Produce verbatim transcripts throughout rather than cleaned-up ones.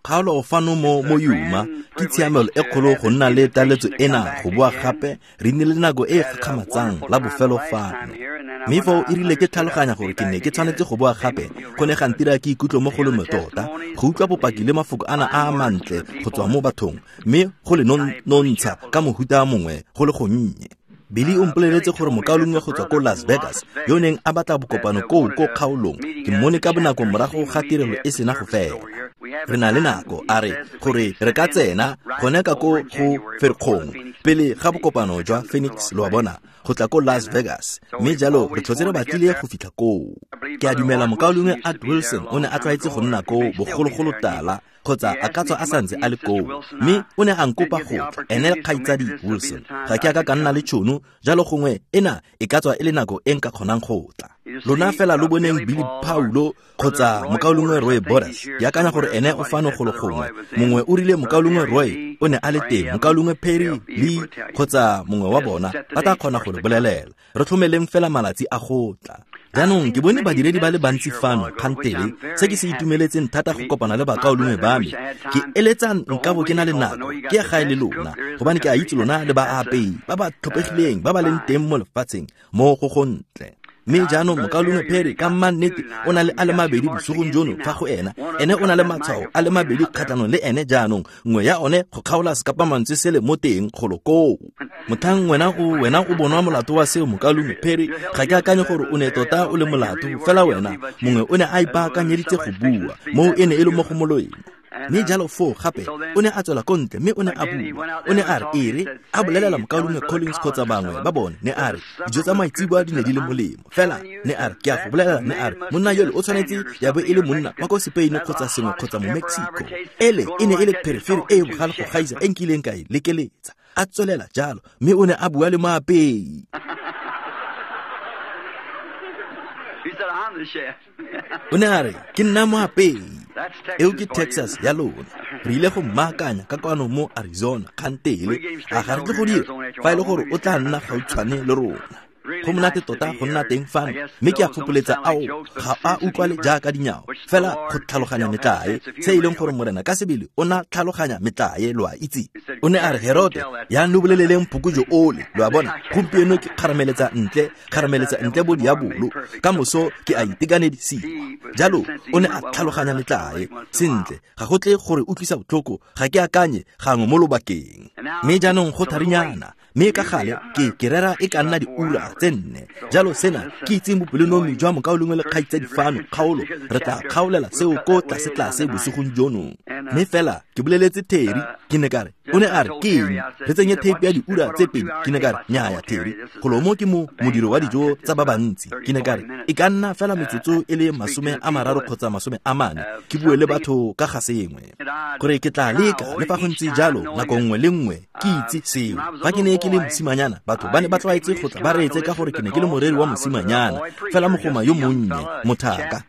Kgaolo fano mo mo Yuma ke tshiamelo e kgolo go nna le taletso ena go boa gape re nnile le nako e e gakgamatsang la bofelo fano. Mme foo e rile ke tlhaloganya gore ke ne ke tshwanetse go boa gape go ne ga ntira ke ikutlwe mo go lome tota go utlwa bopaki le mafoko ana a a mantle go tswa mo bathong mme go le nontsha ka mohuta mongwe go le gonnye. Billy o mpoleletse gore mokaulengwe go tswa ko Las Vegas yo neng a batla bokopano koo ko kgaolong ke mmone ka bonako morago ga tirelo e sena go fela. Re na le nako a re gore re ka tsena gone ka ko go Ferikgong pele ga bokopano jwa Phoenix lo a bona go tla ko Las Vegas mme jalo re tlhotse re batlile go fitlha koo. Ke a dumela mokaulengwe Art Wilson o ne a tlwaetse go nna koo bogologolo tala kgotsa a ka tswa a santse a le koo mme o ne a nkopa go tla ene le kgaitsadi Wilson. Ga ke a ka ka nna le tšhono jalo gongwe ena e ka tswa e le nako e nka kgonang go tla. Lona fela lo boneng Billy Paulo kgotsa mokaulengwe Roy Borders ke akanya gore ene o fano golo gongwe mongwe o rile mokaulengwe Roy o ne a le teng mokaulengwe Perry Lee kgotsa mongwe wa bona ba tla kgona go le bolelela. Re tlhomeleng fela malatsi a go tla. Jaanong ke bone badiredi ba le bantsi fano kgantele se ke se itumeletseng thata go kopana le bakaulengwe ba me. Ke eletsa nka bo ke na le nako ke ya gae le lona gobane ke a itse lona le baapei ba ba tlhophegileng ba ba leng teng mo lefatsheng mo go gontle. Mme jaanong mokaulengwe Perry ka mannete o na le a le mabedi bosigong jono fa go ena ene o na le matshwao a le mabedi kgatlhanong le ene jaanong nngwe ya one go kgaola sekapamantswe sele mo teng golo koo. Motlhang wena o wena o bonwa molato wa seo mokaulengwe Perry ga ke akanye gore o ne tota o le molato fela wena mongwe o ne a ipaakanyeditse go bua moo e ne e le mo go moloeng. Mme jalo foo gape o ne a tswela ko ntle mme o ne a bua o ne a re ere a bolelela mokaulengwe Collins kgotsa bangwe ba bone ne a re dijo tsa maitseboa di ne di le molemo fela ne a re ke a go bolelela ne a re monna yole o tshwanetse ya bo e le monna wa ko Spain kgotsa sengwe kgotsa mo Mexico. Ele e ne e le pherefere e e bogale go gaisa e nkileng ka e lekeletsa. A tswelela jalo mme o ne a bua le moapei. O ne a re ke nna moapei. Eo ke Texas ya lona. Re ile go mmaakanya ka kwano mo Arizona kgantele a ga re tle go dira fa e le gore o tla nna gautshwane le rona. Go monate tota go nna teng fano mme ke a gopoletsa ao ga a utlwale jaaka dinyao fela go tlhaloganya metlae se e leng gore morena ka sebele o na tlhaloganya metlae lo a itse. O ne a re Herote yang lo boleleleng phokojo ole lo a bona gompieno ke kgarameletsa ntle kgarameletsa ntle bo diabolo ka moso ke a itekanedisiwa. Jalo o ne a tlhaloganya metlae sentle ga go tle gore utlwisa botlhoko ga ke akanye gangwe mo lobakeng. Mme jaanong go tharinyana mme ka gale ke ke rera e ka nna diura tse nne jalo sena ke itseng bopelonomi jwa mokaulengwe le kgaitsadi fano kgaolo re tla kgaolela seo ko tlase-tlase bosigong jono. Mme fela ke boleletse Terry ke ne ka re o ne a re ke eng re tsenye tape ya diura tse pedi ke ne ka re nnyaya Terry golo mo ke mo modiro wa dijo tsa ba bantsi ke ne ka re e ka nna fela metsotso e le masome a mararo kgotsa masome a mane ke bue le batho ka ga sengwe gore ke tla leka le fa go ntse jalo nako nngwe le nngwe ke itse seo. Fa ke ne ke le mosimanyana batho ba ne ba tlwaetse go tla ba reetse ka gore ke ne ke le moreri wa mosimanyana fela mogoma yo monnye mothaka.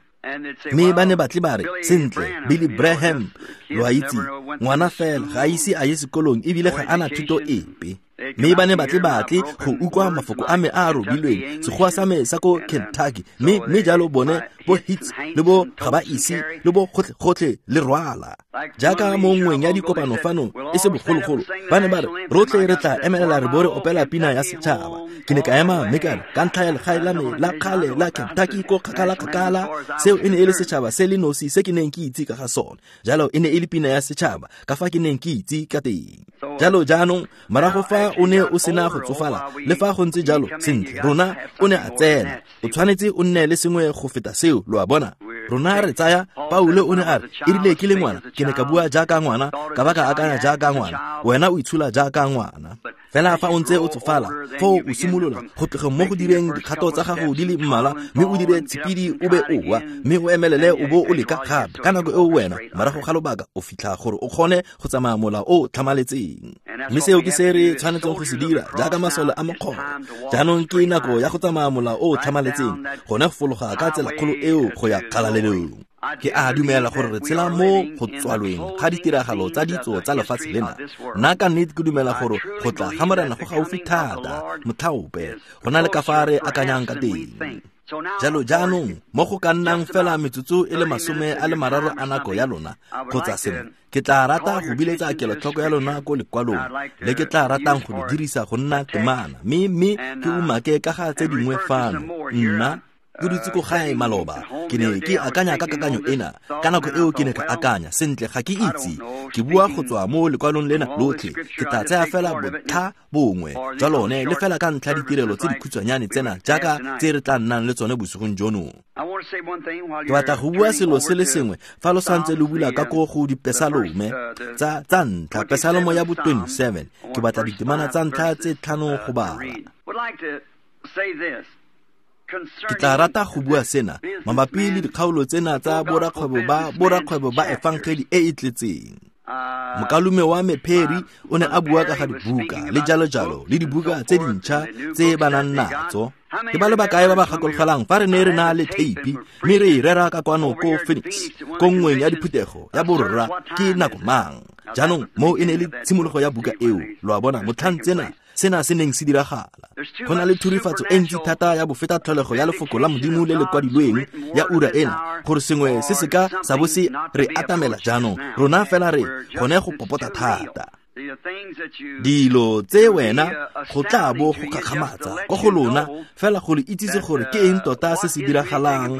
Mme ba ne batle ba re sentle Billy Graham lo a itse ngwana fela ga a ise a ye sekolong ebile ga ana thuto epe. Mme ba ne batle batle go utlwa mafoko a me a a robilweng sekgowa sa me sa ko Kentucky mme mme jalo bone bo hits le bo ga ba ise le bo gotlhe gotlhe le rwala jaaka mo nngweng ya dikopano fano e se bogologolo ba ne ba re rotlhe re tla emelela re bo re opela pina ya setšhaba. Ke ne ka ema mme ka re ka ntlha ya legae la me la kgale la Kentucky ko kgakala-kgakala seo e ne e le setšhaba se le nosi se ke neng ke itse ka ga sone jalo e ne e le pina ya setšhaba ka fa ke neng ke itse ka teng. Jalo jaanong morago fa o ne o sena go tsofala le fa go ntse jalo sentle rona o ne a tsena o tshwanetse o nne le sengwe go feta seo lo a bona. Rona re tsaya Paulo o ne a re e rile ke le ngwana ke ne ka bua jaaka ngwana ka ba ka akanya jaaka ngwana wena o itshola jaaka ngwana. Fela fa o ntse o tsofala foo o simolola go tloga mo go direng dikgato tsa gago di le mmalwa mme o dire tshipidi o be o wa mme o emelele o bo o leka gape ka nako eo wena morago ga lobaka o fitlha gore o kgone go tsamaya mola o tlhamaletseng. Mme seo ke se re tshwanetseng go se dira jaaka masole a mokgoro. Jaanong ke nako ya go tsamaya mola o tlhamaletseng gone go fologa ka tsela kgolo eo go ya kgalalelong. Ke a dumela gore re tshela mo go tswalweng ga ditiragalo tsa ditso tsa lefatshe lena. Nna ka nnete ke dumela gore go tla ga morena go gaufi thata motlhaope go na le ka fa re akanyang ka teng. Jalo jaanong mo go ka nnang fela metsotso e le masome a le mararo a nako ya lona kgotsa sengwe, ke tla rata go biletsa kelotlhoko ya lona ko lekwalong le ke tla ratang go le dirisa go nna temana, mme mme ke umake ka ga tse dingwe fano. Nna ke dutse ko gae maloba, ke ne ke akanya ka kakanyo ena. Ka nako eo ke ne ka akanya, sentle ga ke itse, ke bua go tswa mo lekwalong lena lotlhe, ke tla tsaya fela botlha bongwe jwa lone le fela ka ntlha ditirelo tse dikhutshwanyane tsena jaaka tse re tla nnang le tsone bosigong jono. Ke batla go bua selo se le sengwe fa lo santse lo bula ka ko go dipesalome tsa tsa ntlha, pesalomo ya bo twenty-seven. Ke batla ditemana tsa ntlha tse tlhano go bala. Ke tla rata go bua sena mabapi le dikgaolo tsena tsa borakgwebo ba borakgwebo ba efangeli e e tletseng. Mokalume wa me Perry o ne a bua ka ga dibuka le jalo jalo le dibuka tse dintšha tse ba nang natso. Ke ba le bakae ba ba gakologelang fa re ne re na le theipi mme re e rera ka kwano ko Phoenix ko nngweng ya diphuthego ya borra ke nako mang. Jaanong moo e ne le tshimologo ya buka eo, lo a bona, motlhang tsena sena se neng se diragala. Go na le thurifatso e ntsi thata ya bofeta tlholego ya lefoko la Modimo le le kwadilweng ya ura ena, gore sengwe se se ka sa bo se re atamela jaanong. Rona fela re gone go popota thata. Dilo tse wena go tla bo go gakgamatsa ko go lona fela go le itsise gore ke eng tota se se diragalang.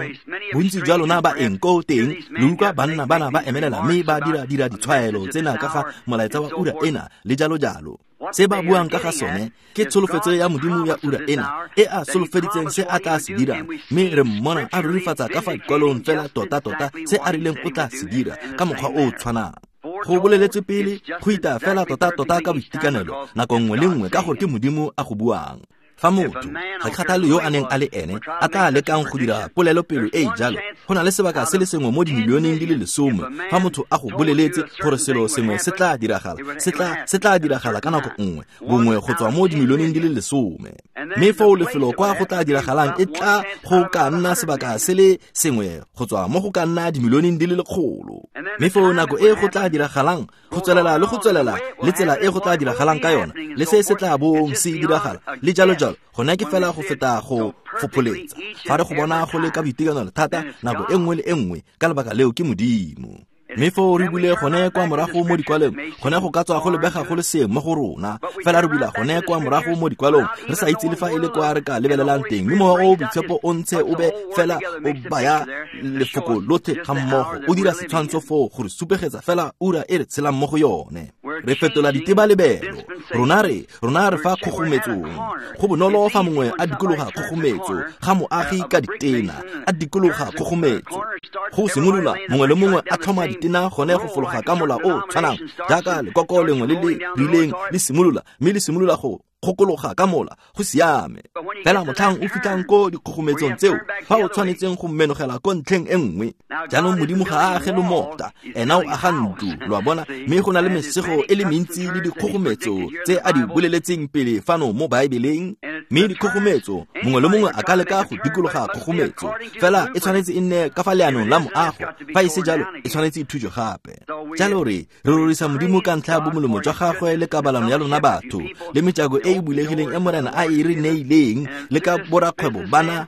Bontsi jwa lona ba eng ko teng le utlwa banna bana ba emelela mme ba dira dira ditshwaelo tsena ka ga molaetsa wa ura ena le jalo jalo. Se ba buang ka ga sone ke tsholofetso ya Modimo ya ura ena e a solofeditseng se a tla se dirang, mme re mmona a rurifatsa ka fa dikwalong fela tota-tota se a rileng o tla se dira ka mokgwa o o tshwanang. Go boleletswe pele go ita fela tota-tota ka boitekanelo nako nngwe le nngwe ka gore ke Modimo a go buang. Fa motho ga kgathale yo a neng a le ene a tla lekang go dira polelopele e e jalo, go na le sebaka se le sengwe mo dimilioneng di le lesome fa motho a go boleletse gore selo sengwe se tla diragala, se tla se tla diragala ka nako nngwe bongwe go tswa mo dimilioneng di le lesome. Mme foo lefelo kwa go tla diragalang e tla go ka nna sebaka se le sengwe go tswa mo go ka nna dimilioneng di le lekgolo. Mme foo nako e go tla diragalang go tswelela le go tswelela le tsela e go tla diragalang ka yona le se se tla bong se diragala le jalo jalo, gone ke fela go feta go fopholetsa. Fa re go bona go le ka boitekanelo thata nako e nngwe le e nngwe, ka lebaka leo ke Modimo. Mme foo re bule gone kwa morago mo dikwalong, gone go ka tswa go lebega go le seeng mo go rona, fela re bula gone kwa morago mo dikwalong re sa itse le fa e le kwa re ka lebelelang teng, mme mowa o boitshepo o ntse o be fela o baya lefoko lotlhe ga mmogo, o dira setshwantsho foo gore supegetsa fela ura e re tshelang mo go yone. Re fetola ditebalebelo rona re rona re fa kgogometsong. Go bonolo fa mongwe a dikologa kgogometso ga moagi ka ditena a dikologa kgogometso go simolola mongwe le mongwe a tlhoma ditena gone go fologa ka mola o tshwanang jaaka lekoko lengwe le le rileng le simolola, mme le simolola go kgokologa ka mola, go siame. Fela motlhang o fitlhang ko dikgogometsong tseo fa o tshwanetseng go menogela ko ntlheng e nngwe. Jaanong Modimo ga a age lomota, ena o aga ntlo, lo a bona, mme go na le mesego e le mentsi le dikgogometso tse a di boleletseng pele fano mo Baebeleng. Mme dikgogometso mongwe le mongwe a ka leka go dikologa kgogometso, fela e tshwanetse e nne ka fa leanong la moago, fa e se jalo e tshwanetse e thujwe gape. Jalo re re rorisa Modimo ka ntlha ya bomolemo jwa gagwe le kabalano ya lona batho le mejako e e bulegileng e Morena a e re neileng le ka borakgwebo bana.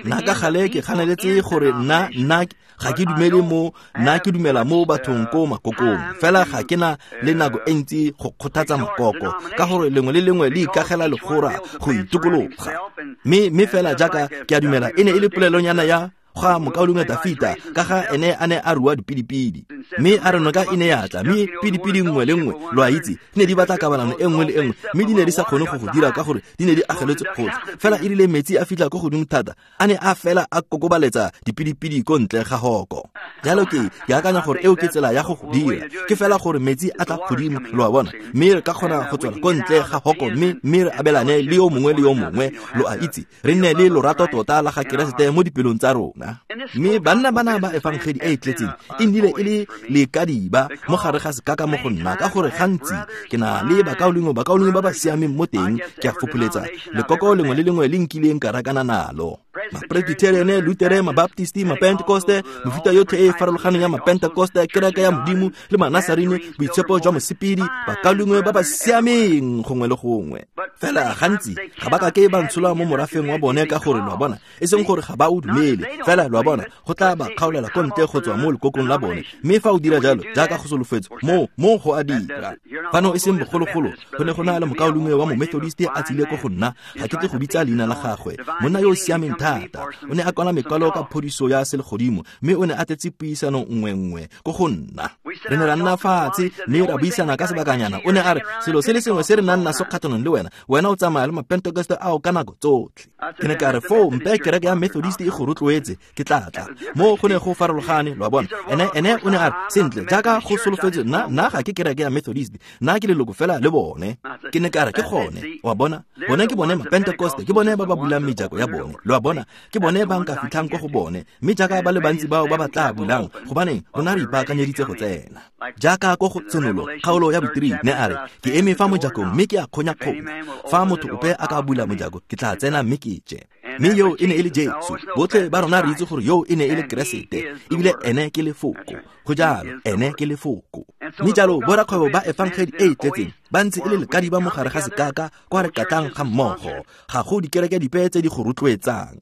Nna ka gale ke kganeletse gore nna nna ga ke dumele mo, nna ke dumela mo bathong ko makokong, fela ga ke na le nako e ntsi go kgothatsa makoko ka gore lengwe le lengwe le ikagela legora go itokologa. Mme mme fela jaaka ke a dumela e ne e le polelonyana ya ga mokaulengwe Dafita ka ga ene a ne a rua dipidipidi, mme a re noka e ne ya tla, mme pidipidi nngwe le nngwe lo a itse di ne di batla kabalano e nngwe le e nngwe, mme di ne di sa kgone go go dira ka gore di ne di ageletswe gotlhe. Fela e rile metsi a fitlha ko godimo thata a ne a fela a kokobaletsa dipidipidi ko ntle ga hoko. Jalo ke ke akanya gore eo ke tsela ya go go dira, ke fela gore metsi a tla godimo, lo a bona, mme re ka kgona go tswela ko ntle ga hoko mme mme re abelane le yo mongwe le yo mongwe, lo a itse, re nne le lorato tota la ga Keresete mo dipelong tsa rona. Mme banna bana ba efangedi e e tletseng e nnile e le lekadiba mo gare ga sekaka mo go nna, ka gore gantsi ke na le bakaulengwe bakaulengwe ba ba siameng mo teng, ke a fopholetsa lekoko lengwe le lengwe le nkileng ka rakana nalo. Mapresbyteriane, Lutere, Mabaptisti, Mapentekoste, mefuta yotlhe e e farologaneng ya Mapentekoste, kereke ya Modimo le Manasarene, boitshepo jwa mosepedi, bakaulengwe ba ba siameng gongwe le gongwe. Fela gantsi ga ba kake ba ntshola mo morafeng wa bone ka gore lo a bona, e seng gore ga ba o dumele, fela lo a bona, go tla ba kgaolela ko ntle go tswa mo lekokong la bone. Mme fa o dira jalo, jaaka go solofetswe, mo mo go a dira. Fano e seng bogologolo, go ne go na le mokaulengwe wa Momethodist a tsile ko go nna, ga ke tle go bitsa leina la gagwe, monna yo o siameng thata. O ne a kwala mekwalo ka phodiso ya selegodimo, mme o ne a tletse puisano nngwe nngwe ko go nna. Re ne ra nna fatshe mme ra buisana ka sebakanyana. O ne a re, selo se le sengwe se re nang naso kgatlhanong le wena, wena o tsamaya le Mapentekoste ao ka nako tsotlhe. Ke ne ka re, foo mpe kereke ya Methodist e go rotloetse, ke tla tla. Mo go ne go farologane, lo a bona. Ene ene o ne a re, sentle, jaaka go solofetswe, nna nna ga ke kereke ya Methodist, nna ke leloko fela le bone. Ke ne ka re, ke gone, wa bona, bone ke bone Mapentekoste, ke bone ba ba bulang mejako ya bone, lo a bona, ke bone ba nka fitlhang ko go bone, mme jaaka ba le bantsi bao ba ba tla bulang, gobaneng rona re ipaakanyeditse go tsena. Jaaka ko go Tshenolo, kgaolo ya botiri, ne a re, ke eme fa mojakong mme ke a kgonya-kgonya. Fa motho ope a ka bula mojako, ke tla tsena mme ke je. Mme yo e ne e le Jesu. Botlhe ba rona re itse gore yo e ne e le Keresete, ebile ene ke lefoko. Go jalo, ene ke lefoko. Mme jalo borakgwebo ba efangedi e e tletseng ba ntse e le lekadi ba mogare ga sekaka kwa re katlang ga mmogo. Ga go dikereke dipe tse di go rotloetsang.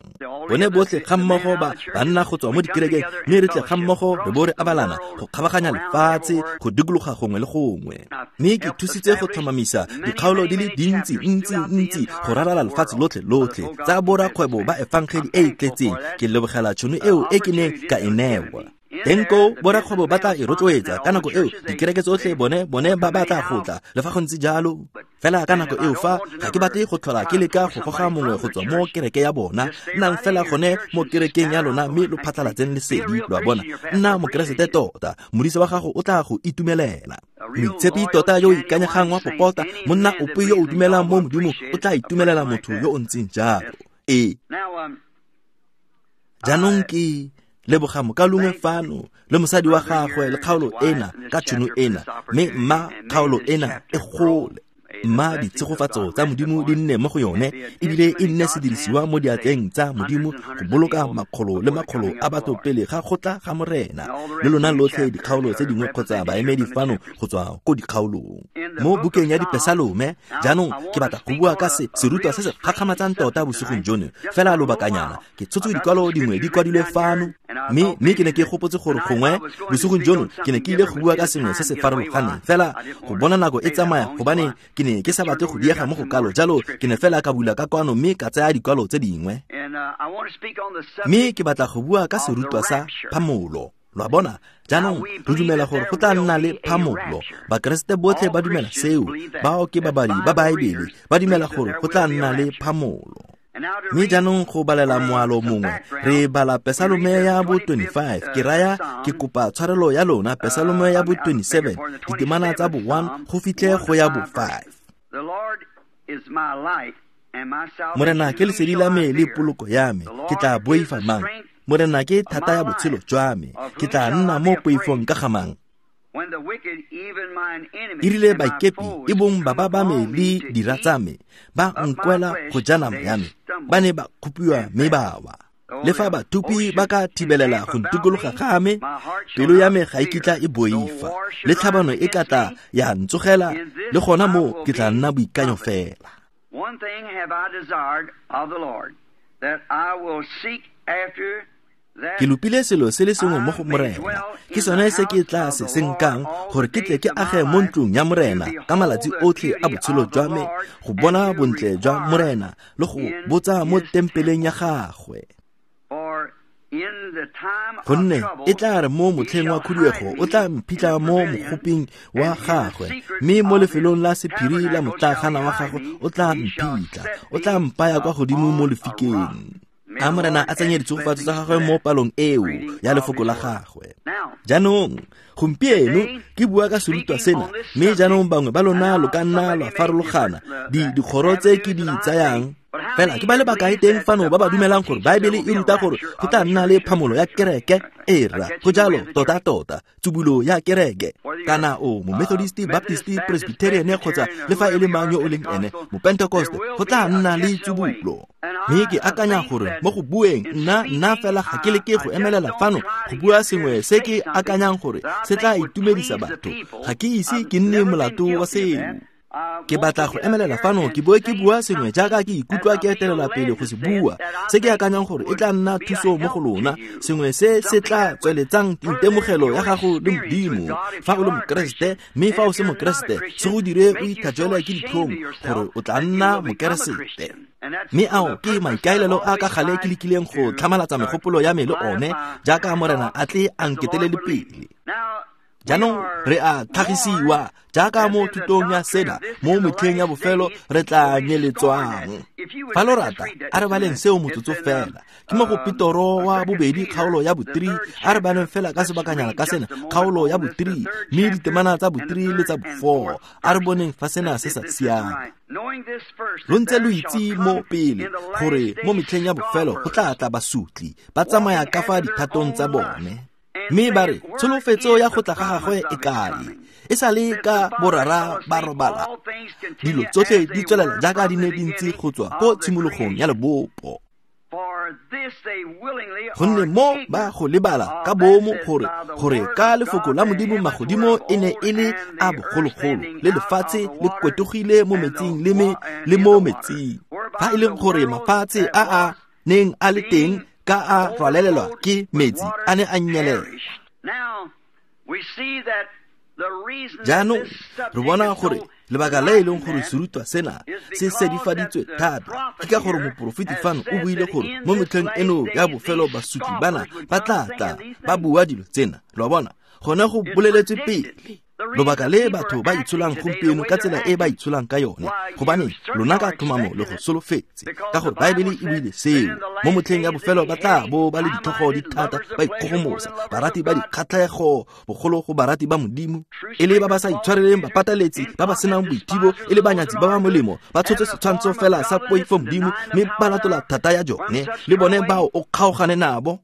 Bone botlhe ga mmogo ba banna go tswa mo dikerekeng, mme re tle ga mmogo re bo re abalana go kgabaganya lefatshe, go dikologa gongwe le gongwe. Mme ke thusitse go tlhomamisa dikgaolo di le dintsi ntsi ntsi go ralala lefatshe lotlhe lotlhe tsa borakgwebo ba efangedi e e tletseng. Ke lebogela tšhono eo e ke neng ka e newa. Teng koo borakgwebo ba tla e rotloetsa ka nako eo, dikereke tsotlhe bone bone ba batla go tla, le fa go ntse jalo. Fela ka nako eo fa ga ke batle go tlhola ke leka go goga mongwe go tswa mo kereke ya bona, nnang fela gone mo kerekeng ya lona mme lo phatlhalatseng lesedi, lo a bona. Nna Mokeresete tota, modisa wa gago o tla go itumelela. Moitshepi tota yo o ikanyegang wa popota, monna ope yo o dumelang mo Modimong o tla itumelela motho yo o ntseng jalo. Ee. Jaanong ke leboga mokaulengwe fano le mosadi wa gagwe le kgaolo ena ka tšhono ena, mme mma kgaolo ena e gole. Mma ditshegofatso tsa Modimo di nne mo go yone, ebile e nne sedirisiwa mo diatleng tsa Modimo go boloka makgolo le makgolo a batho pele ga go tla ga Morena. Le lona lotlhe dikgaolo tse dingwe kgotsa baemedi fano go tswa ko dikgaolong. Mo bukeng ya Dipesalome, jaanong ke batla go bua ka se serutwa se se gakgamatsang tota bosigong jono, fela lobakanyana. Ke tshotse dikwalo dingwe di kwadilwe fano, mme mme ke ne ke gopotse gore gongwe bosigong jono ke ne ke ile go bua ka sengwe se se farologaneng, fela go bona nako e tsamaya gobane ke ne ke sa batle go diega mo go kalo, jalo ke ne fela ka bula ka kwano mme ka tsaya dikwalo tse dingwe. Mme ke batla go bua ka serutwa sa phamolo. Lo a bona, jaanong re dumela gore go tla nna le phamolo. Bakeresete botlhe ba dumela seo, bao ke babadi ba Baebele ba dumela gore go tla nna le phamolo. Mme jaanong go balela moalo mongwe, re bala Pesalome ya bo twenty-five, ke raya ke kopa tshwarelo ya lona, Pesalome ya bo twenty-seven, ditemana tsa bo one go fitlhe go ya bo five. Morena ke lesedi la me le poloko ya me, ke tla boifa mang? Morena ke thata ya botshelo jwa me, ke tla nna mo poifong ka ga mang? E rile baikepi e bong baba ba me le dira tsa me ba nkwela go ja nama ya me, ba ne ba kgopiwa mme ba wa. Le fa bathupi ba ka thibelela go ntikologa ga me, pelo ya me ga e kitla e boifa, le tlhabano e ka tla ya ntsogela, le gona mo ke tla nna boikanyo fela. One thing have I desired of the Lord, that I will seek after. Ke lopile selo se le sengwe mo go Morena, ke sone se ke tla se senkang, gore ke tle ke age mo ntlong ya Morena ka malatsi otlhe a botshelo jwa me, go bona bontle jwa Morena le go botsa mo tempeleng ya gagwe. Gonne e tla re mo motlheng wa khuduego o tla mphitlha mo mogoping wa gagwe, mme mo lefelong la sephiri la motlagana wa gagwe o tla mphitlha, o tla mpaya kwa godimo mo lefikeng. A Morena a tsenye ditshegofatso tsa gagwe mo palong eo ya lefoko la gagwe. Jaanong gompieno ke bua ka serutwa sena, mme jaanong bangwe ba lona lo ka nna lwa farologana di dikgoro tse ke di tsayang. Fela ke ba le bakae teng fano ba ba dumelang gore Baebele e ruta gore go tla nna le phamolo ya kereke? Ee rra, go jalo tota tota, tsubulo ya kereke. Kana o Momethodist, Baptist, Presbyterian kgotsa le fa e le mang yo o leng ene, Mopentekoste, go tla nna le tsubulo. Mme ke akanya gore mo go bueng nna nna fela ga ke leke go emelela fano go bua sengwe se ke akanyang gore se tla itumedisa batho. Ga ke ise ke nne molato wa seo. Ke batla go emelela fano ke boe ke bua sengwe jaaka ke ikutlwa ke etelela pele go se bua, se ke akanyang gore e tla nna thuso mo go lona, sengwe se se tla tsweletsang itemogelo ya gago le Modimo. Fa o le Mokeresete, mme fa o se Mokeresete, se go dire o itlhajwele ke ditlhong gore o tla nna Mokeresete. Mme ao ke maikaelelo a ka gale ke lekileng go tlhamalatsa megopolo ya me le one jaaka Morena a tle a nketelele pele. Jaanong re a tlhagisiwa jaaka mo thutong ya sena mo metlheng ya bofelo re tla nyeletswang. Fa lo rata, a re baleng seo motsotso fela. Ke mo go Petoro wa bobedi kgaolo ya bo three, a re baleng fela ka sebakanyana ka sena kgaolo ya bo three, mme ditemana tsa bo three le tsa bo four. A re boneng fa sena se sa siama. Lo ntse lo itse mo pele gore mo metlheng ya bofelo go tla tla basutli ba tsamaya ka fa dithatong tsa bone. Mme ba re tsholofetso ya go tla ga gagwe e kae? E sa le ka borara ba robala. Dilo tsotlhe di tswelela jaaka di ne di ntse go tswa ko tshimologong ya lebopo. Gonne mo ba go lebala ka bomo gore gore ka lefoko la Modimo magodimo e ne e le a bogologolo, le lefatshe le kwetogile mo metsing le me le mo metsing. Fa e leng gore mafatshe a a neng a le teng ka a rwalelelwa ke metsi a ne a nyelela. Jaanong re bona gore lebaka le e leng gore serutwa sena se sedifaditswe thata ke ka gore moporofeti fano o buile gore mo metlheng eno ya bofelo basutli bana ba tla tla ba bua dilo tsena. Lo a bona, gone go boleletswe pele. Lobaka le batho ba itsholang gompieno ka tsela e ba itsholang ka yone, gobane lona ka tlhomamo le go solofetse, ka gore Baebele e buile seo. Mo motlheng ya bofelo ba tla bo ba le ditlhogo di thata, ba ikgogomosa, barati ba dikgatlhego bogolo go barati ba Modimo, e le ba ba sa itshwareleng bapataletsi, ba ba senang boithibo, e le banyatsi ba ba molemo, ba tshotse setshwantsho fela sa poifo Modimo, mme ba latola thata ya jone. Le bone bao o kgaogane nabo.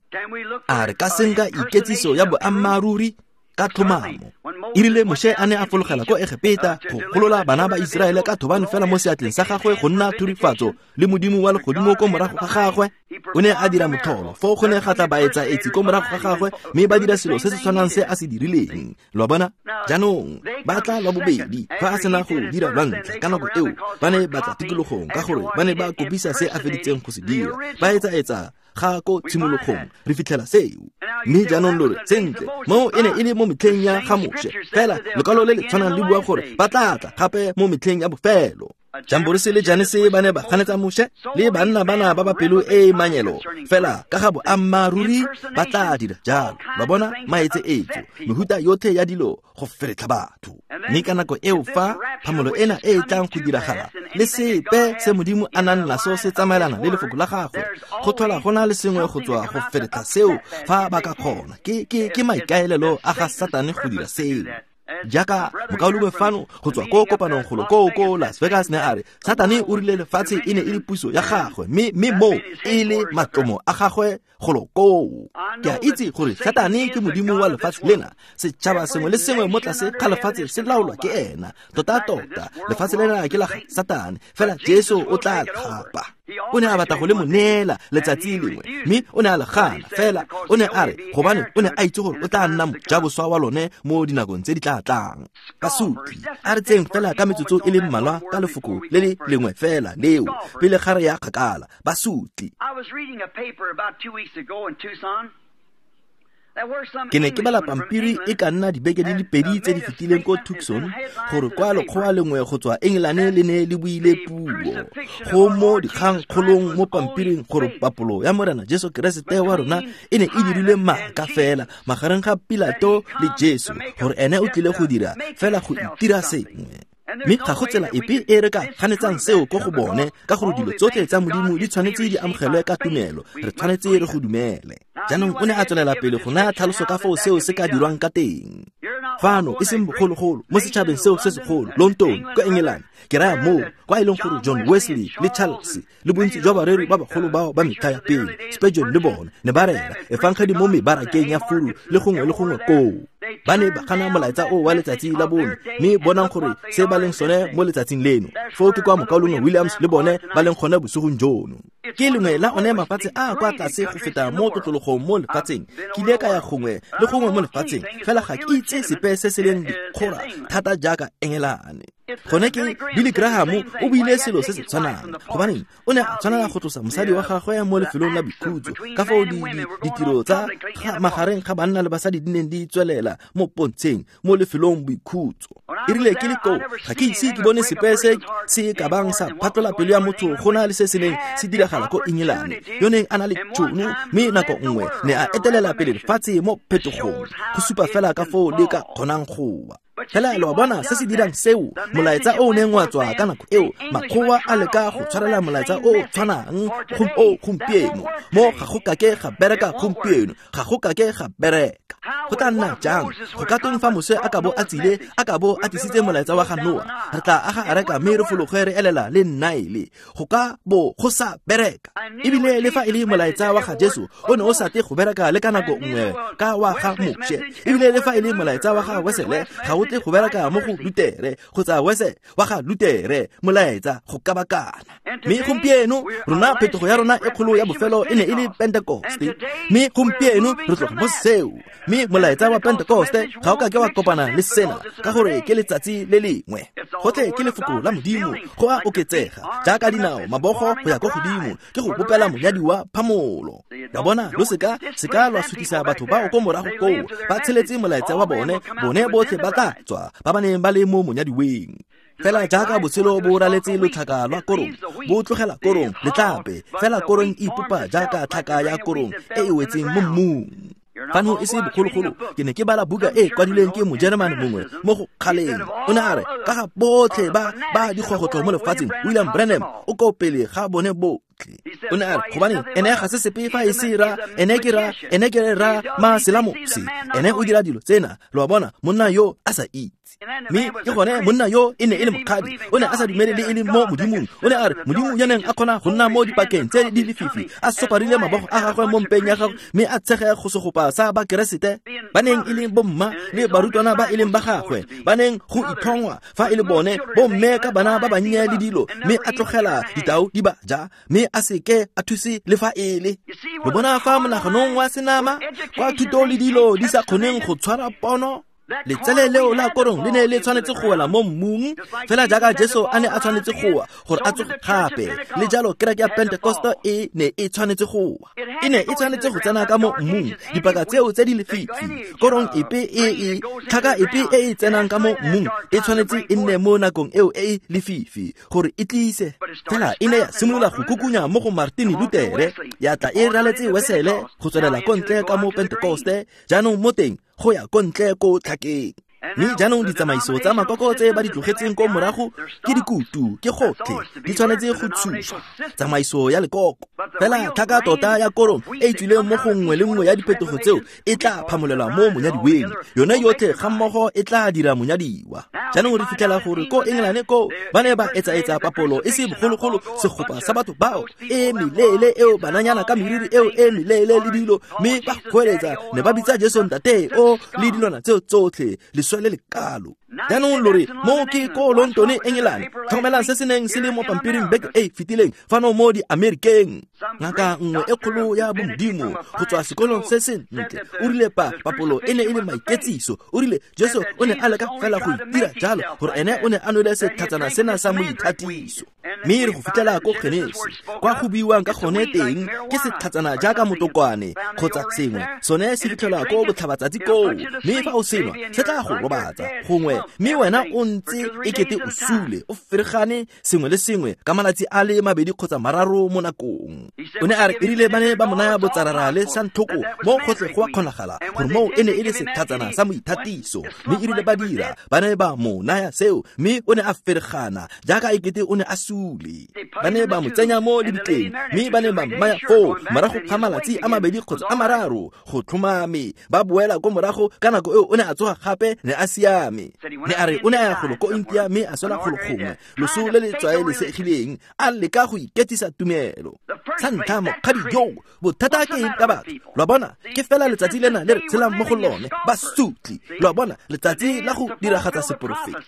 A re ka senka iketsiso ya boammaaruri ka tlhomamo? E rile Moshe a ne a fologela ko Egepeta go golola bana ba Iseraele ka thobane fela mo seatleng sa gagwe go nna thurifatso le Modimo wa legodimo ko morago ga gagwe, o ne a dira motlholo. Foo go ne ga tla baetsaetsi ko morago ga gagwe, mme ba dira selo se se tshwanang se a se dirileng. Lo a bona? Jaanong ba tla lwa bobedi fa a sena go dira lwa ntlha. Ka nako eo ba ne ba tla tikologong ka gore ba ne ba kopisa se a feditseng go se dira. Ba etsaetsa ga ko tshimologong, re fitlhela seo. Mme jaanong lo re, sentle, moo e ne e le mo metlheng ya ga Moshe, fela lekwalo le le tshwanang le bua gore ba tla tla gape mo metlheng ya bofelo. Jamborese le Janese ba ne ba ganetsa Moshe le banna bana ba ba pelo e e manyelo, fela ka ga boammaaruri ba tla dira jalo. Ba bona maetse etso, mehuta yotlhe ya dilo go feretlha batho. Mme ka nako eo fa phamolo ena e e tlang go diragala, le sepe se Modimo a nang naso se tsamaelana le lefoko la gagwe, go tlhola go na le sengwe go tswa go feretlha seo fa ba ka kgona. Ke ke ke maikaelelo a ga Satane go dira seo. Jaaka mokaulengwe fano go tswa ko kopanong golo koo ko Las Vegas ne a re Satane o rile lefatshe e ne e le puso ya gagwe, mme mme moo e le matlomo a gagwe golo koo. Ke a itse gore Satane ke modimo wa lefatshe lena. Setšhaba sengwe le sengwe mo tlase ga lefatshe se laolwa ke ena. Tota-tota lefatshe lena ke la ga Satane, fela Jesu o tla tlhapa. O ne a batla go le mo neela letsatsi lengwe, mme o ne a le gana. Fela o ne a re gobane o ne a itse gore o tla nna mojaboswa wa lone mo dinakong tse di tla tlang. Basutli, a re tseng fela ka metsotso e le mmalwa ka lefoko le le lengwe fela leo pele ga re ya kgakala. Basutli. Ke ne ke bala pampiri e ka nna dibeke di le pedi tse di fetileng ko Tucson gore kwa lekgowa lengwe go tswa Engelane le ne le buile puo go mo dikgangkgolong mo pampiring gore papolo ya Morena Jesu Keresete wa rona e ne e dirilwe maaka fela magareng ga Pilato le Jesu, gore ene o tlile go dira fela go itira sengwe. Mme ga go tsela epe e re ka ganetsang seo ko go bone, ka gore dilo tsotlhe tsa Modimo di tshwanetse di amogelwe ka tumelo. Re tshwanetse re go dumele. Jaanong o ne a tswelela pele go naya tlhaloso ka foo seo se ka dirwang ka teng. Fano e seng bogologolo mo setšhabeng seo se segolo, London kwa England, ke raya moo kwa e leng gore John Wesley le Charles le bontsi jwa bareri ba bagolo bao ba metlha ya pele, Spurgeon le bone, ne ba rera efangedi mo mebarakeng ya furu le gongwe le gongwe koo. Ba ne ba gana molaetsa o wa letsatsi la bone, mme bonang gore se ba leng sone mo letsatsing leno. Foo ke kwa mokaulengwe Williams le bone ba leng gone bosigong jono. Ke lengwe la one mafatshe a a kwa tlase go feta mo tlotlologong mo lefatsheng. Ke ile ka ya gongwe le gongwe mo lefatsheng, fela ga ke itse sepe se se leng dikgora thata jaaka Engelane. Gone ke Billy Graham o buile selo se se tshwanang, gobaneng o ne a tshwanela go tlosa mosadi wa gagwe mo lefelong la boikhutso ka fao ditiro tsa magareng ga banna le basadi di neng di tswelela mo pontsheng mo lefelong boikhutso. E rile ke le koo, ga ke ise ke bone sepe se se ka bang sa phatlola pelo ya motho go na le se se neng se diragala ko Engelane. Yo neng a na le tšhono mme nako nngwe ne a etelela pele lefatshe mo phetogong, go supa fela ka foo le ka kgonang go wa. Fela lo a bona se se dirang seo, molaetsa o o neng wa tswa ka nako eo, makgowa a leka go tshwarela molaetsa o o tshwanang o gompieno. Mo ga go kake ga bereka gompieno, ga go kake ga bereka. Go tla nna jang? Go ka tweng fa Moshe a ka bo a tsile, a ka bo a tlisitse molaetsa wa ga Noa, re tla aga areka mme re fologe re elela le Nile. Go ka bo go sa bereka. Ebile le fa e le molaetsa wa ga Jesu o ne o sa tle go bereka le ka nako nngwe ka wa ga Moshe. Ebile le fa e le molaetsa wa ga Wesele ga o tle go bereka mo go Lutere kgotsa Wese wa ga Lutere, molaetsa go kabakana. Mme gompieno rona phetogo ya rona e kgolo ya bofelo e ne e le Pentekoste, mme gompieno re tloga mo seo. Mme molaetsa wa Pentekoste ga o ka ke wa kopana le sena, ka gore ke letsatsi le lengwe. Gotlhe ke lefoko la Modimo, go a oketsega jaaka dinao mabogo go ya ko godimo, ke go bopela monyadi wa phamolo. Ya bona, lo seka seka lwa sutisa batho bao ko morago koo, ba tsheletse molaetsa wa bone, bone botlhe ba tla tswa ba ba neng ba le mo monyadiweng. Fela jaaka botshelo bo raletse lotlhaka lwa korong, bo tlogela korong letlape, fela korong e ipopa jaaka tlhaka ya korong e e wetseng mo mmung. Fano e se bogologolo, ke ne ke bala buka e kwadilweng ke Mojeremane mongwe mo go kgaleng. O ne a re ka ga botlhe ba ba dikgogotlo mo lefatsheng, William Branham o ko pele ga bone botlhe. O ne a re gobaneng ene ga se sepe fa e se ra, ene ke ra, ene ke ra maselamose, ene o dira dilo tsena. Lo a bona, monna yo a sa itse. Mme ke gone monna yo e ne e le mokgadi, o ne a sa dumele le e le mo Modimong. O ne a re Modimo yo neng a kgona go nna mo dipakeng tse di lefifi, a soparile mabogo a gagwe mo mpeng ya gagwe, mme a tshege go segopa sa Bakeresete ba neng e leng bomma le barutwana ba e leng ba gagwe, ba neng go itlhongwa fa e le bone bomme ka bana ba bannye le dilo, mme a tlogela ditau di ba ja, mme a seke a thuse le fa e le. Lo bona fa monaganong wa senama kwa thuto le dilo di sa kgoneng go tshwara pono. Letsele leo la korong le ne le tshwanetse go wela mo mmung, fela jaaka Jesu a ne a tshwanetse go wa gore a tsoge gape. Le jalo kereke ya Pentekoste e ne e tshwanetse go wa, e ne e tshwanetse go tsena ka mo mmung dipaka tseo tse di lefifi. Korong epe e e tlhaka epe e e tsenang ka mo mmung e tshwanetse e nne mo nakong eo e e lefifi gore e tlise. Fela e ne ya simolola go kukunya mo go Martin Lutere, ya tla e raletse Wesele go tswelela ko ntle ka mo Pentekoste, jaanong mo teng go ya ko ntle ko tlhakeng. Mme jaanong ditsamaiso tsa makoko tse ba di tlogetseng ko morago ke dikutu, ke gotlhe, di tshwanetse go tshuswa. Tsamaiso ya lekoko. Fela tlhaka tota ya korong e e tswileng mo go nngwe le nngwe ya diphetogo tseo e tla phamolelwa mo monyadiweng. Yone yotlhe ga mmogo e tla dira monyadiwa. Jaanong re fitlhela gore ko Engelane ko ba ne ba etsaetsa papolo e se bogologolo, segopa sa batho bao e meleele eo bananyana ka meriri eo e meleele le dilo, mme ba goeletsa ne ba bitsa Jesu ntate o le dilwana tseo tsotlhe, leswe le lekalo. Jaanong lo re mo ke ko London Engelane. Tlhokomelang se se neng se le mo pampiring beke e fetileng fano mo di-Amerikeng. Ngaka nngwe e kgolo ya bomodimo go tswa sekolong se se ntle o rile pa papolo e ne e le maiketsiso. O rile Jesu o ne a leka fela go itira jalo gore ene o ne a nwele setlhatsana sena sa moithatiso. Mme re go fitlhela ko Genesi kwa go buiwang ka gone teng ke setlhatsana jaaka motokwane kgotsa sengwe, sone se fitlhelwa ko botlhabatsatsi koo, mme fa o senwa se tla go robatsa gongwe, mme wena o ntse ekete o sule o feregane sengwe le sengwe ka malatsi a le mabedi kgotsa mararo mo nakong. O ne a re erile ba ne ba mo naya botsarara le santlhoko mo gotlhe go a kgonagala gore moo e ne e le setlhatsana sa moithatiso, mme erile ba dira ba ne ba mo naya seo, mme o ne a feregana jaaka ekete o ne a sule. Ba ne ba mo tsenya mo lebitleng, mme ba ne ba mmaya foo morago ga malatsi a mabedi kgotsa a mararo go tlhomame. Ba boela ko morago ka nako eo o ne a tsoga gape, ne a siame. Ne a re o ne a ya golo ko India mme a swela golo gongwe loso le le tlwaelesegileng, a leka go iketisa tumelo. Sa ntlha mokgadi yoo, bothata ke eng ka batho? Lo a bona, ke fela letsatsi lena le re tshelang mo go lone, basotli. Lo a bona, letsatsi la go diragatsa seporofeto.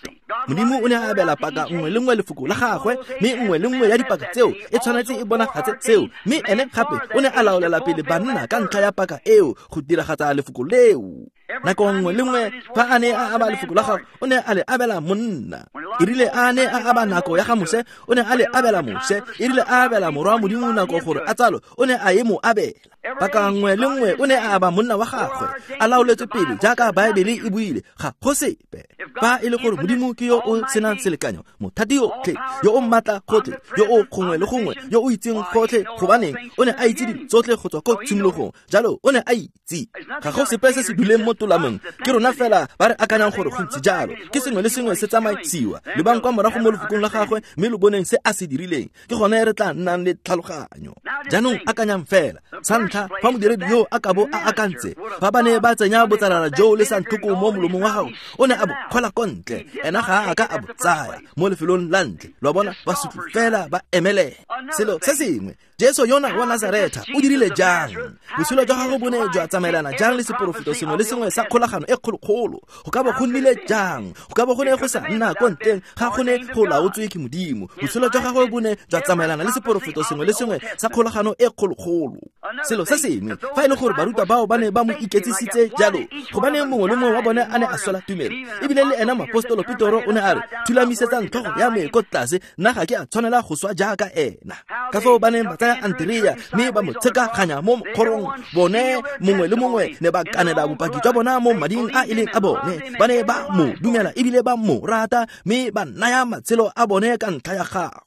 Modimo o ne a abela paka nngwe le nngwe lefoko la gagwe, mme nngwe le nngwe ya dipaka tseo e tshwanetse e bonagatse seo. Mme ene gape o ne a laolela pele banna ka ntlha ya paka eo go diragatsa lefoko leo. Nako nngwe le nngwe fa a ne a aba lefoko la gagwe, o ne a le abela monna. E rile a ne a aba nako ya ga Moshe, o ne a le abela Moshe. E rile a abela morwa Modimo nako gore a tsalo, o ne a e mo abela. Paka nngwe le nngwe o ne a aba monna wa gagwe, a laoletswe pele jaaka Baebele e buile, ga go sepe. Fa e le gore Modimo ke yo o senang selekanyo, mothati yotlhe, yo o maatla gotlhe, yo o gongwe le gongwe, yo o itseng gotlhe, gobaneng o ne a itse dilo tsotlhe go tswa ko tshimologong, jalo o ne a itse. Ga go sepe se se duleng mo tolamong, ke rona fela ba re akanyang gore go ntse jalo. Ke sengwe le sengwe se tsamaisiwa. Lebang kwa morago mo lefokong la gagwe, mme lo boneng se a se dirileng. Ke gone re tla nnang le tlhaloganyo. Jaanong akanyang fela, sa ntlha fa modiredi yo a ka bo a akantse, fa ba ne ba tsenya botsalala joo le santlhoko mo molomong wa gago, o ne a bo kgwela ko ntle. Ena ga a ka a bo tsaya mo lefelong la ntle. Lo a bona, basotli fela ba emelela. Selo se sengwe, Jesu yona wa Nazaretha o dirile jang? Botshelo jwa gagwe bo ne jwa tsamaelana jang le seporofeto sengwe le sengwe sa kgolagano e kgolokgolo? Go ka bo go nnile jang? Go ka bo go ne go sa nna ko ntleng ga go ne go laotswe ke Modimo. Botshelo jwa gagwe bo ne jwa tsamaelana le seporofeto sengwe le sengwe sa kgolagano e kgolokgolo. Selo se sengwe, fa e le gore barutwa bao ba ne ba mo iketsisitse jalo, gobaneng mongwe le mongwe wa bone a ne a swela tumelo? Ebile le ena moapostolo Petoro o ne a re, thulamisetsang tlhogo ya me ko tlase, nna ga ke a tshwanela go swa jaaka ena. Ka foo ba neng ba tsaya Andrea mme ba mo tshekaganya mo mokgorong, bone mongwe le mongwe ne ba kanela bopaki jwa bona mo mading a e leng a bone. Ba ne ba mo dumela ebile ba mo rata, mme ba naya matshelo a bone ka ntlha ya gagwe.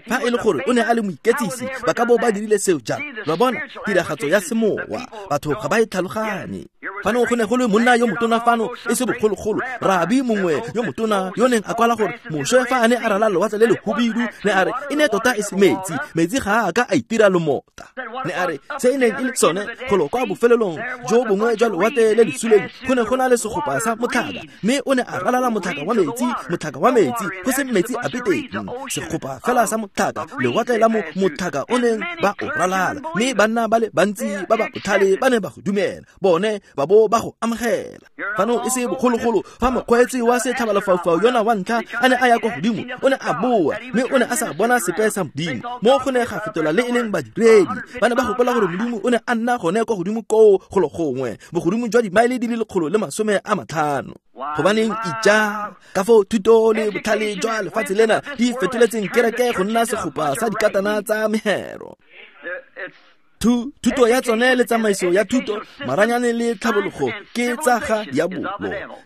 Fa e le gore o ne a le moiketsisi, ba ka bo ba dirile seo jang? Lo a bona, tiragatso ya semowa, batho ga ba e tlhaloganye. Fano go ne go le monna yo motona fano e se bogologolo, rabi mongwe yo motona yo neng a kwala gore Moshe fa a ne a rala lewatle le lehubidu, ne a re e ne tota e se metsi, metsi ga a ka a itira lomota. Ne a re se e neng e le sone golo kwa bofelelong jo bongwe jwa lewatle le le suleng, go ne go na le segopa sa motlhaka, mme o ne a ralala motlhaka wa metsi, motlhaka wa metsi, go se metsi ape teng, segopa fela sa motlhaka, lewatle la mo motlhaka o neng ba o ralala. Mme banna ba le bantsi ba ba botlhale ba ne ba go dumela, bone ba bo ba go amogela. Fano e se bogologolo fa mokgweetsi wa setlhabalefaufau yona wa ntlha a ne a ya kwa godimo, o ne a boa, mme o ne a sa bona sepe sa Modimo. Mo go ne ga fetola le e leng badiredi, ba ne ba gopola gore Modimo o ne a nna gone kwa godimo koo golo gongwe, bogodimo jwa dimaele di le lekgolo le masome a matlhano. Gobaneng ija ka foo thuto le botlhale jwa lefatshe lena di fetoletseng kereke go nna segopa sa dikatana tsa mehero. Thuto ya tsone le tsamaiso ya thuto, maranyane le tlhabologo ke tsa ga diabolo.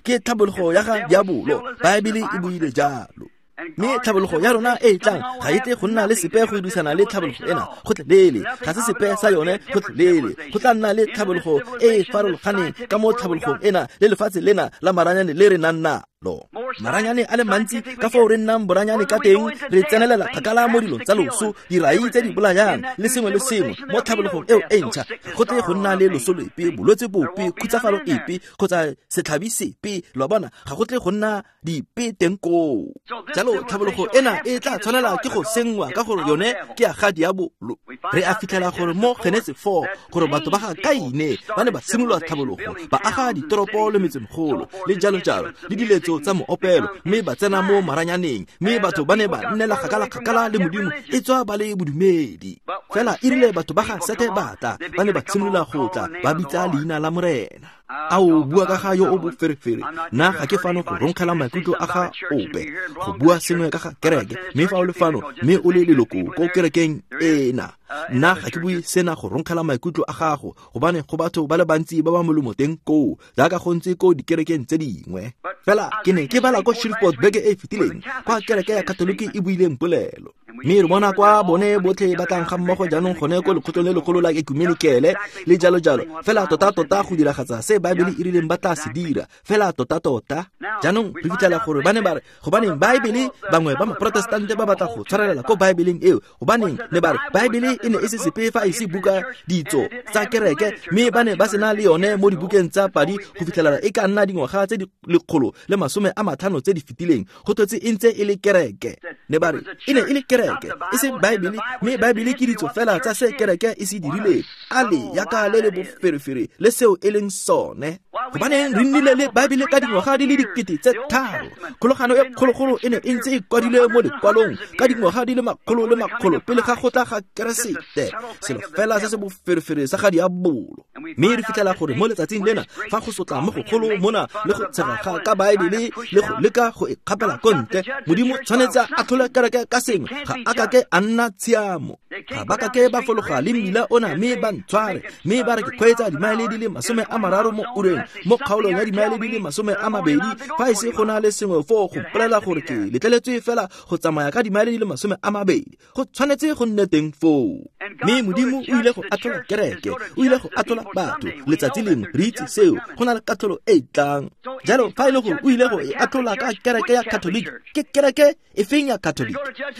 Ke tlhabologo ya ga diabolo, Baebele e buile jalo. Mme tlhabologo ya rona e e tlang ga e tle go nna le sepe go dirisana le tlhabologo ena gotlhelele, ga se sepe sa yone gotlhelele. Go tla nna le tlhabologo e e farologaneng ka mo tlhabologong ena le lefatshe lena la maranyane le re nang nalo. Maranyane a le mantsi ka foo re nnang boranyane ka teng, re tsenelela kgakala mo dilong tsa loso, dirai tse di bolayang le sengwe le sengwe. Mo tlhabologong eo e ntšha go tle go nna le loso lepe, bolwetse bope, khutsafalo epe kgotsa setlhabi sepe. Lo a bona, ga go tle go nna dipe teng koo. Jalo tlhabologo ena e tla tshwanela ke go senngwa ka gore yone ke ya ga diabolo. Re a fitlhela gore mo Genese four gore batho ba ga Kaine ba ne ba simolola tlhabologo, ba aga ditoropo le metsemegolo le jalo jalo le diletso tsa moopelo, mme ba tsena mo maranyaneng, mme batho ba ne ba nnela kgakala-kgakala le Modimo e tswa ba le bodumedi. Fela e rile batho ba ga Sete ba tla, ba ne ba simolola go tla ba bitsa leina la Morena. A o bua ka ga yo o boferefere? Nna ga ke fano go ronkgela maikutlo a ga ope, go bua sengwe ka ga kereke, mme fa o le fano mme o le leloko ko kerekeng ena, nna ga ke bue sena go ronkgela maikutlo a gago, gobane go batho ba le bantsi ba ba molemo teng koo, jaaka go ntse ko dikerekeng tse dingwe. Fela ke ne ke bala ko Shreveport beke e e fetileng, kwa kereke ya Katoliki e buileng polelo. Mme re bona kwa bone botlhe ba tlang ga mmogo jaanong gone ko lekgotlong le legolo la ekumenikele le jalo jalo. Fela tota-tota go diragatsa se Baebele e rileng ba tla se dira, fela tota-tota. Jaanong re fitlhela gore ba ne ba re, gobaneng Baebele, bangwe ba maprotestante ba batla go tshwarelela ko Baebeleng eo, gobaneng ne ba re Baebele e ne e se sepe fa e se buka ditso tsa kereke, mme ba ne ba sena le yone mo dibukeng tsa padi go fitlhelela e ka nna dingwaga tse di lekgolo le masome a matlhano tse di fetileng, go tlotse e ntse e le kereke. Ne ba re e ne e le kereke kereke, e seng Baebele, mme Baebele ke ditso fela tsa se kereke e se dirileng. A le yaka le le boferefere le seo e leng sone. Gobaneng re nnile le Baebele ka dingwaga di le dikete tse tharo. Kgolagano e kgologolo e ne e ntse e kwadilwe mo lekwalong ka dingwaga di le makgolo le makgolo pele ga go tla ga Keresete. Selo fela se se boferefere sa ga diabolo. Mme re fitlhela gore mo letsatsing lena fa go sotla mo gogolo mona le go tshega ga ka Baebele le go leka go e kgapela ko ntle, Modimo tshwanetse a atlhole kereke ka sengwe, ga a kake a nna tshiamo. Ga ba kake ba fologa le mmila ona mme ba ntshware, mme ba re ke kgweetsa dimaele di le masome a mararo mo ureng mo kgaolong ya dimaele di le masome a mabedi, fa e se go na le sengwe foo go mpolelela gore ke letleletswe fela go tsamaya ka dimaele di le masome a mabedi. Go tshwanetse go nne teng foo. Mme Modimo o ile go atlhola kereke, o ile go atlhola batho letsatsi lengwe, re itse seo, go na le katlholo e e tlang. Jalo fa e le gore o ile go e atlhola ka kereke ya Catholic, ke kereke e feng ya Catholic?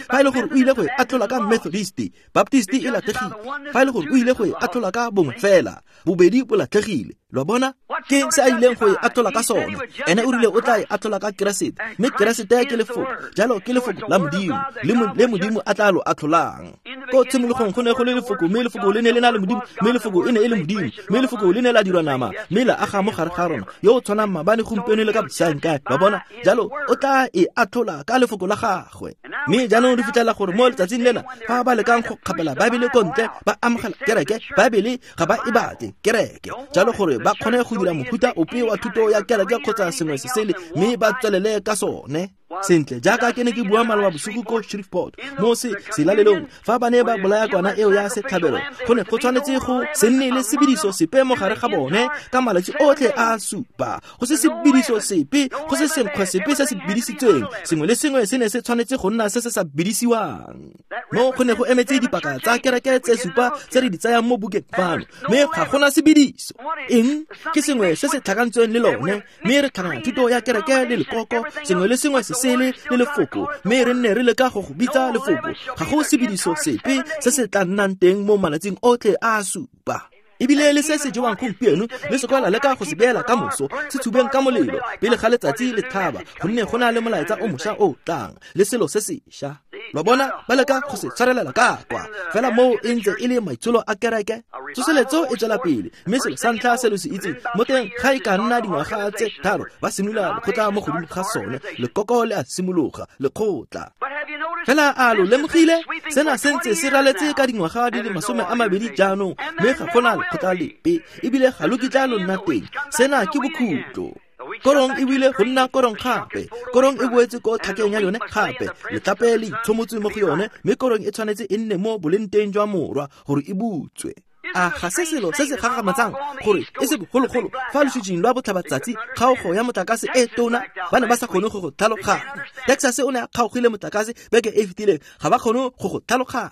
Fa e le gore o ile go e atlhola ka Methodist, Baptist e latlhegile. Fa e le gore o ile go e atlhola ka bongwe fela, bobedi bo latlhegile. Lo bona? Ke se a ileng go e atlhola ka sone. Ene o rile o tla e atlhola ka Keresete, mme Keresete ke lefoko. Jalo ke lefoko la Modimo, le Modimo a tla lo atlholang. Ko tshimologong go ne go le lefoko, mme lefoko le ne le na le Modimo, mme lefoko e ne e le Modimo, mme lefoko le ne la dirwa nama, mme la aga mo gare ga rona, yo o tshwanang maabane, gompieno le ka bosaengkae. Ba bona? Jalo o tla e atlhola ka lefoko la gagwe. Mme jaanong re fitlhela gore mo letsatsing lena fa ba lekang go kgapela Baebele ko ntle, ba amogela kereke, Baebele ga ba e batle kereke. Jalo gore ba kgone go dira mofuta ope wa thuto ya kereke kgotsa sengwe se sele, mme ba tswelele ka sone. Sentle, jaaka ke ne ke bua maloba bosigo ko Shreveport mo se selalelong, fa ba ne ba bolaya kwana eo ya setlhabelo, go ne go tshwanetse go se nne le sebediso sepe mo gare ga bone ka malatsi otlhe a supa. Go se sebediso sepe, go se senkgwe sepe se se bidisitsweng, sengwe le sengwe se ne se tshwanetse go nna se se sa bidisiwang. Mo go ne go emetse dipaka tsa kereke tse supa tse re di tsayang mo bukeng fano, mme ga gona sebediso. Eng? Ke sengwe se se tlhakantsweng le lone, mme re tlhakanya thuto ya kereke le lekoko, sengwe le sengwe se sele le lefoko, mme re nne re leka go go bitsa lefoko. Ga go sebediso sepe se se tla nnang teng mo malatsing otlhe a supa. Ebile le se se jewang gompieno le se kwa la leka go se beela ka moso, se tshubeng ka molelo pele ga letsatsi le tlhaba, gonne go na le molaetsa o mošwa o tlang le selo se sešwa. Lo bona, ba leka go se tshwarelela ka kwa fela moo e ntse e le maitsholo a kereke. Tsoseletso e tswela pele, mme selo sa ntlha se lo se itseng mo teng ga e ka nna dingwaga tse tharo, ba simolola lekgotla mo godimo ga sone, lekoko le a simologa lekgotla. Fela a lo lemogile, sena se ntse se raletse ka dingwaga di le masome a mabedi jaanong, mme ga gona lekgotla lepe, ebile ga lo kitla lo nna teng. Sena ke bokhutlo. Korong e buile go nna korong gape, korong e boetse ko tlhakeng ya yone gape, letlape le itshomotse mo go yone, mme korong e tshwanetse e nne mo boleng teng jwa morwa gore e butswe. A ga se selo se se gagamatsang gore e se bogologolo fa lositsing lwa botlhabatsatsi kgaogo ya motlakase e tona ba ne ba sa kgone go go tlhaloganya. Texas o ne a kgaogile motlakase beke e fetileng, ga ba kgone go go tlhaloganya.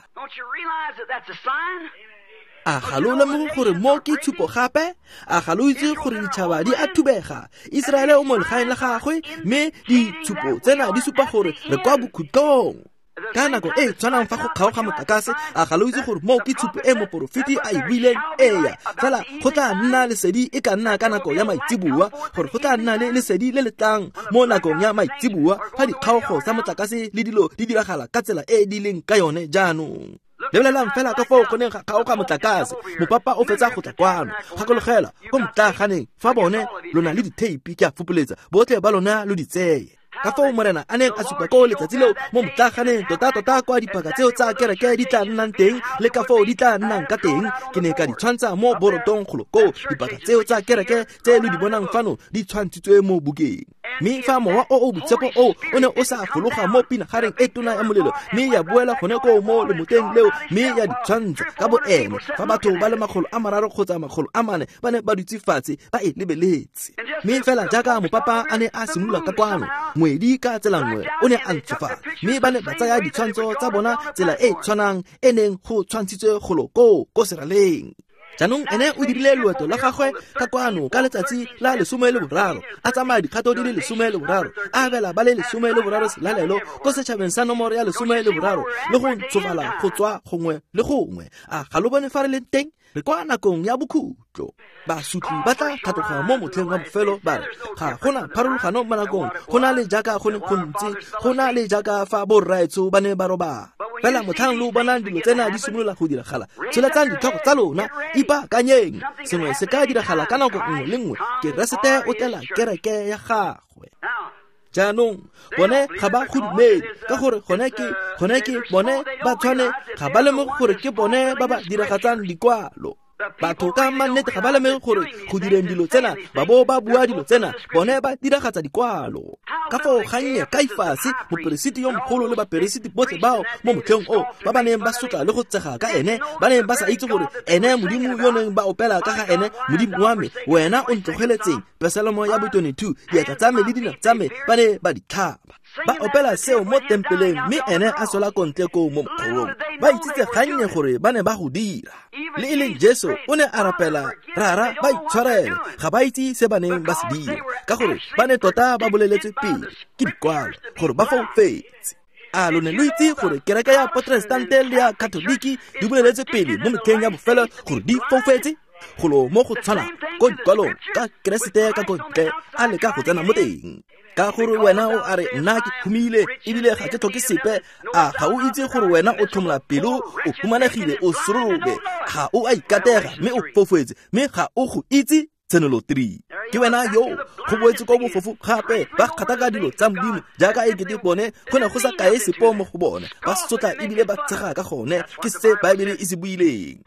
A ga lo lemoge gore mo ke tshupo gape? A ga lo itse gore ditšhaba di a thubega? Iseraele o mo legaeng la gagwe, mme ditshupo tsena di supa gore re kwa bokhutlong. Ka nako e tshwanang fa go kgaoga motlakase, a ga lo itse gore mo ke tshupo e moporofeti a e buileng? Eya, fela go tla nna lesedi e ka nna ka nako ya maitseboa, gore go tla nna le lesedi le le tlang mo nakong ya maitseboa fa dikgaogo tsa motlakase le dilo di diragala ka tsela e di leng ka yone jaanong. Lebelelang fela ka foo go neng ga kgaoga motlakase, mopapa o fetsa go tla kwano. Gakologela ko motlaganeng fa bone lo na le ditheipi, ke a fopoletsa botlhe ba lona lo di tseye. Ka foo Morena a neng a supa ko letsatsi leo mo motlaganeng, tota-tota kwa dipaka tseo tsa kereke di tla nnang teng le ka foo di tla nnang ka teng. Ke ne ka di tshwantsha mo borotong golo koo. Dipaka tseo tsa kereke tse lo di bonang fano di tshwantshitswe mo bukeng. Mme fa mowa o o boitshepo o o ne o sa fologa mo pinagareng e tona ya molelo, mme ya boela gone koo mo lemoteng leo, mme ya di tshwantsha ka bo ene, fa batho ba le makgolo a mararo kgotsa makgolo a mane ba ne ba dutse fatshe ba e lebeletse. Mme fela jaaka mopapa a ne a simolola ka kwano, ngwedi ka tsela nngwe o ne a ntshofala, mme ba ne ba tsaya ditshwantsho tsa bona tsela e tshwanang e neng go tshwantshitswe golo koo ko seraleng. Jaanong ene o dirile loeto la gagwe ka kwano ka letsatsi la lesome le boraro, a tsamaya dikgato di le lesome le boraro, a abela ba le lesome le boraro selalelo ko setšhabeng sa nomoro ya lesome le boraro, le go ntshofala go tswa gongwe le gongwe. A ga lo bone fa re leng teng? Re kwa nakong ya bokhutlo. Bokhutlo. Basotli ba tla tlhatloga mo motlheng wa bofelo ba re ga gona pharologano mo nakong, go na le jaaka go ne go ntse, go na le jaaka fa borraetsho ba ne ba robala. Fela motlhang lo bonang dilo tsena di simolola go diragala, tsholetsang ditlhogo tsa lona, ipaakanyeng. Sengwe se ka diragala ka nako nngwe le nngwe. Keresete o tlela kereke ya gagwe. Jaanong bone ga ba go dumele ka gore gone ke gone ke bone ba tshwane, ga ba lemoge gore ke bone ba ba diragatsang dikwalo. Batho ka mannete ga ba lemoge gore go direng dilo tsena ba bo ba bua dilo tsena, bone ba diragatsa dikwalo. Ka foo gannye Kaifase, moperesiti yo mogolo le baperesiti botlhe bao mo motlheng o ba ba neng ba sotla le go tsega ka ene, ba neng ba sa itse gore ene Modimo yo neng ba opela ka ga ene, Modimo wa me, wena o ntlogeletseng, Pesalemo ya bo twenty-two, diatla tsa me le dinao tsa me ba ne ba di tlhaba. Ba opela seo mo tempeleng, mme ene a sola kontle koo mo mokgorong. Ba itsitse gannye gore ba ne ba go dira. Le e leng Jesu o ne a rapela, Rara, ba itshwarele, ga ba itse se ba neng ba se dira, ka gore ba ne tota ba boleletswe pele ke dikwalo gore ba foufetse. A lo ne lo itse gore kereke ya Protestante le ya Katoliki di boleletswe pele mo metlheng ya bofelo gore di foufetse? Golo mo go tshwana ko dikwalong ka Keresete ka kontle a leka go tsena mo teng. Ka gore wena o a re nna ke humile ebile ga ke tlhoke sepe, a ga o itse gore wena o tlhomola pelo, o humanegile, o sorobe, ga o a ikatega mme o foufetse, mme ga o go itse. Tshenolo three. Ke wena yo go boetse ko bofofu gape, ba kgataka dilo tsa Modimo jaaka e kete bone go ne go sa kae sepo mo go bone, ba sotla ebile ba tshega ka gone. Ke se Baebele e se buileng.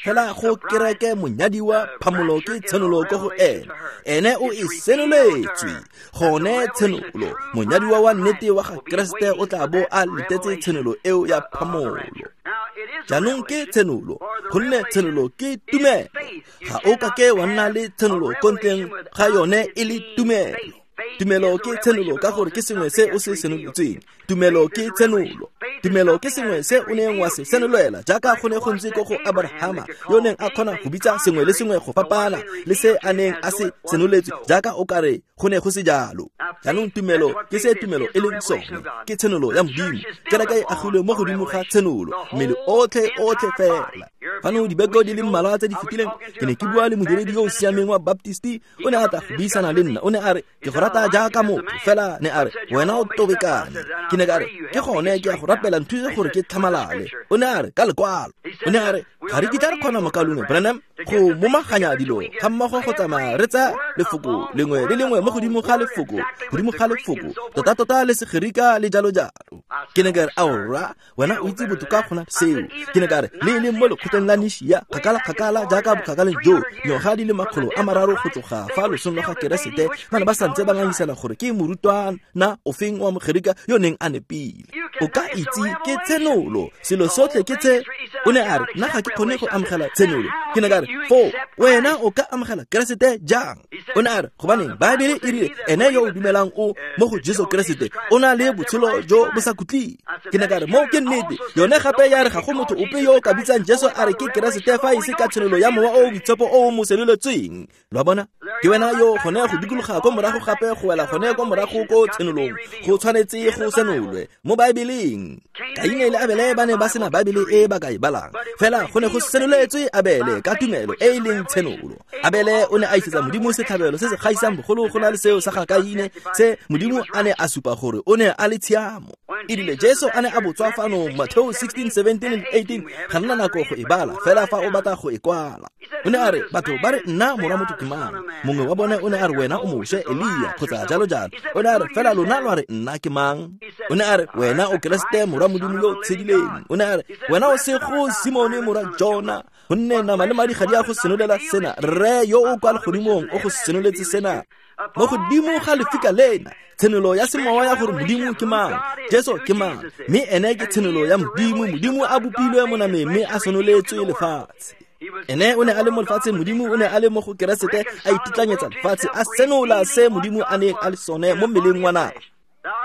Fela go kereke monyadiwa phamolo ke tshenolo ko go ene, ene o e senoletswe gone tshenolo. Monyadiwa wa nnete wa ga Keresete o tla bo a letetse tshenolo eo ya phamolo. Jaanong ke tshenolo, gonne tshenolo ke tumelo. Ga o ka ke wa nna le tshenolo ko ntleng ga yone e le tumelo. Tumelo ke tshenolo ka gore ke sengwe se o se senoletsweng. Tumelo ke tshenolo. Tumelo ke sengwe se o neng wa se senolwela, jaaka go ne go ntse ko go Abrahama yo neng a kgona go bitsa sengwe le sengwe go fapana le se a neng a se senoletswe, jaaka o kare go ne go se jalo. Jaanong tumelo ke se tumelo e leng sone, ke tshenolo ya Modimo. Kereke e agilwe mo godimo ga tshenolo, mmele otlhe otlhe fela. Fano dibeke di le mmalwa tse di fetileng ke ne ke bua le modiredi yo o siameng wa Baptisti, o ne a tla go buisana le nna. O ne a re ke go rata jaaka motho, fela ne a re wena o tobekane. Ke ne ka re ke gone ke a go rapela, nthuse gore ke tlhamalale. O ne a re ka lekwalo. O ne a re ga re kitla re kgona mokaulengwe Branham go momaganya dilo ga mmogo go tsamaya re tsaya lefoko lengwe le lengwe mo godimo ga lefoko, godimo ga lefoko, tota-tota le Segerika le jalo jalo. Ke ne ka re aora, wena o itse botoka go na seo. Ke ne ka re le e leng mo lekgotleng la Nishia, kgakala-kgakala jaaka bokgakaleng jo, dingwaga di le makgolo a mararo go tloga fa losong lwa ga Keresete, ba ne ba santse ba ngangisana gore ke morutwana ofeng wa Mogerika yo neng a nepile. O ka itse ke tshenolo, selo sotlhe ke tse. O ne a re nna ga ke kgone go amogela tshenolo. Ke ne ka re foo wena o ka amogela Keresete jang? O ne a re gobaneng Baebele e rile ene yo o dumelang o mo go Jesu Keresete o na le botshelo jo bo sa khutleng. Ke ne ka re moo ke nnete. Yone gape ya re ga go motho ope yo o ka bitsang Jesu a re ke Keresete fa e se ka tshenolo ya Mowa o o Boitshepo o o mo senoletsweng. Lo a bona? Ke wena yo gone go dikologa ko morago gape go wela gone ko morago ko tshenolong. Go tshwanetse go senolwe mo Baebeleng. Kaine le Abele ba ne ba sena Baebele e ba ka e balang, fela go ne go senoletswe Abele ka tumelo e e leng tshenolo. Abele o ne a isetsa Modimo setlhabelo se se gaisang bogolo go na le seo sa ga Kaine, se Modimo a ne a supa gore o ne a le tshiamo. E rile Jesu a ne a botswa fano Matthew sixteen, seventeen and eighteen, ga nna nako go e bala fela fa o batla go e kwala. O ne a re batho ba re nna morwa motho ke mang? Mongwe wa bone o ne a re wena o Moshe, Elia kgotsa jalo jalo. O ne a re fela lona lwa re nna ke mang? O ne a re wena o Keresete morwa Modimo yo o tshedileng. O ne a re wena o sego Simone morwa Jona, gonne nama le madi ga di a go senolela sena, Rre yo o kwa legodimong o go senoletse sena. Mo godimo ga lefika lena, tshenolo ya semowa ya gore Modimo ke mang, Jesu ke mang, mme ene ke tshenolo ya Modimo. Modimo a bopilwe mo nameng mme a senoletswe lefatshe. Ene o ne a le mo lefatsheng, Modimo o ne a le mo go Keresete a ititlanyetsa lefatshe, a senola se Modimo a neng a le sone mo mmeleng wa nama.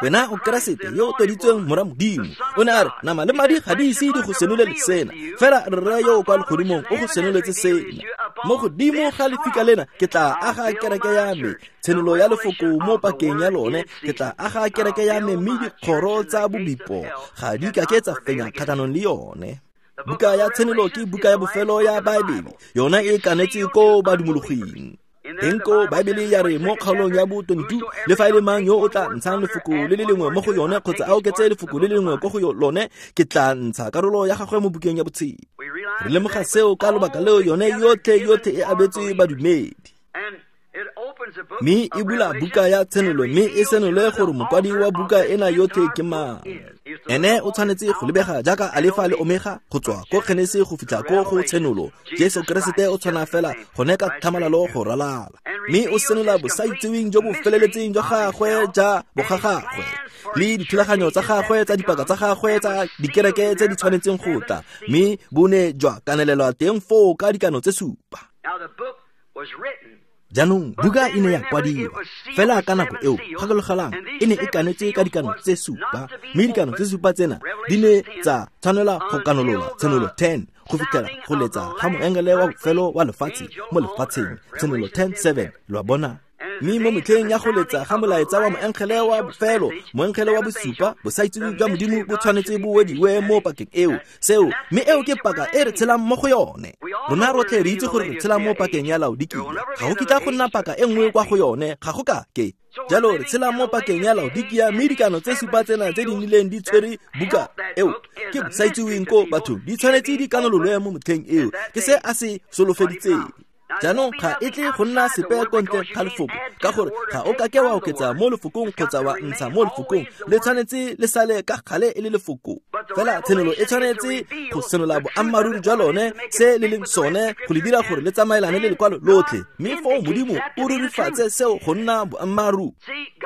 Wena o Keresete yo o tloditsweng morwa Modimo. O ne a re nama le madi ga di ise di go senolele sena, fela Rre yo o kwa legodimong o go senoletse sena. Mo godimo ga lefika lena ke tla aga kereke ya me, tshenolo ya lefoko mo pakeng ya lone, ke tla aga kereke ya me, mme dikgoro tsa bobipo ga di ka ke tsa fenya kgatlhanong le yone. Buka ya Tshenolo ke buka ya bofelo ya Baebele, yona e kanetse ko badumologing. Teng ko Baebele ya re mo kgaolong ya bo twenty-two, le fa e le mang yo o tla ntshang lefoko le le lengwe mo go yone kgotsa a oketse lefoko le le lengwe ko go lone, ke tla ntsha karolo ya gagwe mo bukeng ya botshelo. Re lemoga seo ka lobaka leo yone yotlhe yotlhe e abetswe badumedi. Mme e bula buka ya Tshenolo, mme e senole gore mokwadi wa buka ena yotlhe ke mang. Ene o tshwanetse go lebega jaaka Alefa le Omega, go tswa ko Genese go fitlha ko go Tshenolo. Jesu Keresete o tshwana fela gone ka tlhamalalo go ralala. Mme o senola bosaitseweng jo bo feleletseng jwa gagwe ja bogagagwe, le dithulaganyo tsa gagwe tsa dipaka tsa gagwe tsa dikereke tse di tshwanetseng go tla, mme bo ne jwa kanelelwa teng foo ka dikano tse supa. Jaanong buka e ne ya kwadiwa, fela ka nako eo, gakologelang, e ne e kanetswe ka dikano tse supa, mme dikano tse supa tsena di ne tsa tshwanela go kanolola Tshenolo ten go fitlhela go letsa ga moengele wa bofelo wa lefatshe mo lefatsheng, Tshenolo ten seven, lo a bona. Mme mo metlheng ya go letsa ga molaetsa wa moengele wa bofelo, moengele wa bosupa, bosaitseweng jwa Modimo bo tshwanetse bo wediwe mo pakeng eo. Seo, mme eo ke paka e re tshelang mo go yone. Rona rotlhe re itse gore re tshela mo pakeng ya Laodikia. Ga go kitla go nna paka e nngwe kwa go yone, ga go ka ke. Jalo re tshela mo pakeng ya Laodikia, mme dikano tse supa tsena tse di nnileng di tshwere buka eo ke bosaitseweng ko bathong, di tshwanetse di kanololwe mo motlheng eo. Ke se a se solofeditseng. Jaanong ga e tle go nna sepe ko ntle ga lefoko, ka gore ga o kake wa oketsa mo lefokong kgotsa wa ntsha mo lefokong, le tshwanetse le sale ka gale e le lefoko. Fela tshenolo e tshwanetse go senola boammaaruri jwa lone, se le leng sone, go le dira gore le tsamaelane le lekwalo lotlhe, mme foo Modimo o rurifatse seo go nna boammaaruri.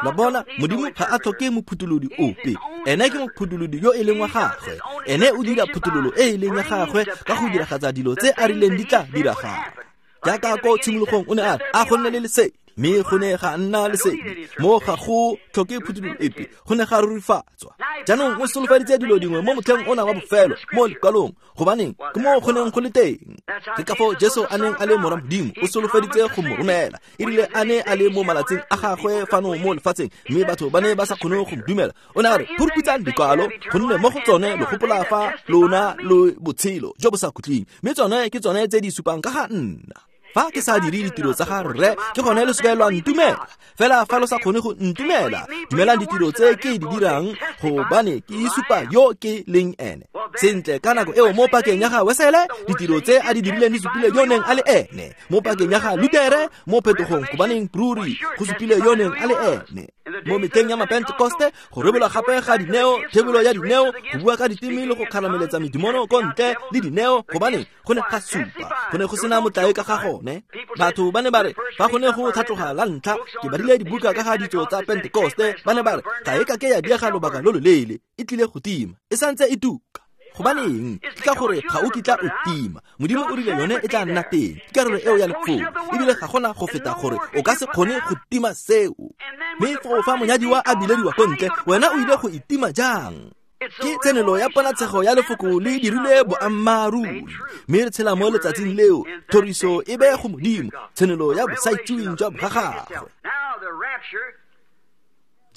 La bona, Modimo ga a tlhoke mophutholodi ope, ene ke mophutholodi yo e leng wa gagwe. Ene o dira phuthololo e e leng ya gagwe ka go diragatsa dilo tse a rileng di tla diragala. Jaaka ko tshimologong o ne a re, a go nne le lesedi, mme go ne ga nna lesedi. Mo ga go tlhoke phuthololo epe, go ne ga rurifatswa. Jaanong o solofeditse dilo dingwe mo motlheng ona wa bofelo mo lekwalong, gobaneng ke mo go neng go le teng. Ke ka foo Jesu a neng a le morwa Modimo, o solofeditse go mo romela. E rile a ne a le mo malatsing a gagwe fano mo lefatsheng, mme batho ba ne ba sa kgone go mo dumela. O ne a re, phuruphutshang dikwalo, gonne mo go tsone lo gopola fa lona lo botshelo jo bo sa khutleng, mme tsone ke tsone tse di supang ka ga nna. Fa ke sa dire ditiro tsa ga rre, ke gone lo seka lwa ntumela. Fela fa lo sa kgone go ntumela, dumelang ditiro tse ke di dirang, gobane ke isupa yo ke leng ene. Sentle, ka nako eo mo pakeng ya ga Wesele, ditiro tse a di dirileng di supile yo neng a le ene. Mo pakeng ya ga Lutere, mo phetogong, gobaneng ruri go supile yo neng a le ene. Mo metlheng ya Mapentekoste, go rebolwa gape ga dineo, thebolo ya dineo, go bua ka diteme le go kgarameletsa medimono ko ntle le dineo, gobaneng go ne ga supa, go ne go sena motlae ka ga gone. Batho ba ne ba re fa go ne go tlhatloga la ntlha, ke badile dibuka ka ga ditso tsa Pentekoste, ba ne ba re ga e ka ke ya diega lobaka lo loleele, e tlile go tima, e santse e tuka. Gobaneng? Ke ka gore ga o kitla o tima. Modimo o rile yone e tla nna teng, ke karolo eo ya lefoko, ebile ga gona go feta gore o ka se kgone go tima seo. Mme foo fa monyadiwa a bilediwa ko ntle, wena o ile go itima jang? Ke tsenelo ya ponatshego ya lefoko le dirile boammaaruri, mme re tshela mo letsatsing leo. Thoriso e be go Modimo, tshenolo ya bosaitseweng jwa gagwe.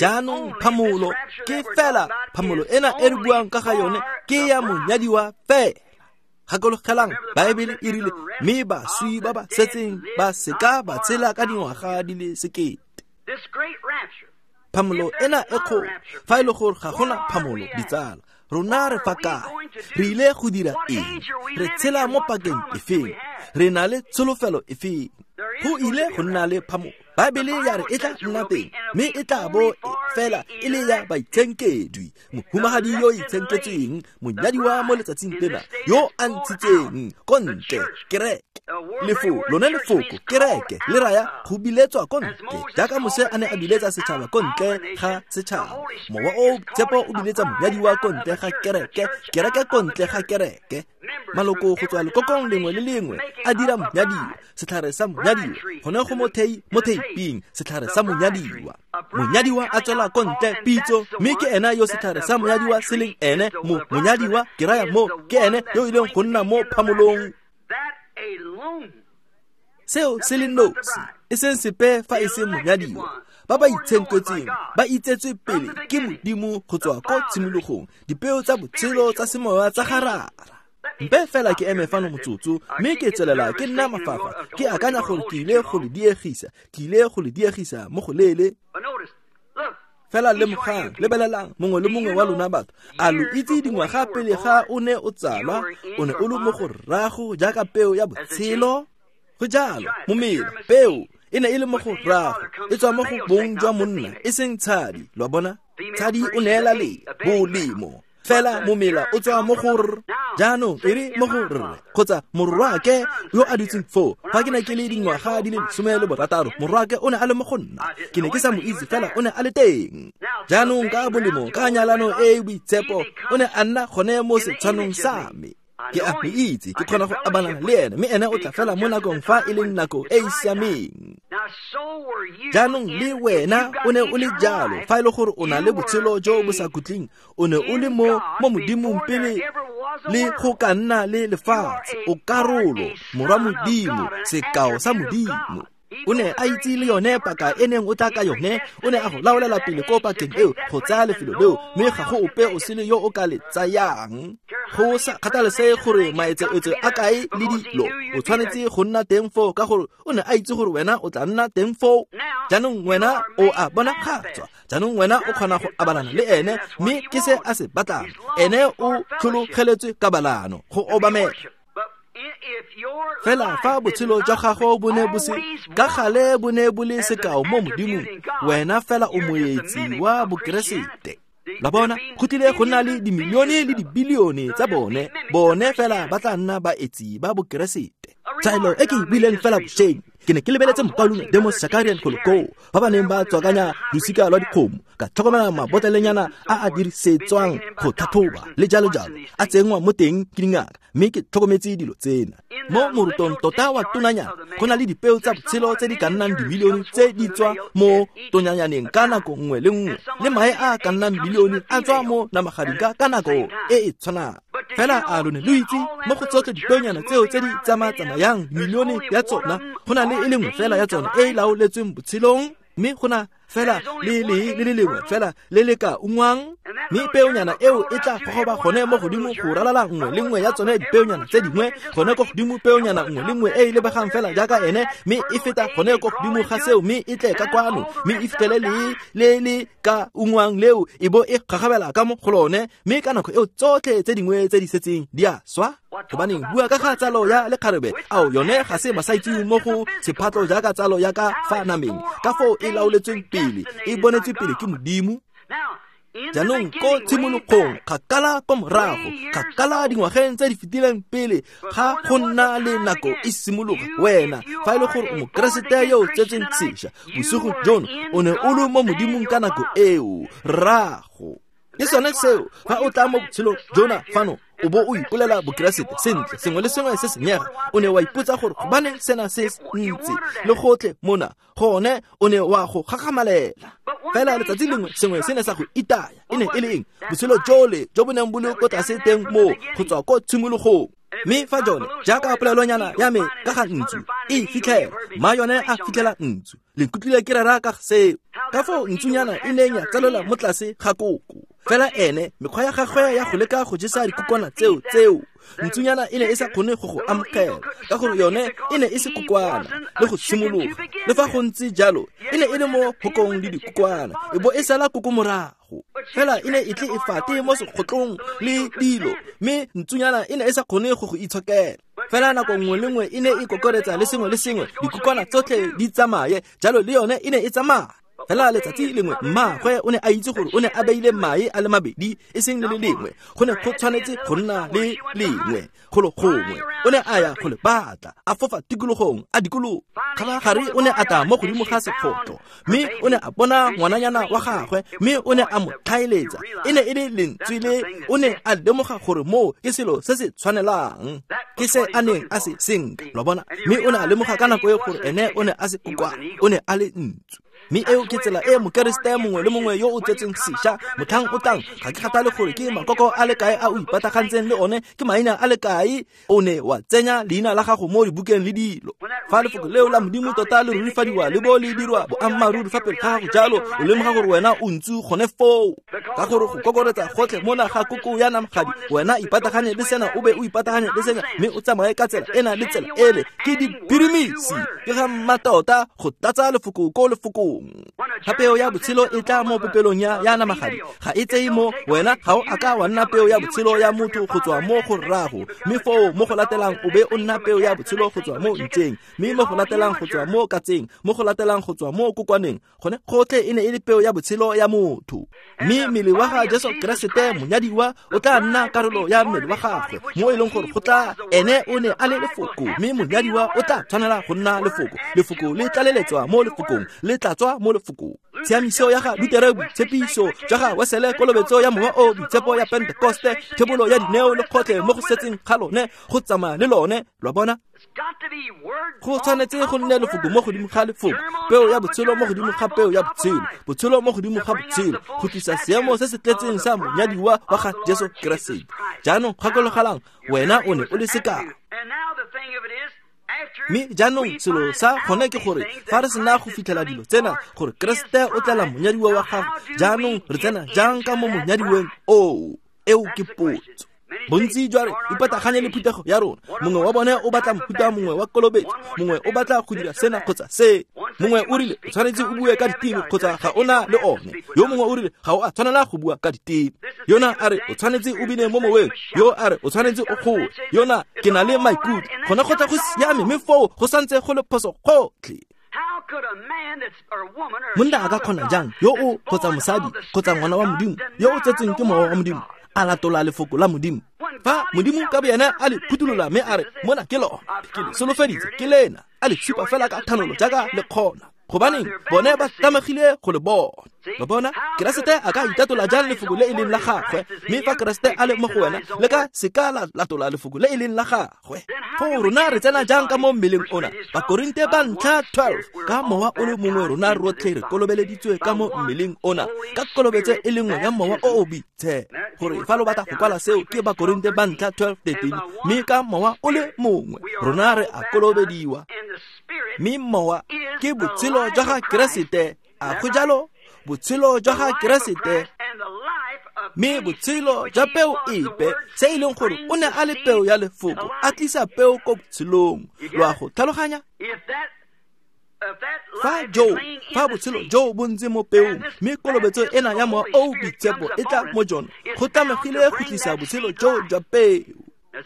Jaanong phamolo ke fela phamolo ena e re buang ka ga yone ke ya monyadiwa fela. Gakologelang, Baebele e rile, mme baswi ba ba setseng ba seka ba tshela ka dingwaga di le sekete. Phamolo ena e kgolo, fa e le gore ga gona phamolo, ditsala, rona re fa kae? Re ile go dira eng? Re tshela mo pakeng efeng? Re na le tsholofelo efeng? Go ile go nna le phamolo. Baebele ya re e tla nna teng, mme e tla bo fela e le ya baitshenkedwi, mohumagadi yo itshenketsweng, monyadiwa mo letsatsing lena, yo a ntshitseng ko ntle kereke. Lefo lone lefoko kereke le raya go biletswa ko ntle, jaaka Mose a ne a biletsa setšhaba ko ntle ga setšhaba. Mowa o Tshepo o biletsa monyadiwa ko ntle ga kereke, kereke ko ntle ga kereke. Maloko go tswa lekokong lengwe le lengwe a dira monyadiwa, setlhare sa monyadiwa, gone go mo thei mo theiping, setlhare sa monyadiwa. Monyadiwa a tswela ko ntle pitso, mme ke ena yo setlhare sa monyadiwa se leng ene. Mo monyadiwa ke raya mo ke ene yo e leng go nna mo phamolong. Seo se le nosi, e seng sepe fa e se monyadiwa. Ba ba itshenketsweng ba itsetswe pele ke Modimo go tswa ko tshimologong, dipeo tsa botshelo tsa semoya tsa ga Rara. Mpe fela ke eme fano motsotso, mme ke tswelela ke nna mafafa, ke akanya gore ke ile go le diegisa, ke ile go le diegisa mo go leele. Fela lemogang, lebelelang, mongwe le mongwe wa lona batho, a lo itse dingwaga pele ga o ne o tsalwa, o ne o le mo go rrago jaaka peo ya botshelo? Go jalo, momela, peo e ne e le mo go rrago, e tswa mo go bong jwa monna, e seng tshadi, lo a bona? Tshadi o neela le bolemo, fela momela o tswa mo go r, jaanong e re mo go rre, kgotsa morwake yo a dutseng foo. Fa ke ne ke le dingwaga di le lesome le borataro, morwake o ne a le mo go nna, ke ne ke sa mo itse, fela o ne a le teng. Jaanong ka bolemo, ka nyalano e e boitshepo, o ne a nna gone mo setshwanong sa me. Ke a mo itse, ke kgona go abalana le ene, mme ene o tla fela mo nakong fa e leng nako e e siameng. Jaanong le wena o ne o le jalo, fa e le gore o na le botshelo jo bo sa khutleng, o ne o le mo mo Modimong pele le go ka nna le lefatshe, o karolo, morwa Modimo, sekao sa Modimo. O ne a itse le yone paka e neng o tla ka yone, o ne a go laolela pele ko pakeng eo go tsaya lefelo leo, mme ga go ope o sele yo o ka le tsayang. Go sa kgathalesege gore maetseetse a kae le dilo, o tshwanetse go nna teng foo, ka gore o ne a itse gore wena o tla nna teng foo. Jaanong wena o a bonagatswa, jaanong wena o kgona go abalana le ene, mme ke se a se batlang. Ene o tlhologeletswe kabalano, go obamela. Fela fa botshelo jwa gago bo ne bo se ka gale bo ne bo le sekao mo Modimong, wena fela o moetsi wa Bokeresete. La bona, go tlile go nna le dimilione le dibilione tsa bone, bone fela ba tla nna baetsi ba Bokeresete. Taelo e ke e buileng fela bošeng, ke ne ke lebeletse mokaulengwe Demos Shakarian golo koo, ba ba neng ba tswakanya losika lwa dikgomo, ka tlhokomela mabotlelenyana a a dirisetswang go tlhatlhoba le jalo jalo, a tsenngwa mo teng ke dingaka, mme ke tlhokometse dilo tsena. Mo morutong tota wa tonanyana, go na le dipeo tsa botshelo tse di ka nnang dimilione tse di tswa mo tonyanyaneng ka nako nngwe le nngwe, le mae a ka nnang milione a tswa mo namagading ka ka nako e e tshwanang. Fela a lo ne lo itse mo go tsotlhe dipeonyana tseo tse di tsama-tsamayang milione ya tsona, go na le e le nngwe fela ya tsona e e laoletsweng botshelong, mme go na fela le le le le lengwe fela le le ka ungwang, mme peonyana eo e tla gogoba gone mo godimo go ralala nngwe le nngwe ya tsone dipeonyana tse dingwe, gone ko godimo peonyana nngwe le nngwe e e lebegang fela jaaka ene, mme e feta gone ko godimo ga seo, mme e tle ka kwano, mme e fitlhele le le le ka ungwang leo, e bo e gagabela ka mo go lone, mme ka nako eo tsotlhe tse dingwe tse di setseng di a swa. Gobaneng bua ka ga tsalo ya lekgarebe, ao yone ga se masaitseweng mo go sephatlo jaaka tsalo ya ka fa nameng, ka foo e laoletsweng pele, e bonetswe pele ke Modimo. Jaanong ko tshimologong, kgakala ko morago, kgakala dingwageng tse di fetileng pele ga go nna le nako e simologa, wena fa e le gore o Mokeresete yo o tsetsweng sešwa, bosigo jono o ne o le mo Modimong ka nako eo, rrago. Ke sone seo, fa o tla mo botshelong jona fano, o bo o ipolela Bokeresete sentle, sengwe le sengwe se senyega, o ne wa ipotsa gore gobaneng sena se ntse le gotlhe mona, gone o ne wa go gagamalela. Fela letsatsi lengwe sengwe se ne sa go itaya, e ne e le eng? Botshelo jole jo bo neng bo le ko tlase teng moo go tswa ko tshimologong. Mme fa jone, jaaka polelonyana ya me ka ga ntsu e fitlhela, mma yone a fitlhela ntsu. Le nkutlwile ke rera ka seo, ka foo ntsunyana e neng ya tsalelwa mo tlase ga koko. Fela ene, mekgwa ya gagwe ya go leka go jesa dikokwana tseo tseo, ntsunyana e ne e sa kgone go go amogela, ka gore yone e ne e se kokwana le go simologa. Le fa go ntse jalo, e ne e le mo hokong le dikokwana, e bo e sala koko morago. Fela e ne e tle e fate mo sekgotlong le dilo, mme ntsunyana e ne e sa kgone go go itshokela. Fela nako nngwe le nngwe e ne e kokoretsa le sengwe le sengwe, dikokwana tsotlhe di tsamaye, jalo le yone e ne e tsamaya. Fela letsatsi lengwe mmaagwe o ne a itse gore o ne a beile mae a le mabedi, e seng le le lengwe, go ne go tshwanetse go nna le lengwe golo gongwe. O ne a ya go le batla, a fofa tikologong, a dikologa. Kgabagare o ne a tla mo godimo ga sekgotlo, mme o ne a bona ngwananyana wa gagwe, mme o ne a mo tlhaeletsa. E ne e le lentswe le, o ne a lemoga gore moo ke selo se se tshwanelang, ke se a neng a se senka, lo bona. Mme o ne a lemoga ka nako e gore ene o ne a se kokwana, o ne a le ntsu. Mme eo ke tsela e Mokeresete mongwe le mongwe yo o tsetseng sešwa motlhang o tlang, ga ke kgathale gore ke makoko a le kae a o ipatagantseng le one, ke maina a le kae, o ne wa tsenya leina la gago mo dibukeng le dilo. Fa lefoko leo la Modimo tota le rurifadiwa le bo le dirwa boammaaruri fa pele ga gago jalo, o lemoga gore wena o ntse gone foo. Ka gore go kokoretsa gotlhe mona ga koko ya namagadi, wena ipataganye le sena o be o ipataganye le sena, mme o tsamaye ka tsela ena le tsela ele, ke dipirimisi, ke ga mmatota go tlatsa lefoko ko lefokong. Ga peo ya botshelo e tla mo popelong ya ya namagadi, ga e tseye mo wena, ga o a ka wa nna peo ya botshelo ya motho go tswa mo go rrago, mme foo mo go latelang o be o nna peo ya botshelo go tswa mo ntseng, mme mo go latelang go tswa mo katseng, mo go latelang go tswa mo kokwaneng. Gone gotlhe e ne e le peo ya botshelo ya motho. Mme mmele wa ga Jesu Keresete monyadiwa o tla nna karolo ya mmele wa gagwe, mo e leng gore go tla ene o ne a le lefoko, mme monyadiwa o tla tshwanela go nna lefoko. Lefoko le tlaleletswa mo lefokong, le tlatswa mo lefokong. Tshiamiso ya ga Lutere, boitshepiso jwa ga Wesele, kolobetso ya Mowa o Boitshepo ya Pentekoste, thebolo ya dineo le kgotlhe mo go setseng ga lone, go tsamaya le lone. Lwa bona? Go tshwanetse go nne lefoko mo godimo ga lefoko, peo ya botshelo mo godimo ga peo ya botshelo, botshelo mo godimo ga botshelo, go tlisa seemo se se tletseng sa monyadiwa wa ga Jesu Keresete. Jaanong gakologelang, wena o ne o le sekao. Mme jaanong selo sa gone ke gore fa re sena go fitlhela dilo tsena, gore Keresete o tlela monyadiwa wa gagwe, jaanong re tsena jang ka mo monyadiweng oo? Eo ke potso. Bontsi jwa re ipataganye le phuthego ya rona. Mongwe wa bone o batla mofuta mongwe wa kolobetso, mongwe o batla go dira sena kgotsa se. Mongwe o rile o tshwanetse o bue ka diteme kgotsa ga o na le one. Yo mongwe o rile ga o a tshwanela go bua ka diteme. Yona a re o tshwanetse o bine mo moweng. Yo a re o tshwanetse o goe. Yona ke na le maikutlo. Gone go tla go siame, mme foo go santse go le phoso gotlhe. Monna a ka kgona jang yo o kgotsa mosadi kgotsa ngwana wa Modimo yo o tsetsweng ke Mowa wa Modimo a latola lefoko la Modimo? Fa Modimo ka boyena a le phuthulola mme a re mona ke lona, ke le solofeditse, ke lena, a le supa fela ka thanolo jaaka le kgona, gobaneng bone ba tlamegile go le bona. Lo bona, Keresete a ka itatola jang lefoko le e leng la gagwe? Mme fa Keresete a le mo go wena, le ka seka la latola lefoko le e leng la gagwe. Foo rona re tsena jang ka mo mmeleng ona? Bakorinte ba ntlha twelve, ka mowa o le mongwe rona rotlhe re kolobeleditswe ka mo mmeleng ona, ka kolobetso e le nngwe ya Mowa o o Boitshepo. Gore fa lo batla go kwala seo, ke Bakorinte ba ntlha twelve thirteen, mme ka mowa o le mongwe rona re a kolobediwa. Mme mowa ke botshelo jwa ga Keresete. A go jalo? Botshelo jwa ga Keresete, mme botshelo jwa peo epe, se e leng gore o ne a le peo ya lefoko, a tlisa peo ko botshelong. Lo a go tlhaloganya? Fa jo, fa botshelo jo bo ntse mo peong, mme kolobetso ena ya Mowa o o Boitshepo e tla mo jone, go tlamegile go tlisa botshelo jo jwa peo.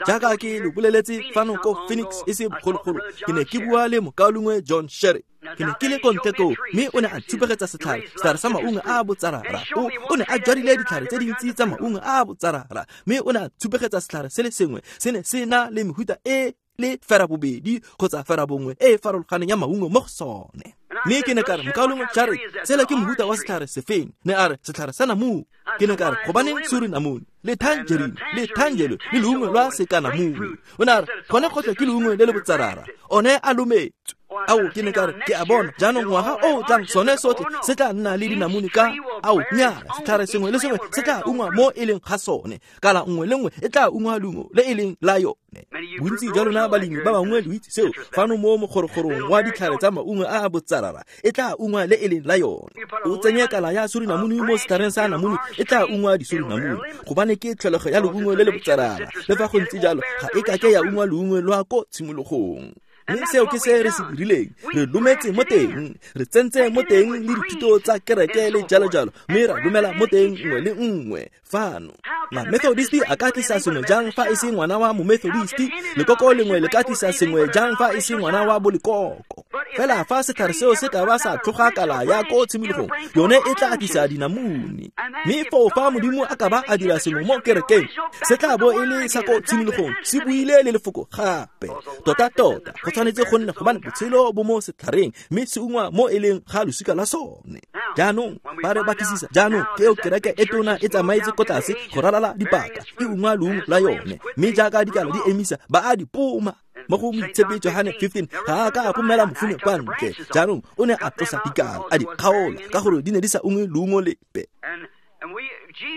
Jaaka ke lo boleletse fano ko Phoenix e se bogologolo, ke ne ke bua le mokaulengwe John Sherry. Ke ne ke le ko ntle koo, mme o ne a tshupegetsa setlhare, setlhare sa maungo a botsarara. O, o ne a jwadile ditlhare tse dintsi tsa maungo a botsarara, mme o ne a tshupegetsa setlhare se le sengwe, se ne se na le mehuta e le ferabobedi kgotsa ferabongwe e e farologaneng ya maungo mo go sone. Mme ke ne ka re, mokaulengwe Sherry, sela ke mohuta wa setlhare sefeng? Ne a re, setlhare sa namune. Ke ne ka re, gobaneng se re namune, le tangerine, le tangelo, le leungo lwa sekanamune? O ne a re, gone gotlhe ke leungo le le botsarara, one a lometswe. Ao, ke ne ka re, ke a bona, jaanong ngwaga o o tlang sone sotlhe se tla nna le dinamune ka ao nyaa, setlhare sengwe le sengwe se tla ungwa mo e leng ga sone, kala nngwe le nngwe e tla ungwa leungo le e leng la yone. Bontsi jwa lona balemi ba bangwe lo itse seo, fano mo mogorogorong wa ditlhare tsa maungo a a botsarara e tla ungwa le e leng la yone. O tsenye kala ya surinamune mo setlhareng sa namune, e tla ungwa disurinamune, gobane ke tlholego ya leungo le le botsarara. Le fa go ntse jalo, ga e kake ya ungwa leungo lwa ko tshimologong. Mme seo ke se re se dirileng, re lometse mo teng, re tsentse mo teng le dithuto tsa kereke le jalo jalo, mme ra lumela mo teng nngwe le nngwe fano. Ma-Methodisti a ka tlisa sengwe jang fa e se ngwana wa mo-Methodisti? Lekoko lengwe le ka tlisa sengwe jang fa e se ngwana wa bolekoko? Fela fa setlhare seo se ka ba sa tlhoga kala ya ko tshimologong, yone e tla tlisa dinamune. Mme foo fa Modimo a ka ba a dira sengwe mo kerekeng, se tla bo e le sa ko tshimologong, se buile le lefoko gape. Tota-tota, go tshwanetse go nne gobane botshelo bo mo setlhareng, mme se ungwa mo e leng ga losika la sone. Jaanong ba re batlisisa, jaanong ke eo kereke e tona e tsamaetse ko tlase go ralala dipaka, e ungwa leungo la yone, mme jaaka dikala di emisa, ba a di poma. Mo go Moitshepi Johane fifteen ga a ka a phomela mofine kwa ntle. Jaanong o ne a tlosa dikala a di kgaola ka gore di ne di sa ungwe leungo lepe.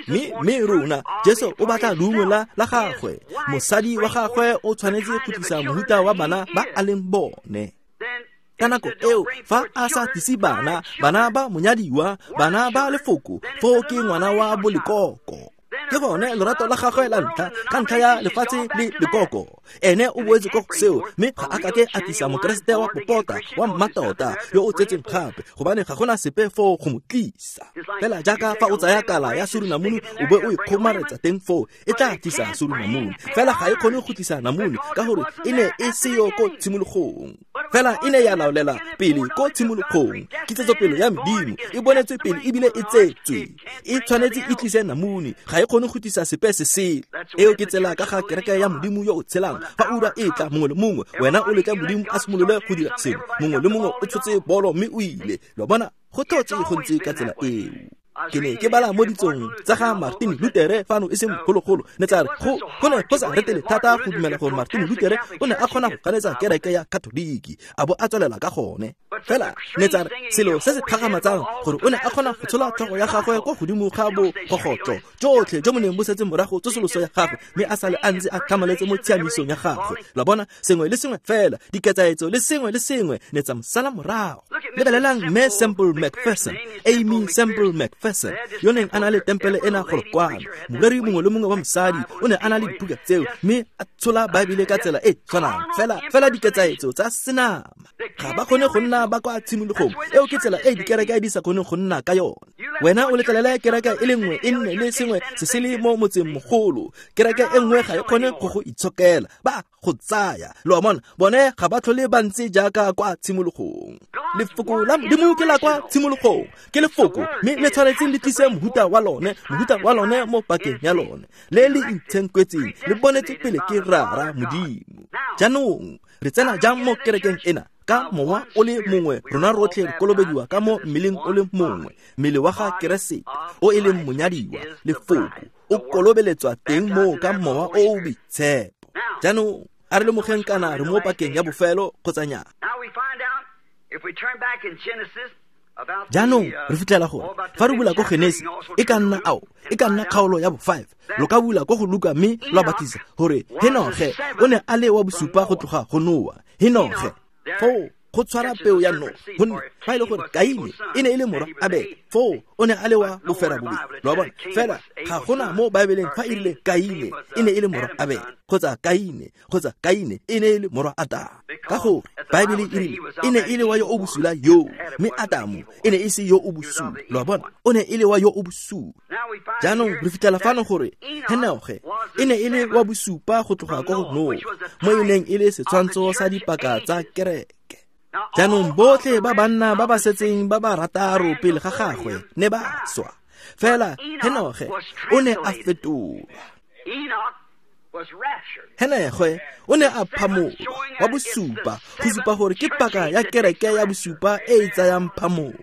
Mme mme rona Jesu o batla leungo la la gagwe. Mosadi wa gagwe o tshwanetse go tlisa mohuta wa bana ba a leng bone. Ka nako eo fa a sa tlise bana, bana ba monyadiwa, bana ba lefoko, foo ke ngwana wa bolekoko. Ke gone lorato la gagwe la ntlha ka ntlha ya lefatshe le lekoko. Ene o boetse ko go seo, mme ga a kake a tlisa mokeresete wa popota wa mmatota yo o tsetseng gape, gobane ga gona sepe foo go mo tlisa. Fela jaaka fa o tsaya kala ya surunamune o be o e kgomaretsa teng foo, e tla tlisa surunamune. Fela ga e kgone go tlisa namune ka gore e ne e seyo ko tshimologong. Fela e ne ya laolela pele ko tshimologong. Kitsetsopele ya Modimo e bonetswe pele ebile e tsetswe. E tshwanetse e tlise namune, ga e kgone go tlisa sepe se sele. Eo ke tsela ka ga kereke ya Modimo yo o tshelang. Fa ura e tla mongwe le mongwe, wena o letla Modimo a simolole go dira sengwe. Mongwe le mongwe o tshotse bolo mme o ile. Lo bona, go tlhotse go ntse ka tsela eo. Ke ne ke bala mo ditsong tsa ga Martin Luther fano e seng bogologolo, ne tsa re go go ne go sa retele thata go dumela gore Martin Luther o ne a kgona go ganetsa kereke ya Katoliki a bo a tswelela ka gone. Fela ne tsa re selo se se kgakgamatsang gore o ne a kgona go tshola tlhogo ya gagwe kwa godimo ga bogogotlo jotlhe jo bo neng bo setse morago tsosoloso ya gagwe, mme a sale a ntse a tlhamaletse mo tshiamisong ya gagwe. Lo bona, sengwe le sengwe fela, diketsaetso le sengwe le sengwe ne tsa mo sala morago. Lebelelang Mme Semple McPherson, Amy Semple McPherson, yo neng a na le tempele ena golo kwano. Moreri mongwe le mongwe wa mosadi o ne a na le dibuka tseo, mme a tshola Baebele ka tsela e tshwanang. Fela fela diketsaetso tsa senama ga ba kgone go nna ba kwa tshimologong. Eo ke tsela e dikereke di sa kgoneng go nna ka yone. Wena o letlelele kereke e le nngwe e nne le sengwe se se le mo motseng mogolo, kereke e nngwe ga e kgone go go itshokela, ba go tsaya. Lo a bona, bone ga ba tlhole ba ntse jaaka kwa tshimologong. Lefoko la Modimo ke la kwa tshimologong, ke lefoko mme le tshwanetse le tlise mohuta wa lone, mohuta wa lone mo pakeng ya lone, le le itshenkwetseng, le bonetse pele ke Rara Modimo. Jaanong re tsena jang mo kerekeng ena? Ka mowa o le mongwe rona rotlhe re kolobediwa ka mo mmeleng o le mongwe, mmele wa ga Keresete o e leng monyadiwa, lefoko o kolobeletswa teng moo ka mowa o o boitshepo. Jaanong a re lemogeng kana re mo pakeng ya bofelo kgotsa nnyaa. Jaanong re fitlhela gore fa re bula ko Genesi e ka nna ao e ka nna kgaolo ya bo five, lo ka bula ko go Luka mme lwa batlisa gore Henoge o ne a le wa bosupa go tloga go Noa. Henoge foo go tshwara peo ya Noa, gonne fa e le gore Kaine e ne e le morwa Abele, foo o ne a le wa bofera bobedi. Lo a bona, fela ga gona mo Baebeleng fa e rile Kaine e ne e le morwa Abele kgotsa Kaine kgotsa Kaine e ne e le morwa Adamo, ka gore Baebele e rile e ne e le wa yo o bosula yoo, mme Adamo e ne e se yo o bosula. Lo a bona, o ne e le wa yo o bosula. Jaanong re fitlhela fano gore Henoge e ne e le wa bosupa go tloga ko go Noa, mo e neng e le setshwantsho sa dipaka tsa kereke. Jaanong botlhe ba banna ba ba setseng ba ba rataro pele ga gagwe ne ba swa, fela Henoge o ne a fetolwa. Henoge o ne a phamolwa wa bosupa, go supa gore ke paka ya kereke ya bosupa e e tsayang phamolo.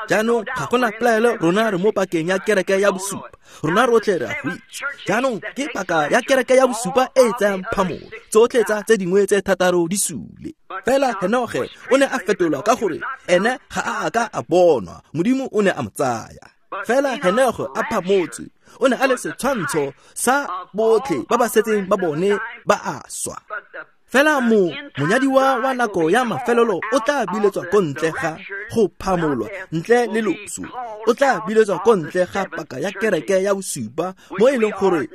Jaanong ga gona pelaelo, rona re mo pakeng ya kereke ya bosupa, rona rotlhe re a go itse. Jaanong ke paka ya kereke ya bosupa e e tsayang phamolo, tsotlhe tsa tse dingwe tse thataro di sule. Fela Henoge o ne a fetolwa ka gore ene ga a a ka a bonwa, Modimo o ne a mo tsaya. Fela Henoge a phamotswe, o ne a le setshwantsho sa botlhe ba ba setseng ba bone ba a swa. Fela mo monyadiwa wa nako ya mafelelo o tla biletswa ko ntle ga go phamolwa ntle le loso, o tla biletswa ko ntle ga paka ya kereke ya bosupa, mo e leng gore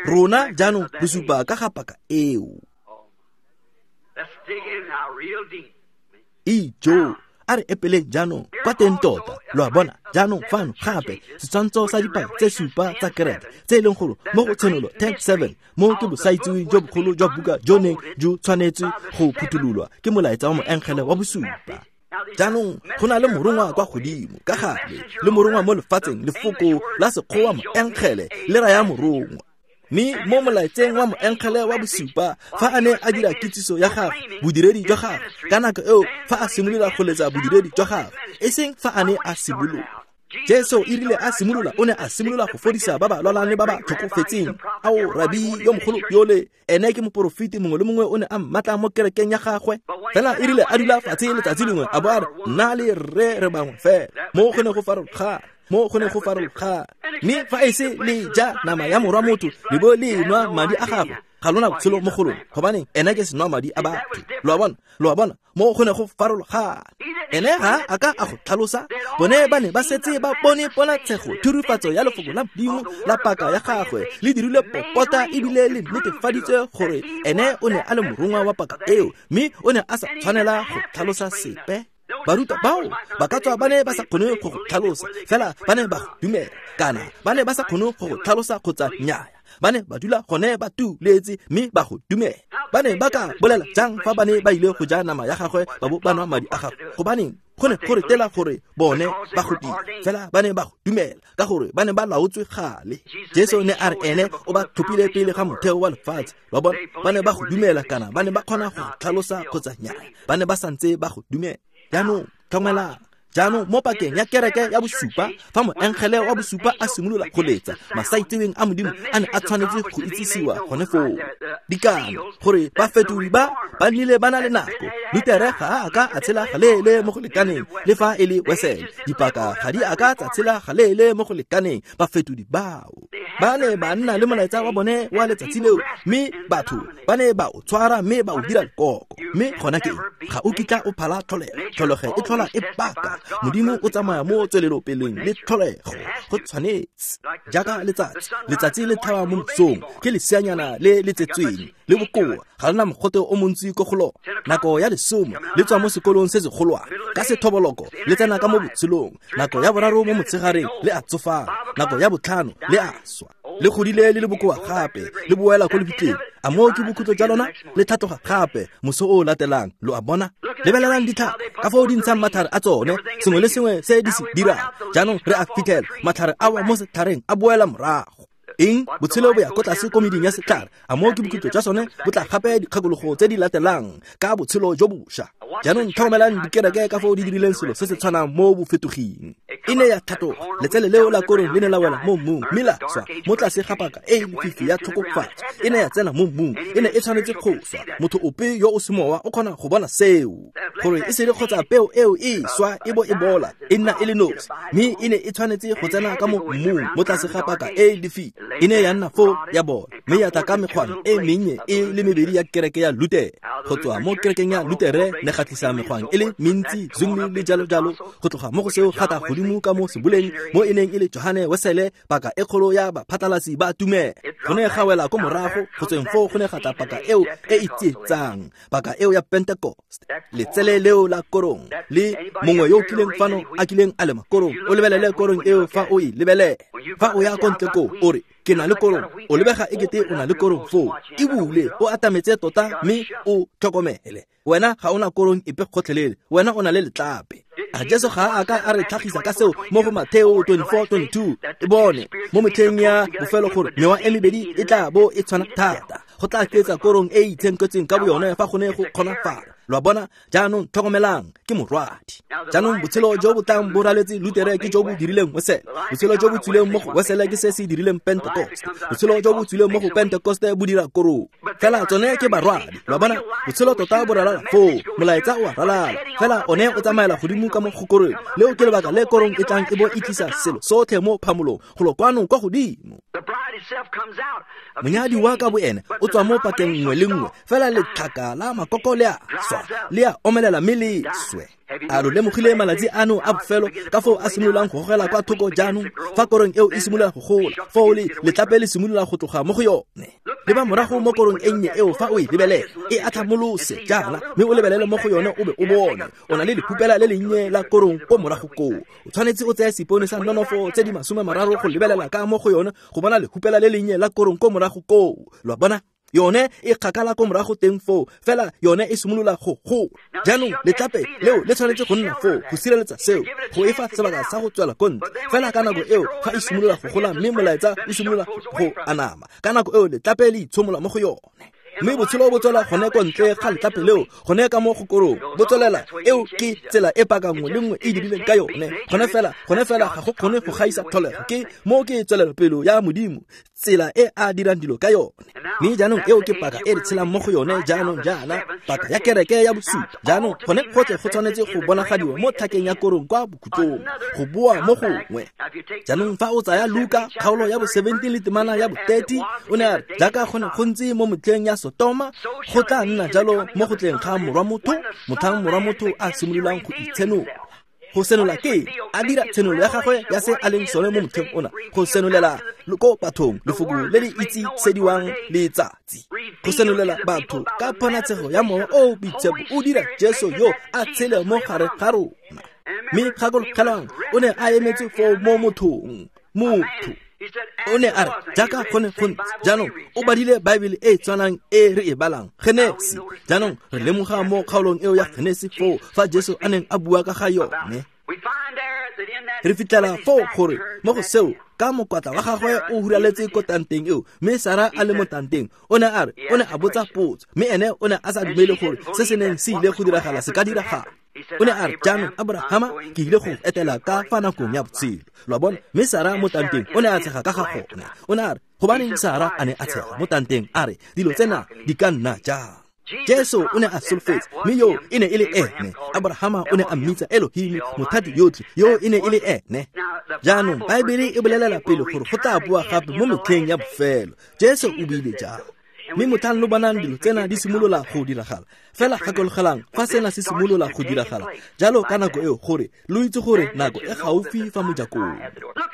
rona jaanong re supa ka ga paka eo. Ijo, a re epeleng jaanong kwa teng tota. Lo a bona, jaanong fano gape setshwantsho sa dipaka tse supa tsa kereke tse e leng gore mo go Tshenolo ten seven, mo ke bosaitsiweng jo bogolo jwa buka jo neng jo tshwanetse go phuthololwa ke molaetsa wa moengele wa bosupa. Jaanong go na le morongwa kwa godimo ka gale le morongwa mo lefatsheng. Lefoko la sekgowa moengele le raya morongwa. Mme mo molaetseng wa moengele wa bosupa, fa a ne a dira kitsiso ya gagwe, bodiredi jwa gagwe, ka nako eo fa a simolola go letsa bodiredi jwa gagwe, e seng fa a ne a simolola. Jesu e rile a simolola, o ne a simolola go fodisa ba ba lwalang le ba ba tlhokofetseng. Ao, rabi yo mogolo yole, ene ke moporofeti, mongwe le mongwe o ne a mmatla mo kerekeng ya gagwe. Fela e rile a dula fatshe letsatsi lengwe, a bo a re, nna le rre re bangwe fela. Mo go ne go farologana, mo go ne go farologana. Mme fa e se le ja nama ya morwa motho, le bo le nwa madi a gagwe, ga lona botshelo mo go lona, gobane ene ke senwa madi a batho. Lo a bona, lo a bona, mo go ne go farologana. Ene ga a ka a go tlhalosa. Bone ba ne ba setse ba bone ponatshego, thurifatso ya lefoko la Modimo la paka ya gagwe, le dirile popota ebile le netefaditswe gore ene o ne a le morongwa wa paka eo, mme o ne a sa tshwanela go tlhalosa sepe. Barutwa bao ba ka tswa ba ne ba sa kgone go go tlhalosa, fela ba ne ba go dumela, kana ba ne ba sa kgone go go tlhalosa kgotsa nnyaya. Ba ne ba dula gone ba tuletse mme ba go dumela. Ba ne ba ka bolela jang fa ba ne ba ile go ja nama ya gagwe ba bo ba nwa madi a gagwe? Gobaneng go ne go retela gore bone ba go dira, fela ba ne ba go dumela ka gore ba ne ba laotswe gale. Jesu ne a re ene o ba tlhophile pele ga motheo wa lefatshe. Ba bona, ba ne ba go dumela, kana ba ne ba kgona go tlhalosa kgotsa nnyaya, ba ne ba santse ba go dumela. Jaanong tlhokomelang. Jaanong mo pakeng ya kereke ya bosupa, fa moengele wa bosupa a simolola go letsa, masaitseweng a Modimo a ne a tshwanetse go itsisiwa gone foo. Dikano gore bafetodi ba ba nnile ba na le nako. Lutere ga a ka a tshela galeele mo go lekaneng, le fa e le Wesele. Dipaka ga di a ka tsa tshela galeele mo go lekaneng. Bafetodi bao ba ne ba nna le molaetsa wa bone wa letsatsi leo, mme batho ba ne ba o tshwara mme ba o dira lekoko. Mme gona ke ga o kitla o phala tlholego. Tlholego e tlhola e baka. Modimo o tsamaya mo tswelelopeleng le tlholego. Go tshwanetse jaaka letsatsi, letsatsi le tlhaba mo mosong, ke leseanyana le le tsetsweng le bokoa, ga lena mogote o montsi ko go lona. Nako ya lesome le tswa mo sekolong se segolwane, ka sethoboloko le tsena ka mo botshelong. Nako ya boraro mo motshegareng le a tsofala. Nako ya botlhano le a swa, le godile le le bokoa gape, le boela ko lebitleng. A moo ke bokhutlo jwa lona? Le tlhatloga gape moso o latelang. Lo a bona? Lebelelang ditlhare ka foo di ntshang matlhare a tsone, sengwe le sengwe se di se dirang. Jaanong re a fitlhela matlhare a wa mo setlhareng a boela morago. Eng? Botshelo bo ya ko tlase ko meding ya setlhare. A moo ke bokhutlo jwa sone? Bo tla gape dikgakologo tse di latelang ka botshelo jo bošwa. Jaanong tlhokomelang dikereke ka foo di dirileng selo se se tshwanang mo bofetoging. E ne ya tlhatloga, letsele leo la korong le ne la wela mo mmung, mme la swa mo tlase ga paka e lefifi ya tlhokofatso. E ne ya tsena mo mmung, e ne e tshwanetse go swa. Motho ope yo o semowa o kgona go bona seo, gore e se le kgotsa peo eo e swa e bo e bola, e nna e le nosi, mme e ne e tshwanetse go tsena ka mo mmung mo tlase ga paka e lefifi. E ne ya nna foo ya bola, mme ya tla ka mekgwana e mennye e le mebedi ya kereke ya Lutere. Go tswa mo kerekeng ya Lutere ne ga tlisa mekgwang e le mentsi, Zwingli le jalo jalo. Go tloga mo go seo ga tla godimo ka mo seboleng mo e neng e le Johane Wesele, paka e kgolo ya baphatlalatsi ba tumelo. Go ne ga wela ko morago, go tsweng foo go ne ga tla paka eo e e tsietsang, paka eo ya Pentecost. Letsele leo la korong, le mongwe yo o kileng fano a kileng a lema korong, o lebelele korong eo fa o e lebelele. Fa o ya ko ntle koo, o re, ke na le korong, o lebega ekete o na le korong foo. E bule, o atametse tota mme o tlhokomele. Wena ga ona korong epe gotlhelele, wena o na le letlape. A Jesu ga a ka a re tlhagisa ka seo mo go Mateo twenty-four twenty-two? E bone mo metlheng ya bofelo gore mewa e mebedi e tla bo e tshwana thata, go tla tletsa korong e e itshenketsweng ka boyone fa go ne go kgonafala. Lo a bona? Jaanong tlhokomelang, ke morwadi. Jaanong botshelo jo bo tlang bo raletse Lutere ke jo bo dirileng Wesele. Botshelo jo bo tswileng mo go Wesele ke se se dirileng Pentecost. Botshelo jo bo tswileng mo go Pentecost bo dira korong. Fela tsone ke barwadi. Lo a bona? Botshelo tota bo ralala foo, molaetsa o a ralala, fela one o tsamaela godimo ka mo go korong. Leo ke lebaka le korong e tlang e bo e tlisa selo sotlhe mo phamolong, golo kwano kwa godimo. Monyadi wa ka boene o tswa mo pakeng nngwe le nngwe, fela letlhaka la makoko le a swa, le a omelela mme le swe. A lo lemogile malatsi ano a bofelo ka foo a simololang go gogela kwa thoko jaanong? Fa korong eo e simolola go gola, foo le letlape le simolola go tloga mo go yone. Leba morago mo korong e nnye eo fa o e lebelela, e atlhamolose jaana, mme o lebelele mo go yone o be o bone o na le lephupela le lennye la korong ko morago koo. O tshwanetse o tseye seipone sa nonofo tse di masome mararo go lebelela ka mo go yone go bona lephupela le lennye la korong ko morago koo. Lo a bona? Yone e kgakala ko morago teng foo, fela yone e simolola go gola. Jaanong letlape leo le tshwanetse go nna foo go sireletsa seo, go e fa sebaka sa go tswela ko ntle. Fela ka nako eo ga e simolola go gola mme molaetsa o simolola go anama, ka nako eo letlape le itshomola mo go yone. Mme botshelo bo tswela gone ko ntle ga letlape leo, gone ka mo go korong, bo tswelela. Eo ke tsela e paka nngwe le nngwe e dirileng ka yone. Gone fela, gone fela ga go kgone go gaisa tlholego. Ke mo ke tswelelopele ya Modimo, tsela e a dirang dilo ka yone. Mme jaanong eo ke paka e re tshelang mo go yone jaanong jaana, paka ya kereke ya bosupa. Jaanong gone gotlhe go tshwanetse go bonagadiwa mo tlhakeng ya korong kwa bokhutlong, go boa mo gongwe. Jaanong fa o tsaya Luka kgaolo ya bo seventeen le temana ya bo thirty, o ne a re jaaka go ne go ntse mo motlheng ya Sotoma, go tla nna jalo mo go tleng ga morwa motho, motlhang morwa motho a simololang go itshenola. Go senola ke a dira tshenolo ya gagwe ya se a leng sone mo motlheng ona, go senolela ko bathong lefoko le le itsesediwang letsatsi, go senolela batho ka ponatshego ya Mowa o o Boitshepo o dira Jesu yo a tshele mo gare ga rona. Mme gakologelwang, o ne a emetse foo mo mothong, motho. O ne a re jaaka go ne go ntse. Jaanong o badile Baebele e e tshwanang e re e balang, Genesi. Jaanong re lemoga mo kgaolong eo ya Genesi foo fa Jesu a neng a bua ka ga yone. Re fitlhela foo gore mo go seo ka mokwatla wa gagwe o huraletse ko tanteng eo, mme Sara a le mo tanteng. O ne a re, o ne a botsa potso, mme ene o ne a sa dumele gore se se neng se ile go diragala se ka diragala. O ne a re, jaanong Abrahama, ke ile go etela ka fa nakong ya botshelo. Lo a bona? Mme Sara mo tanteng o ne a tshega ka ga gone. O ne a re, gobaneng Sara a ne a tshega mo tanteng, a re dilo tsena di ka nna jang? Jesu o ne a solofetse, mme yo e ne e le ene. Abrahama o ne a mmitsa Elohim, mothati yotlhe, yo e ne e le ene. Jaanong Baebele e bolelela pele gore go tla boa gape mo metlheng ya bofelo. Jesu o buile jalo. Mme motlhang lo bonang dilo tsena di simolola go diragala, fela gakologelang fa sena se simolola go diragala jalo ka nako eo, gore lo itse gore nako e gaufi fa mojakong.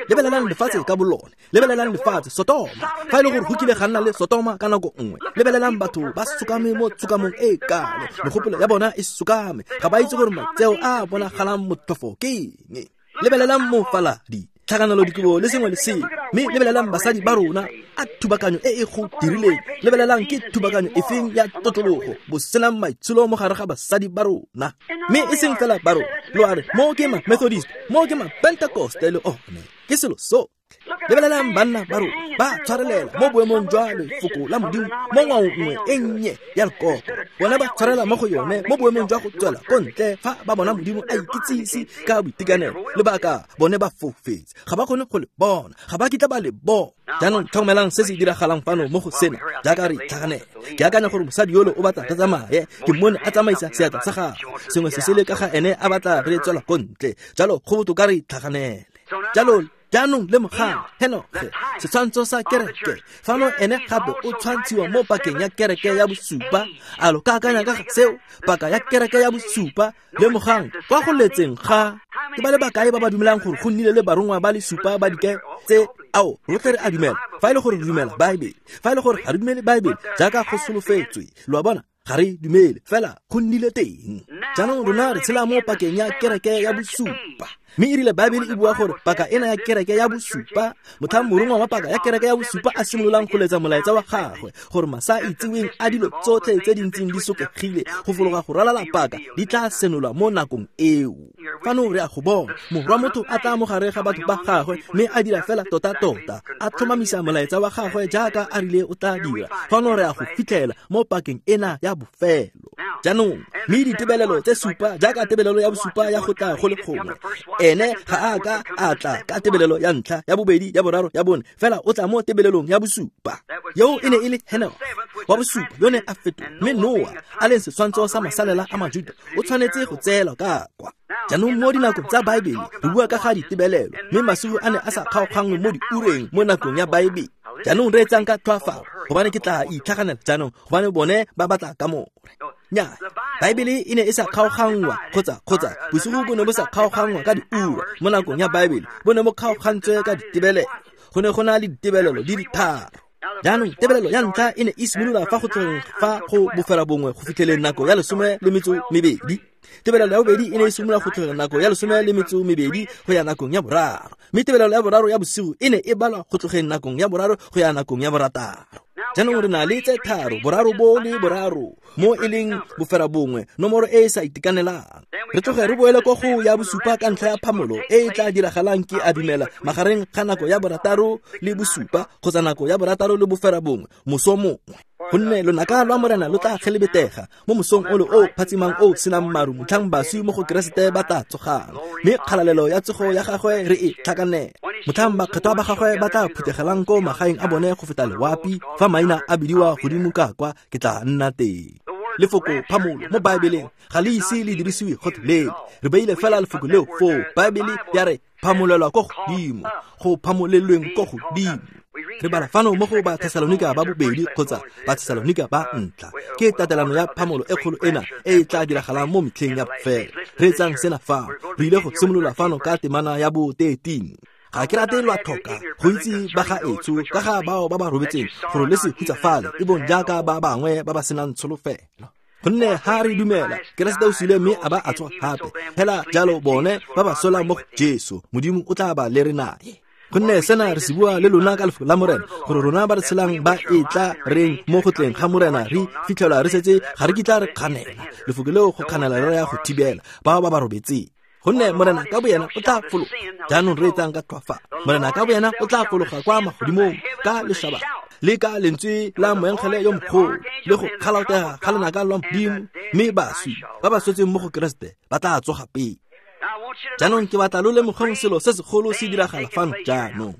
Lebelelang lefatshe ka bolone, lebelelang lefatshe Sotoma. Fa e le gore go kile ga nna le Sotoma ka nako nngwe, lebelelang batho ba sokame mo tshokamong e kalo, megopolo ya bona e sokame, ga ba itse gore matseo a bonagalang motlhofo ke eng. Lebelelang mofaladi, tlhakanelo dikobo le sengwe le sengwe, mme lebelelang basadi ba rona, a thubakanyo e e go dirileng. Lebelelang ke thubakanyo efeng ya tlotlologo, bo senang maitsholo mo gare ga basadi ba rona. Mme e seng fela ba rona, lo a re mo ke ma Methodist, mo ke ma Pentecost le one, ke selo so. Lebelelang banna ba rona ba tshwarelela mo boemong jwa lefoko la Modimo mo ngwaong nngwe e nnye ya lekoko. Bona ba tshwarela mo go yone mo boemong jwa go tswela ko ntle fa ba bona Modimo a ikitsise ka boitekanelo. Lebaka, bone ba foufetse, ga ba kgone go le bona, ga ba kitla ba le bona. Jaanong tlhokomelang se se diragalang fano mo go sena jaaka re itlhaganela. Ke akanya gore mosadi yolo o batla re tsamaye, ke mmone a tsamaisa seatla sa gagwe, sengwe se se le ka ga ene a batla re tswela ko ntle. Jalo go botoka re itlhaganele. Jalo jaanong lemogang Henoge, setshwantsho sa kereke. Fano ene gape o tshwantshiwa mo pakeng ya kereke ya bosupa. A lo ka akanya ka ga seo? Paka ya kereke ya bosupa. Lemogang kwa go letseng ga ke ba le bakae ba ba dumelang gore go nnile le barongwa ba le supa ba dike tse? Ao, rotlhe re a dumela. Fa e le gore re dumela Baebele, fa e le gore ga re dumele Baebele jaaka go solofetswe, lo a bona, ga re dumele, fela go nnile teng. Jaanong rona re tshela mo pakeng ya kereke ya bosupa. Mme e rile Baebele e bua gore paka ena ya kereke ya bosupa, motlhang morongwa wa paka ya kereke ya bosupa a simololang go letsa molaetsa wa gagwe, gore masa a itseweng a dilo tsotlhe tse di ntseng di sokegile go fologa go ralala paka di tla senolwa mo nakong eo. Fano re a go bona morwa motho a tla mo gare ga batho ba gagwe, mme a dira fela tota-tota, a tlhomamisa molaetsa wa gagwe jaaka a rile o tla dira. Fano re a go fitlhela mo pakeng ena ya bofelo. Jaanong mme ditebelelo tse supa, jaaka tebelelo ya bosupa ya go tla go le gongwe, ene ga a ka a tla ka tebelelo ya ntlha, ya bobedi, ya boraro, ya bone, fela o tla mo tebelelong ya bosupa. Eo e ne e le Henoge wa bosupa, yo ne a fetoga. Mme Noa a leng setshwantsho sa masalela a Majuda, o tshwanetse go tseelwa ka kwa. Jaanong mo dinakong tsa Baebele re bua ka ga ditebelelo, mme masigo a ne a sa kgaoganngwe mo diureng mo nakong ya Baebele. Jaanong re etsang ka tlhoafalo, gobane ke tla itlhaganela jaanong, gobane bone ba batla kamore. Nnyaa, Baebele e ne e sa kgaoganngwa kgotsa kgotsa bosigo bo ne bo sa kgaoganngwa ka diura mo nakong ya Baebele, bo ne bo kgaogantswe ka ditebelelo. Go ne go na le ditebelelo di le tharo. Jaanong tebelelo ya ntlha e ne e simolola fa go tlogeng fa go bofela bongwe go fitlheleng nako ya lesome le metso mebedi. Tebelelo ya bobedi e ne e simolola go tlogela nako ya lesome le metso mebedi go ya nakong ya boraro. Mme tebelelo ya boraro ya bosigo e ne e balwa go tlogeng nakong ya boraro go ya nakong ya borataro. Jaanong re na le tse tharo, boraro bo le boraro, mo e leng bofera bongwe, nomoro e e sa itekanelang. Re tloge re boele ko go ya bosupa ka ntlha ya phamolo e e tla diragalang ke a dumela magareng ga nako ya borataro le bosupa kgotsa nako ya borataro le bofera bongwe moso mongwe. Gonne lonaka lwa Morena lo tla kgelebetega mo mosong o le o phatsimang o senang maru motlhang baswi mo go Keresete ba tla tsogang, mme kgalalelo ya tsogo ya gagwe re e tlhakanela. Motlhang bakgethwa ba gagwe ba tla phuthegelang ko magaeng a bone go feta lewapi, fa maina a bidiwa godimo ka kwa ke tla nna teng. Lefoko phamolo mo Baebeleng ga le ise le dirisiwe gotlhelele, re beile fela lefoko leo foo. Baebele ya re phamolelwa ko godimo, go phamolelweng ko godimo. Re bala fano mo go Bathesalonika ba bobedi kgotsa Bathesalonika ba ntlha, ke tatelano ya phamolo e kgolo ena e e tla diragalang mo metlheng ya bofelo. Re etsang sena fano, re ile go simolola fano ka temana ya bo thirteen. Ga ke rate lwa tlhoka go itse ba ga etsho ka ga bao ba ba robetseng gore le se hutsafale, e bong jaaka ba bangwe ba ba senang tsholofelo. Gonne ha re dumela Keresete o sule mme a ba a tsoga gape, fela jalo bone ba ba sola mo go Jesu, Modimo o tla ba lere naye. Gonne sena re se bua le lona ka lefoko la Morena, gore rona ba re tshelang ba e tla reng mo go tleng ga Morena re fitlhelwa re setse ga re kitla re kganela. Lefoko leo go kganela re ya go thibela bao ba ba robetseng. Gonne Morena ka boyena o tla fologa. Jaanong re etsang ka tlhoafalo. Morena ka boyena o tla fologa kwa magodimong ka lešaba le ka lentswe la moengele yo mogolo le go kgalaotega ga lonaka lwa Modimo, mme baswi ba ba swetseng mo go Keresete ba tla tsoga pele. Jaanong ke batla lo lemogeng selo se segolo se diragala fano jaanong.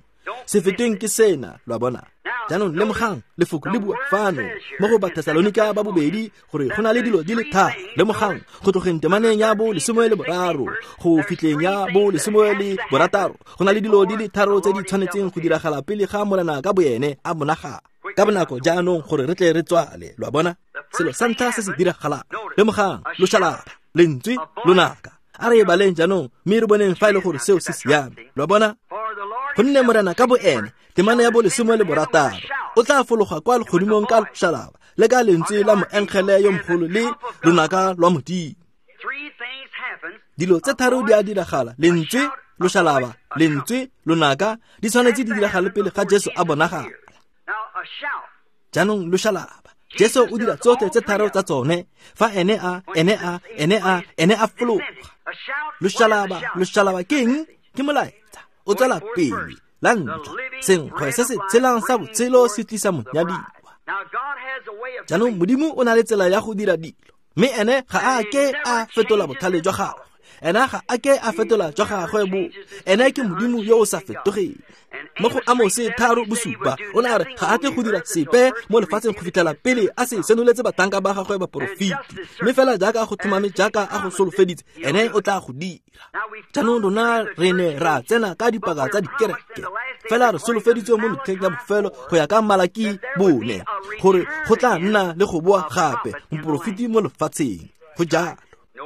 Se fetweng ke sena, lo a bona. Jaanong lemogang lefoko le bua fano mo go Bathesalonika ba bobedi gore go na le dilo di le tharo. Lemogang go tlogeng temaneng ya bo lesome le boraro go fitlheng ya bo lesome le borataro, go na le dilo di le tharo tse di tshwanetseng go diragala pele ga Morena ka boene a bonagala. Ka bonako jaanong gore re tle re tswale, lo a bona. Selo sa ntlha se se diragalang, lemogang loshalaba, lentswe, lonaka. A re baleng jaanong mme re boneng fa e le gore seo se siame, lo a bona. Gonne Morena ka boene, temana ya bo lesome le borataro, o tla fologa kwa legodimong ka loshalaba le ka lentswe la moengele yo mogolo le lonaka lwa Modimo. Dilo tse tharo di a diragala: lentswe, loshalaba, lentswe, lonaka, di tshwanetse di diragale pele ga Jesu a bonagala. Jaanong loshalaba, Jesu o dira tsotlhe tse tharo tsa tsone fa ene a ene a ene a ene a fologa. Loshalaba, loshalaba ke eng? Ke molaetsa o tswela pele. La ntlha, senkgwe se se tshelang sa botshelo se tlisa monyadiwa. Jaanong Modimo o na le tsela ya go dira dilo, mme ene ga a ke a fetola botlhale jwa gagwe. Ena ga a ke a fetola jwa gagwe bo. Ene ke Modimo yo o sa fetogeng. Mo go Amose tharo bosupa o ne a re ga a tle go dira sepe mo lefatsheng go fitlhela pele a se senoletse batanka ba gagwe baporofiti, mme fela jaaka go tlhomame jaaka a go solofeditse, ene o tla go dira. Jaanong rona re ne ra tsena ka dipaka tsa dikereke, fela re solofeditswe mo metlheng ya bofelo go ya ka Malaki bone gore go tla nna le go boa gape moporofiti mo lefatsheng. Go jalo.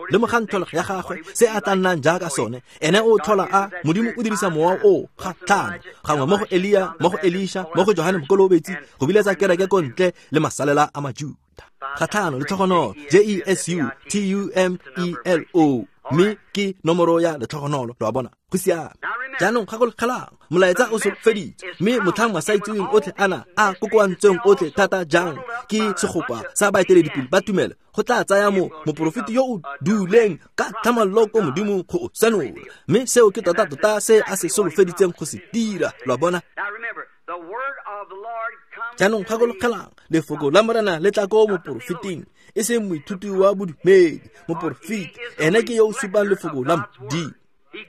Lemogang tlholego ya gagwe, se a tla nnang jaaka sone. Ene o tlhola a Modimo o dirisa mowa o ga tlhano gangwe mo go Elia, mo go Elisha, mo go Johane Mokolobetsi, go biletsa kereke ko ntle le masalela a Majuta. Ga tlhano letlhogonolo, J E S U T U M E L O, mme ke nomoro ya letlhogonolo, lo a bona. Go siame. Jaanong gakologelang, molaetsa o solofeditswe, mme motlhang masaitseweng otlhe ana a kokoantsweng otlhe thata jang ke segopa sa baeteledipele ba tumelo, go tla tsaya mo moporofeti yo o duleng ka tlhamallo ko Modimo go o senola, mme seo ke tota-tota se a se solofeditseng go se dira, lo a bona. Jaanong gakologelang, lefoko la Morena le tla ko moporofeting, e seng moithuti wa bodumedi. Moporofeti ene ke yo o supang lefoko la Modimo.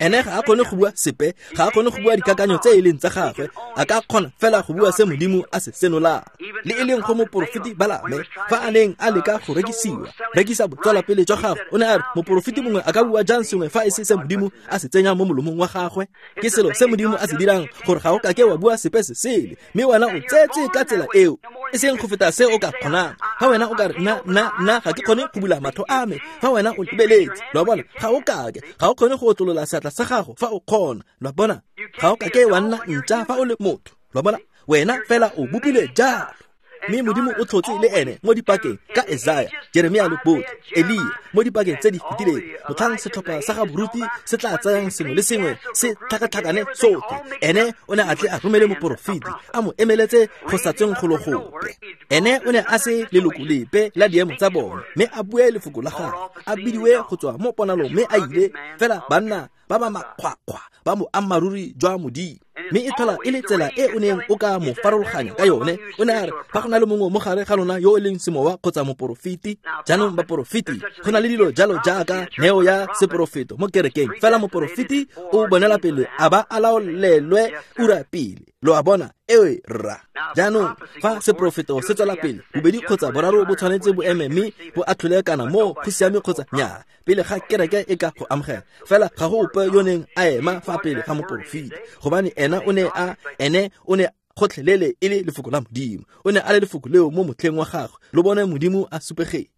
Ene ga a kgone go bua sepe, ga a kgone go bua dikakanyo tse e leng tsa gagwe, a ka kgona fela go bua se Modimo a se senolang. Le e leng go moporofeti Balame, fa a neng a leka go rekisiwa, rekisa botswelapele jwa gagwe, o ne a re moporofeti mongwe a ka bua jang sengwe fa e se se Modimo a se tsenya mo molomong wa gagwe? Ke selo se Modimo a se dirang gore ga o ka ke wa bua sepe se sele, mme wena o tsetse ka tsela eo, e seng go feta se o ka kgonang. Fa wena o ka re nna nna nna ga ke kgone go bula matlho a me, fa wena o lebeletse, lo a bona, ga o kake, ga o kgone go otlolola seatla sa gago fa o kgona, lo a bona, ga o kake wa nna ntša fa o le motho, lo a bona, wena fela o bopilwe jalo. Mme Modimo o tlhotse le ene mo dipakeng ka Esaya, Jeremia le botlhe, Elia mo dipakeng tse di fetileng. Motlhang setlhopha sa ga boruti se tla tsayang sengwe le sengwe se tlhakatlhakane sotlhe, ene o ne a tle a romele moporofeti a mo emeletse go sa tsweng golo gope. Ene o ne a se leloko lepe la diemo tsa bone, mme a bue lefoko la gagwe, a bidiwe go tswa mo ponalong, mme a ile fela banna ba ba makgwakgwa ba boammaaruri jwa Modimo. Mme e tlhola e le tsela e o neng o ka mo farologanya ka yone. O ne a re fa go na le mongwe mo gare ga lona yo e leng semowa kgotsa moporofeti. Jaanong baporofeti, go na le dilo jalo jaaka neo ya seporofeto mo kerekeng, fela moporofeti o bonela pele a ba a laolelwe ura pele. Lo a bona? Ewe rra. Jaanong fa seporofeto se tswela pele, bobedi kgotsa boraro bo tshwanetse bo eme mme bo atlhole kana mo go siame kgotsa nnyaa pele ga kereke e ka go amogela. Fela ga go ope yo neng a ema fa pele ga moporofeti, gobane ena o ne a ene o ne gotlhelele e le lefoko la Modimo. O ne a le lefoko leo mo motlheng wa gagwe, lo bone Modimo a supegetsa.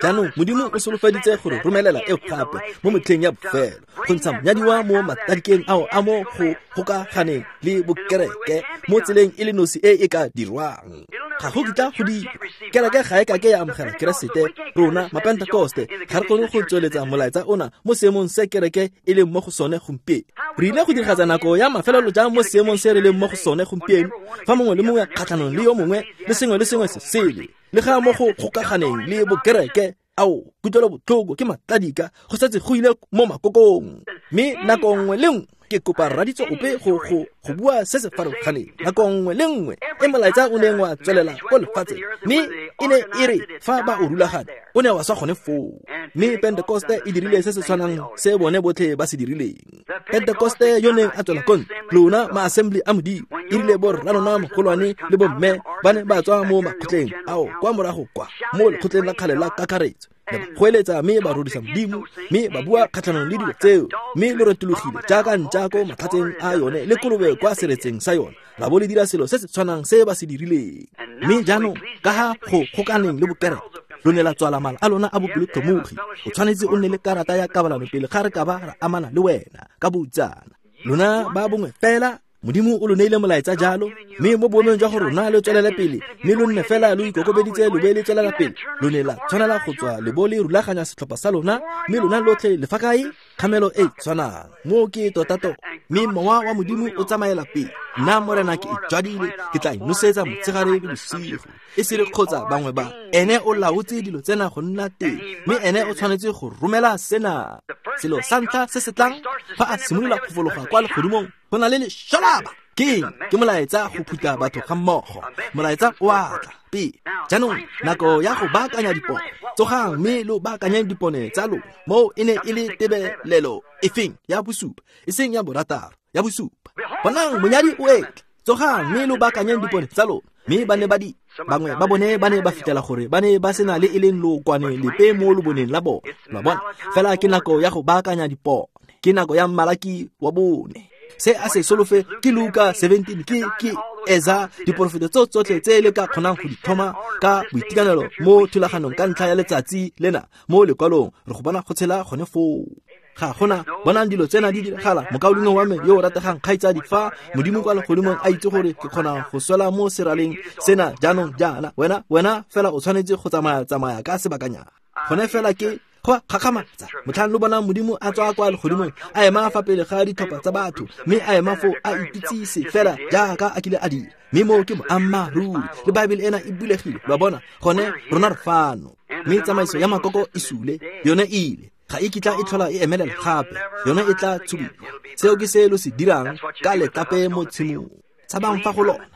Jaanong Modimo o solofeditse gore romelela eo gape mo motlheng ya bofelo, go ntsha monyadiwa mo matadikeng ao a mo go gokaganeng le bokereke mo tseleng e le nosi e e ka dirwang. Ga go kitla go dira. Kereke ga e kake ya amogela Keresete. Rona Mapentekoste ga re kgone go tsweletsa molaetsa ona mo seemong se kereke e leng mo go sone gompieno. Re ile go diragatsa nako ya mafelelo jang mo seemong se re leng mo go sone gompieno, fa mongwe le mongwe kgatlhanong le yo mongwe le sengwe le sengwe se sele, le ga mo go gokaganeng le bokereke. Ao, kutlwelo botlhoko ke matladika, go setse go ile mo makokong. Mme nako nngwe le nngwe ke kopa raditso ope go go go bua se se farologaneng. Nako nngwe le nngwe e molaetsa o neng wa tswelela ko lefatsheng, mme e ne e re fa ba o rulaganya, o ne wa swa gone foo. Mme Pentekoste e dirile se se tshwanang se bone botlhe ba se dirileng. Pentekoste yo neng a tswela kontle, lona ma-assembly a Modimo, e rile bo rralona mogolwane le bomme ba ne ba tswa mo makgotleng ao kwa morago kwa mo lekgotleng la kgale la kakaretso, ba goeletsa mme ba rodisa Modimo, mme ba bua kgatlhanong le dilo tseo, mme lo retologile jaaka ntša ko matlhatseng a yone le kolobe kwa seretseng sa yone, la bo le dira selo se se tshwanang se ba se dirileng. Mme jaanong ka ga go gokaneng le bokereke, lo ne la tswala mala a lona a bopelotlhomogi. O tshwanetse o nne le karata ya kabalano pele ga re ka ba ra amana le wena ka boutsana. Lona ba bongwe fela, Modimo o lo neile molaetsa jalo, mme mo boemong jwa gore rona lo tswelele pele, mme lo nne fela lo ikokobeditse lo be le tswelela pele, lo ne la tshwanela go tswa le bo le rulaganya setlhopha sa lona, mme lona lotlhe le fa kae? Kgamelo e tshwanang. Moo ke totato. Mme mowa wa Modimo o tsamaela pele. Nna Morena ke e jwadile, ke tla e nosetsa motshegare le bosigo, e se re kgotsa bangwe ba. Ene o laotse dilo tsena go nna teng, mme ene o tshwanetse go romela sena. Selo sa ntlha se se tlang fa a simolola go fologa kwa legodimong, go na le lešalaba. Ke eng? Ke molaetsa go phutha batho ga mmogo. Molaetsa o a tla pele. Jaanong nako ya go baakanya dipone. Tsogang mme lo baakanyeng dipone tsa lona. Moo e ne e le tebelelo efeng ya bosupa, e seng ya borataro, ya bosupa. Bonang monyadi o etla. Tsogang mme lo baakanyeng dipone tsa lona. Mme ba ne ba di bangwe ba bone ba ne ba fitlhela gore ba ne ba sena le e leng lookwane lepe mo loboneng la bone. Lo a bona? Fela ke nako ya go baakanya dipone. Ke nako ya Malaki wa bone. Se a se solofe ke Luka seventeen, ke ke eza diporofeto tso tsotlhe tse le ka kgonang go di tlhoma ka boitekanelo mo thulaganong ka ntlha ya letsatsi lena mo lekwalong, re go bona go tshela gone foo. Ga gona bonang dilo tsena di diragala. Mokaulengwe wa me yo o rategang, kgaitsadi, fa Modimo kwa legodimong a itse gore ke kgona go swela mo seraleng sena jaanong jaana, wena wena fela o tshwanetse go tsamaya tsamaya ka sebakanyana. Gone fela ke go gakgamatsa motlhang lo bonang Modimo a tswa kwa legodimong a ema fa pele ga ditlhopha tsa batho, mme a ema foo a ipitsise fela jaaka a kile a dira. Mme moo ke boammaaruri, le Baebele ena e bulegile. Lo a bona? Gone rona re fano. Mme tsamaiso ya makoko e sule, yone e ile, ga e kitla e tlhola e emelela gape, yone e tla tshubiwa. Seo ke se lo se dirang ka letlape mo tshimong. Tshabang fa go lona.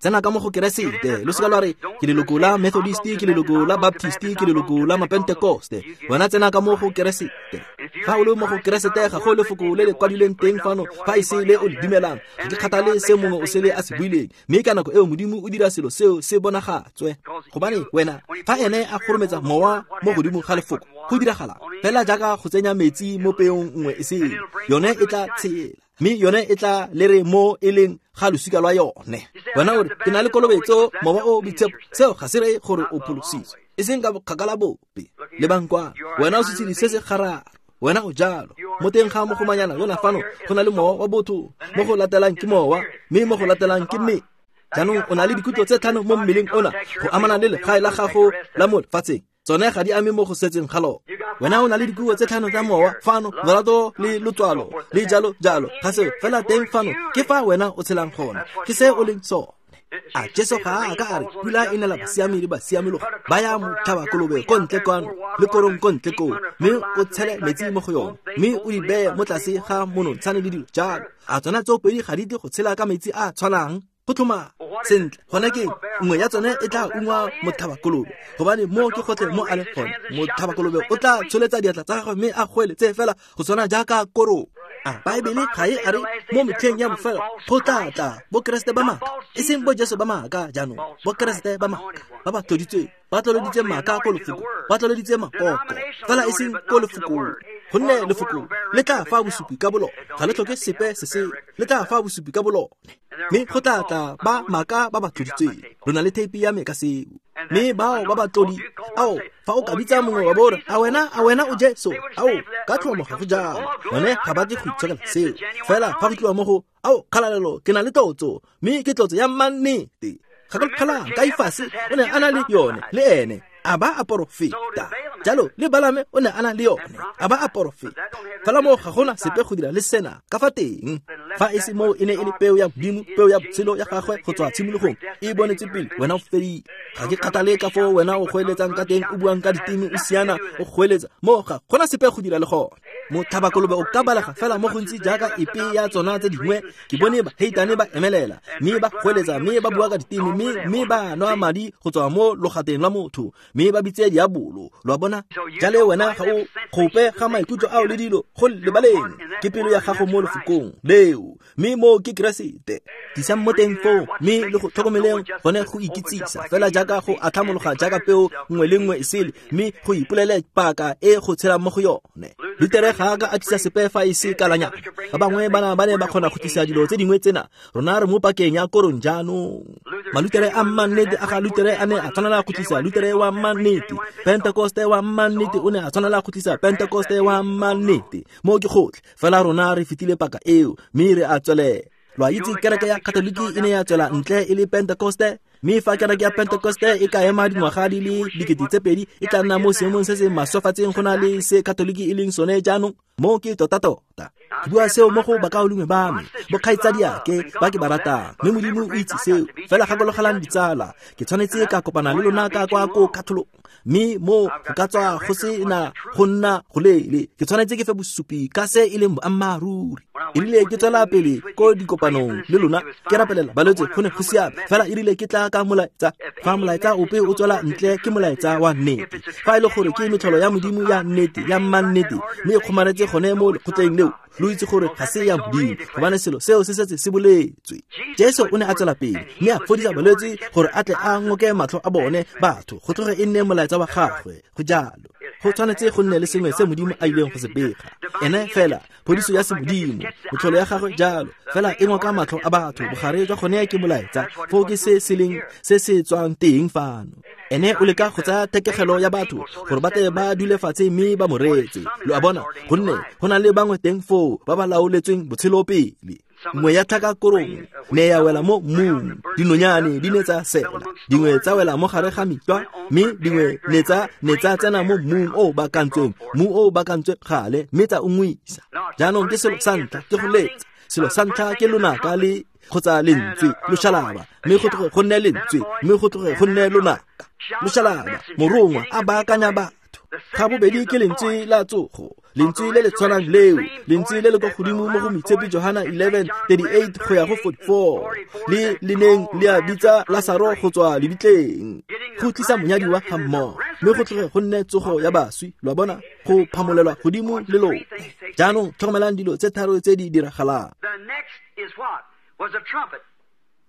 Tsena ka mo go Keresete. Lo seka lwa re ke leloko la Methodist, ke leloko la Baptist, ke leloko la Mapentekoste. Wena tsena ka mo go Keresete. Fa o le mo go Keresete, ga go lefoko le le kwadilweng teng fano fa e se le o le dumelang. Ga ke kgathale se mongwe o sele a se buileng, mme ka nako eo Modimo o dira selo seo se bonagatswe. Gobane wena fa ene a kgorometsa mowa mo godimo ga lefoko, go diragala fela jaaka go tsenya metsi mo peong nngwe e sele, yone e tla tshela, mme yone e tla lere mo e leng ga losika lwa yone. Wena o re ke na le kolobetso, mowa o boitshepo, seo ga se reye gore o pholositswe, e seng ka bokgakala bope. Lebang kwa, wena o setshedi se se gararo, wena o jalo. Mo teng ga mogomanyana yona fano go na le mowa wa botho, mo go latelang ke mowa, mme mo go latelang ke mme. Jaanong o na le dikutlo tse tlhano mo mmeleng ona go amana le legae la gago la mo lefatsheng. Tsone ga di ame mo go setseng ga lona. Wena o na le dikuo tse tlhano tsa mowa fano, lorato le lotswalo le jalo jalo. Ga se fela teng fano, ke fa wena o tshelang gona, ke se o leng sone. A Jesu ga a ka a re pula e nela basiami le basiamologi ba ya motlhabakolobe ko ntle kwano le korong ko ntle koo, mme o tshele metsi mo go yone, mme o di beye mo tlase ga monontshane le dilo jalo. A tsona tsoopedi ga di tle go tshela ka metsi a a tshwanang? Go tlhoma sentle gone ke nngwe ya tsone e tla ungwa motlhabakolobe, gobane mo ke gotlhe mo a leng gone. Motlhabakolobe o tla tsholetsa diatla tsa gagwe mme a goeletse fela go tshwana jaaka korong. A Baebele ga e a re mo metlheng ya bofelo go tla tla bokeresete ba maaka, e seng bo Jesu ba maaka jaanong, bokeresete ba maaka ba ba tloditsweng, ba tloloditse maaka ko lefoko, ba tloloditse makoko, fela e seng ko lefokong. Gonne lefoko le tla fa bosupi ka bolone, ga le tlhoke sepe se se, le tla fa bosupi ka bolone. Mme go tla tla ba maaka ba ba tloditsweng. Lo na le theipi ya me ka seo. Mme bao ba ba tlodi, ao, fa o ka bitsa mongwe wa bore, a wena, a wena o Jesu, ao, ka tlhomo ga go jalo. Bone ga ba tle go itshokela seo. Fela fa go tliwa mo go, ao, kgalalelo, ke na le tlotso, mme ke tlotso ya mannete. Gakologelang, Kaifase o ne a na le yone, le ene, a ba a porofeta. Jalo le Balame o ne a na le yone, a ba a porofeta. Fela moo ga gona sepe go dira le sena ka fa teng. Fa e se moo e ne e le peo ya Modimo, peo ya botshelo ya gagwe go tswa tshimologong, e bonetse pele, wena o fedile. Ga ke kgathale ka foo wena o goeletsang ka teng, o buang ka diteme, o siana, o goeletsa, moo ga gona sepe go dira le gone. Motlhabakolobe o ka balega fela mo gontsi jaaka epe ya tsona tse dingwe. Ke bone baheitane ba emelela, mme ba goeletsa, mme ba bua ka diteme, mme mme ba nwa madi go tswa mo logateng lwa motho, mme ba bitse diabolo. Lo a bona? Jale wena ga o gope ga maikutlo ao le dilo go lebaleng, ke pelo ya gago mo lefokong leo, mme mo ke Keresete. Tlisang mo teng foo, mme le go tlhokomeleng gone go ikitsisa fela jaaka go atlhamologa jaaka peo nngwe le nngwe e sele, mme go ipolele paka e go tshelang mo go yone. Lutere ga a ka a tlisa sepe fa e se kalanyana. Ba bangwe bana ba ne ba kgona go tlisa dilo tse dingwe tsena. Rona re mo pakeng ya korong jaanong. Malutere a mannete a ga Lutere a ne a tshwanela go tlisa Lutere wa mannete. Pentekoste wa mannete o ne a tshwanela go tlisa Pentekoste wa mannete. Mo ke gotlhe. Fela rona re fetile paka eo, mme re a tswelela. Lo a itse kereke ya Katoliki e ne ya tswela ntle e le Pentekoste, mme fa kereke ya Pentekoste e ka ema dingwaga di le dikete tse pedi, e tla nna mo seemong se se maswafatseng go na le se Katoliki e leng sone jaanong. Mo ke tota-tota. Ke bua seo mo go bakaulengwe ba me, bokgaitsadiake ba ke ba ratang, mme Modimo o itse seo. Fela gakologelang ditsala, ke tshwanetse ka kopana le lona ka kwa ko katholong, mme mo go ka tswa go se na go nna go leele. Ke tshwanetse ke fe bosupi ka se e leng boammaaruri. E rile ke tswela pele ko dikopanong le lona, ke rapelela balwetse, go ne go siame. Fela e rile ke tla ka molaetsa, fa molaetsa ope o tswela ntle ke molaetsa wa nnete. Fa e le gore ke metlholo ya Modimo ya nnete, ya mannete, mme e kgomaretse gone mo lekgotleng leo, lo itse gore ga se ya Modimo, gobane selo seo se setse se boletswe. Jesu o ne a tswela pele mme a fodisa balwetse gore a tle a ngoke matlho a bone batho, go tloge e nne molaetsa wa gagwe. Go jalo, go tshwanetse go nne le sengwe se Modimo a ileng go se bega. Ene fela phodiso ya semodimo, metlholo ya gagwe jalo, fela e ngoka matlho a batho. Bogare jwa gone ke molaetsa, foo ke se se leng se se tswang teng fano. Ene o leka go tsaya thekegelo ya batho gore ba tle ba dule fatshe mme ba mo reetse. Lo a bona? Gonne go na le bangwe teng foo ba ba laoletsweng botshelo pele. Nngwe ya tlhaka korong ne ya wela mo mmung, dinonyane di ne tsa sela, dingwe tsa wela mo gare ga mitlwa, mme dingwe ne tsa ne tsa tsena mo mmung o o bakantsweng, mmu o o bakantsweng gale, mme tsa ungwisa. Jaanong ke selo sa ntlha ke go letsa. Selo sa ntlha ke lonaka le kgotsa lentswe, loshalaba, mme go tloge go nne lentswe, mme go tloge go nne lonaka. Loshalaba, morongwa a baakanya batho. Ga bobedi ke lentswe la tsogo, lentswe le le tshwanang leo, lentswe le le kwa godimo mo go Moitshepi Johana eleven thirty-eight go ya go forty-four, le le neng le a bitsa Lasaro go tswa lebitleng, go tlisa monyadiwa ga mmogo, mme go tloge go nne tsogo ya baswi. Lo a bona? Go phamolelwa godimo le lone. Jaanong tlhokomelang dilo tse tharo tse di diragalang.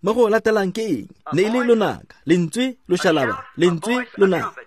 Mo go latelang ke eng? Ne e le lonaka, lentswe loshalaba, lentswe lonaka.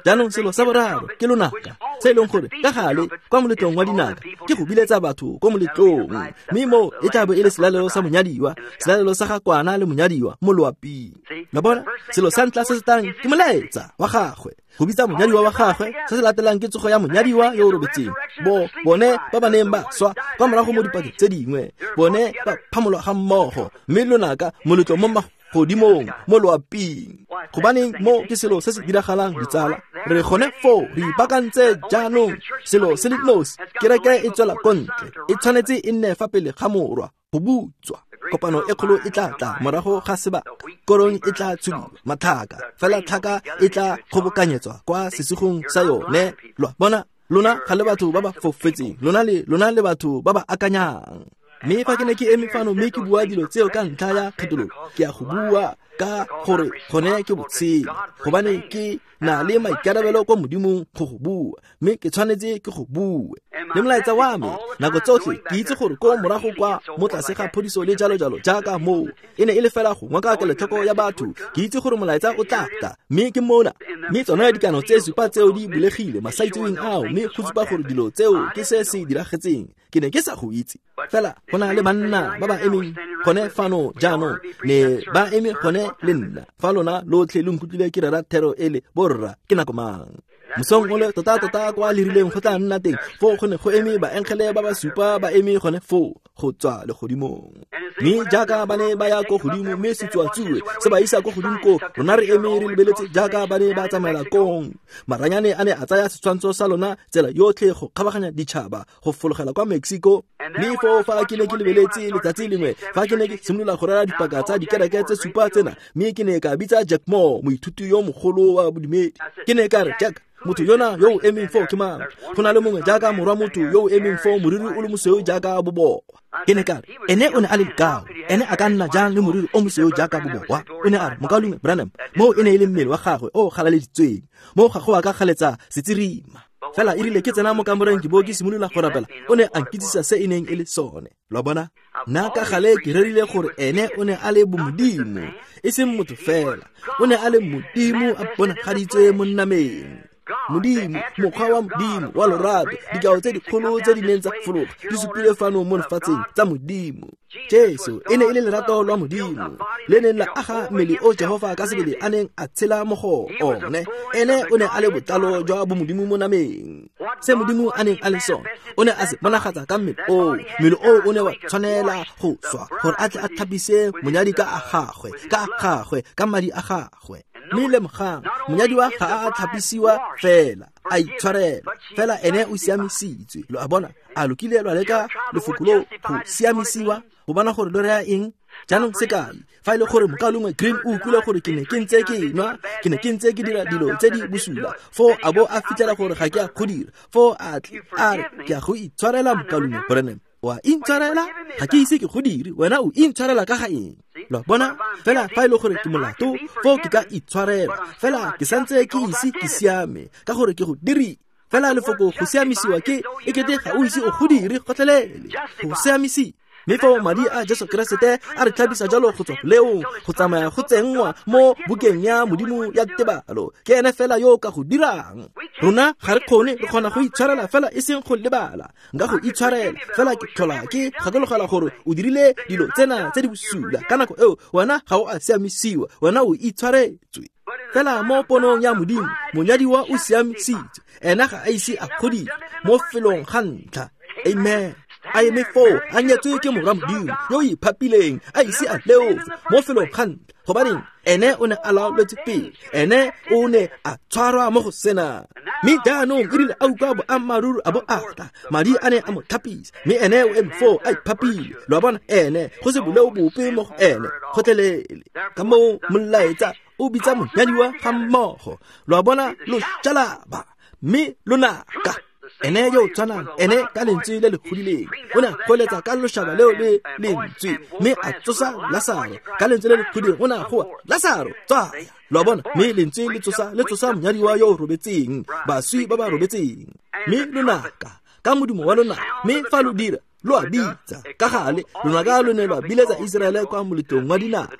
Jaanong selo sa boraro ke lonaka, se e leng gore ka gale kwa moletlong wa dinaka ke go biletsa batho ko moletlong, mme mo e tla bo e le selalelo sa monyadiwa, selalelo sa ga kwana le monyadiwa mo loaping. Lo bona? Selo sa ntlha se se tlang ke molaetsa wa gagwe, go bitsa monyadiwa wa gagwe. Se se latelang ke tsogo ya monyadiwa yo o robetseng. Bo bone ba ba neng ba swa kwa morago mo dipakeng tse dingwe, bone ba phamolwa ga mmogo, mme lonaka moletlo mo godimong mo loaping. Gobaneng mo ke selo se se diragalang ditsala. Re gone foo re ipaakantse jaanong. Selo se le nosi, kereke e tswela ko ntle, e tshwanetse e nne fa pele ga morwa go butswa. Kopano e kgolo e tla tla morago ga sebaka. Korong e tla tshubiwa, matlhaka, fela tlhaka e tla kgobokanyetswa kwa sesigong sa yone. Lo a bona, lona ga le batho ba ba fofetseng, lona le lona le batho ba ba akanyang. Mme fa ke ne ke eme fano mme ke bua dilo tseo ka ntlha ya kgethololo, ke a go bua ka gore gone ke botshelo, gobane ke na le maikarabelo kwa Modimong go go bua, mme ke tshwanetse ke go bue. Le molaetsa wa me nako tsotlhe ke itse gore ko morago kwa mo tlase ga phodiso le jalo jalo jaaka moo e ne e le fela go ngoka kelotlhoko ya batho. Ke itse gore molaetsa o tla tla, mme ke mona. Mme tsona dikano tse supa tseo di bulegile masaitseweng ao, mme go supa gore dilo tseo ke se se diragetseng. Ke ne ke sa go itse, fela go na le banna ba ba emeng gone fano jaanong, ne ba eme gone le nna. Fa lona lotlhe lo nkutlwile ke rera thero ele, borra ke nako mang? Mosong ole tota tota kwa lerileng go tla nna teng, foo go ne go eme baengele ba ba supa ba eme gone foo go tswa legodimong. Mme jaaka ba ne ba ya ko godimo, mme setsuatsue se ba isa ko godimo ko, rona re eme re lebeletse jaaka ba ne ba tsamaela kong. Maranyane a ne a tsaya setshwantsho sa lona tsela yotlhe go kgabaganya ditšhaba go fologela kwa Mexico. Mme foo fa ke ne ke lebeletse letsatsi lengwe, fa ke ne ke simolola go rera dipaka tsa dikereke tse supa tsena, mme ke ne ka bitsa Jack Moore, moithuti yo mogolo wa bodumedi. Ke ne ka re, Jack, motho yona yo o emeng foo ke mang? Go na le mongwe jaaka morwa motho yo o emeng foo, moriri o le mosweu jaaka bobowa. Ke ne ka re, ene o ne a le lekao, ene a ka nna jang le moriri o mosweu jaaka bobowa? O ne a re, mokaulengwe Branham, moo e ne e le mmele wa gagwe o galaleditsweng, moo ga go a ka galetsa setsirima. Fela e rile ke tsena mo kamoreng ke bo ke simolola go rapela, o ne a nkitsisa se e neng e le sone. Lo a bona, nna ka gale ke rerile gore ene o ne a le bomodimo, e seng motho fela, o ne a le Modimo a bonagaditswe mo nameng. Modimo, mokgwa wa Modimo wa lorato, dikao tse dikgolo tse di neng tsa fologa di supile fano mo lefatsheng tsa Modimo. Jesu e ne e le lerato lwa Modimo le neng la aga mmele o Jehofa ka sebele a neng a tshela mo go one. Ene o ne a le botlalo jwa bomodimo mo nameng. Se Modimo a neng a le sone, o ne a se bonagatsa ka mmele oo. Mmele oo o ne wa tshwanela go swa gore a tle a thapise monyadi ka a gagwe, ka a gagwe, ka madi a gagwe. Mme lemogang, monyadiwa ga a tlhapisiwa fela, a itshwarela fela, ene o siamisitswe. Lo a bona, a lokile lwa leka lefoko loo go siamisiwa, go bona gore lo raya eng? Jaanong sekai, fa e le gore mokaulengwe Green o utlwile gore ke ne ke ntse ke nwa, ke ne ke ntse ke dira dilo tse di bosula, foo a bo a fitlhela gore ga ke a go dira, foo a tle a re, ke a go itshwarela mokaulengwe Branham. Wa intshwarela? Ga ke ise ke go dire, wena o intshwarela ka ga eng? Lo a bona, fela fa e le gore ke molato, foo ke ka itshwarela, fela ke santse ke ise ke siame ka gore ke go dirile. Fela lefoko go siamisiwa ke e kete ga o ise o go dire gotlhelele, go siamisiwa. Mme foo madi a Jesu Keresete a re tlhabisa jalo go tswa boleong, go tsamaya go tsenngwa mo bukeng ya Modimo ya tebalo. Ke ene fela yo o ka go dirang. Rona ga re kgone, re kgona go itshwarela fela e seng go lebala. Nka go itshwarela fela ke tlhola ke gakologelwa gore o dirile dilo tsena tse di bosula. Ka nako eo wena ga o a siamisiwa, wena o itshwaretswe. Fela mo ponong ya Modimo, monyadiwa o siamisitswe, ena ga a ise a godile mo felong ga ntlha. Amen. A eme foo, a nyetswe ke morwa Modimo yo o iphapileng, a ise a leofe mo felong ga ntlha. Gobaneng? Ene o ne a laoletswe pele, ene o ne a tshwarwa mo go sena. Mme jaanong e rile a utlwa boammaaruri a bo a tla, madi a ne a mo tlhapisa, mme ene o eme foo a iphapile. Lo a bona, ene go se boleo bope mo go ene gotlhelele. Ka moo molaetsa o bitsa monyadiwa ga mmogo. Lo a bona, lo tšalaba mme lonaka. Ene yo o tshwanang, ene ka lentswe le le godileng, o ne a goeletsa ka lošaba leo le lentswe, mme a tsosa Lasaro ka lentswe le le godileng, o ne a goa, Lasaro, tswaya. Lo a bona, mme lentswe le tsosa, le tsosa monyadiwa yo o robetseng, baswi ba ba robetseng. Mme lonaka ka modumo wa lonaka, mme fa lo dira, lo a bitsa ka gale, lonaka lo ne lwa biletsa Iseraele kwa moletlong wa dinaka.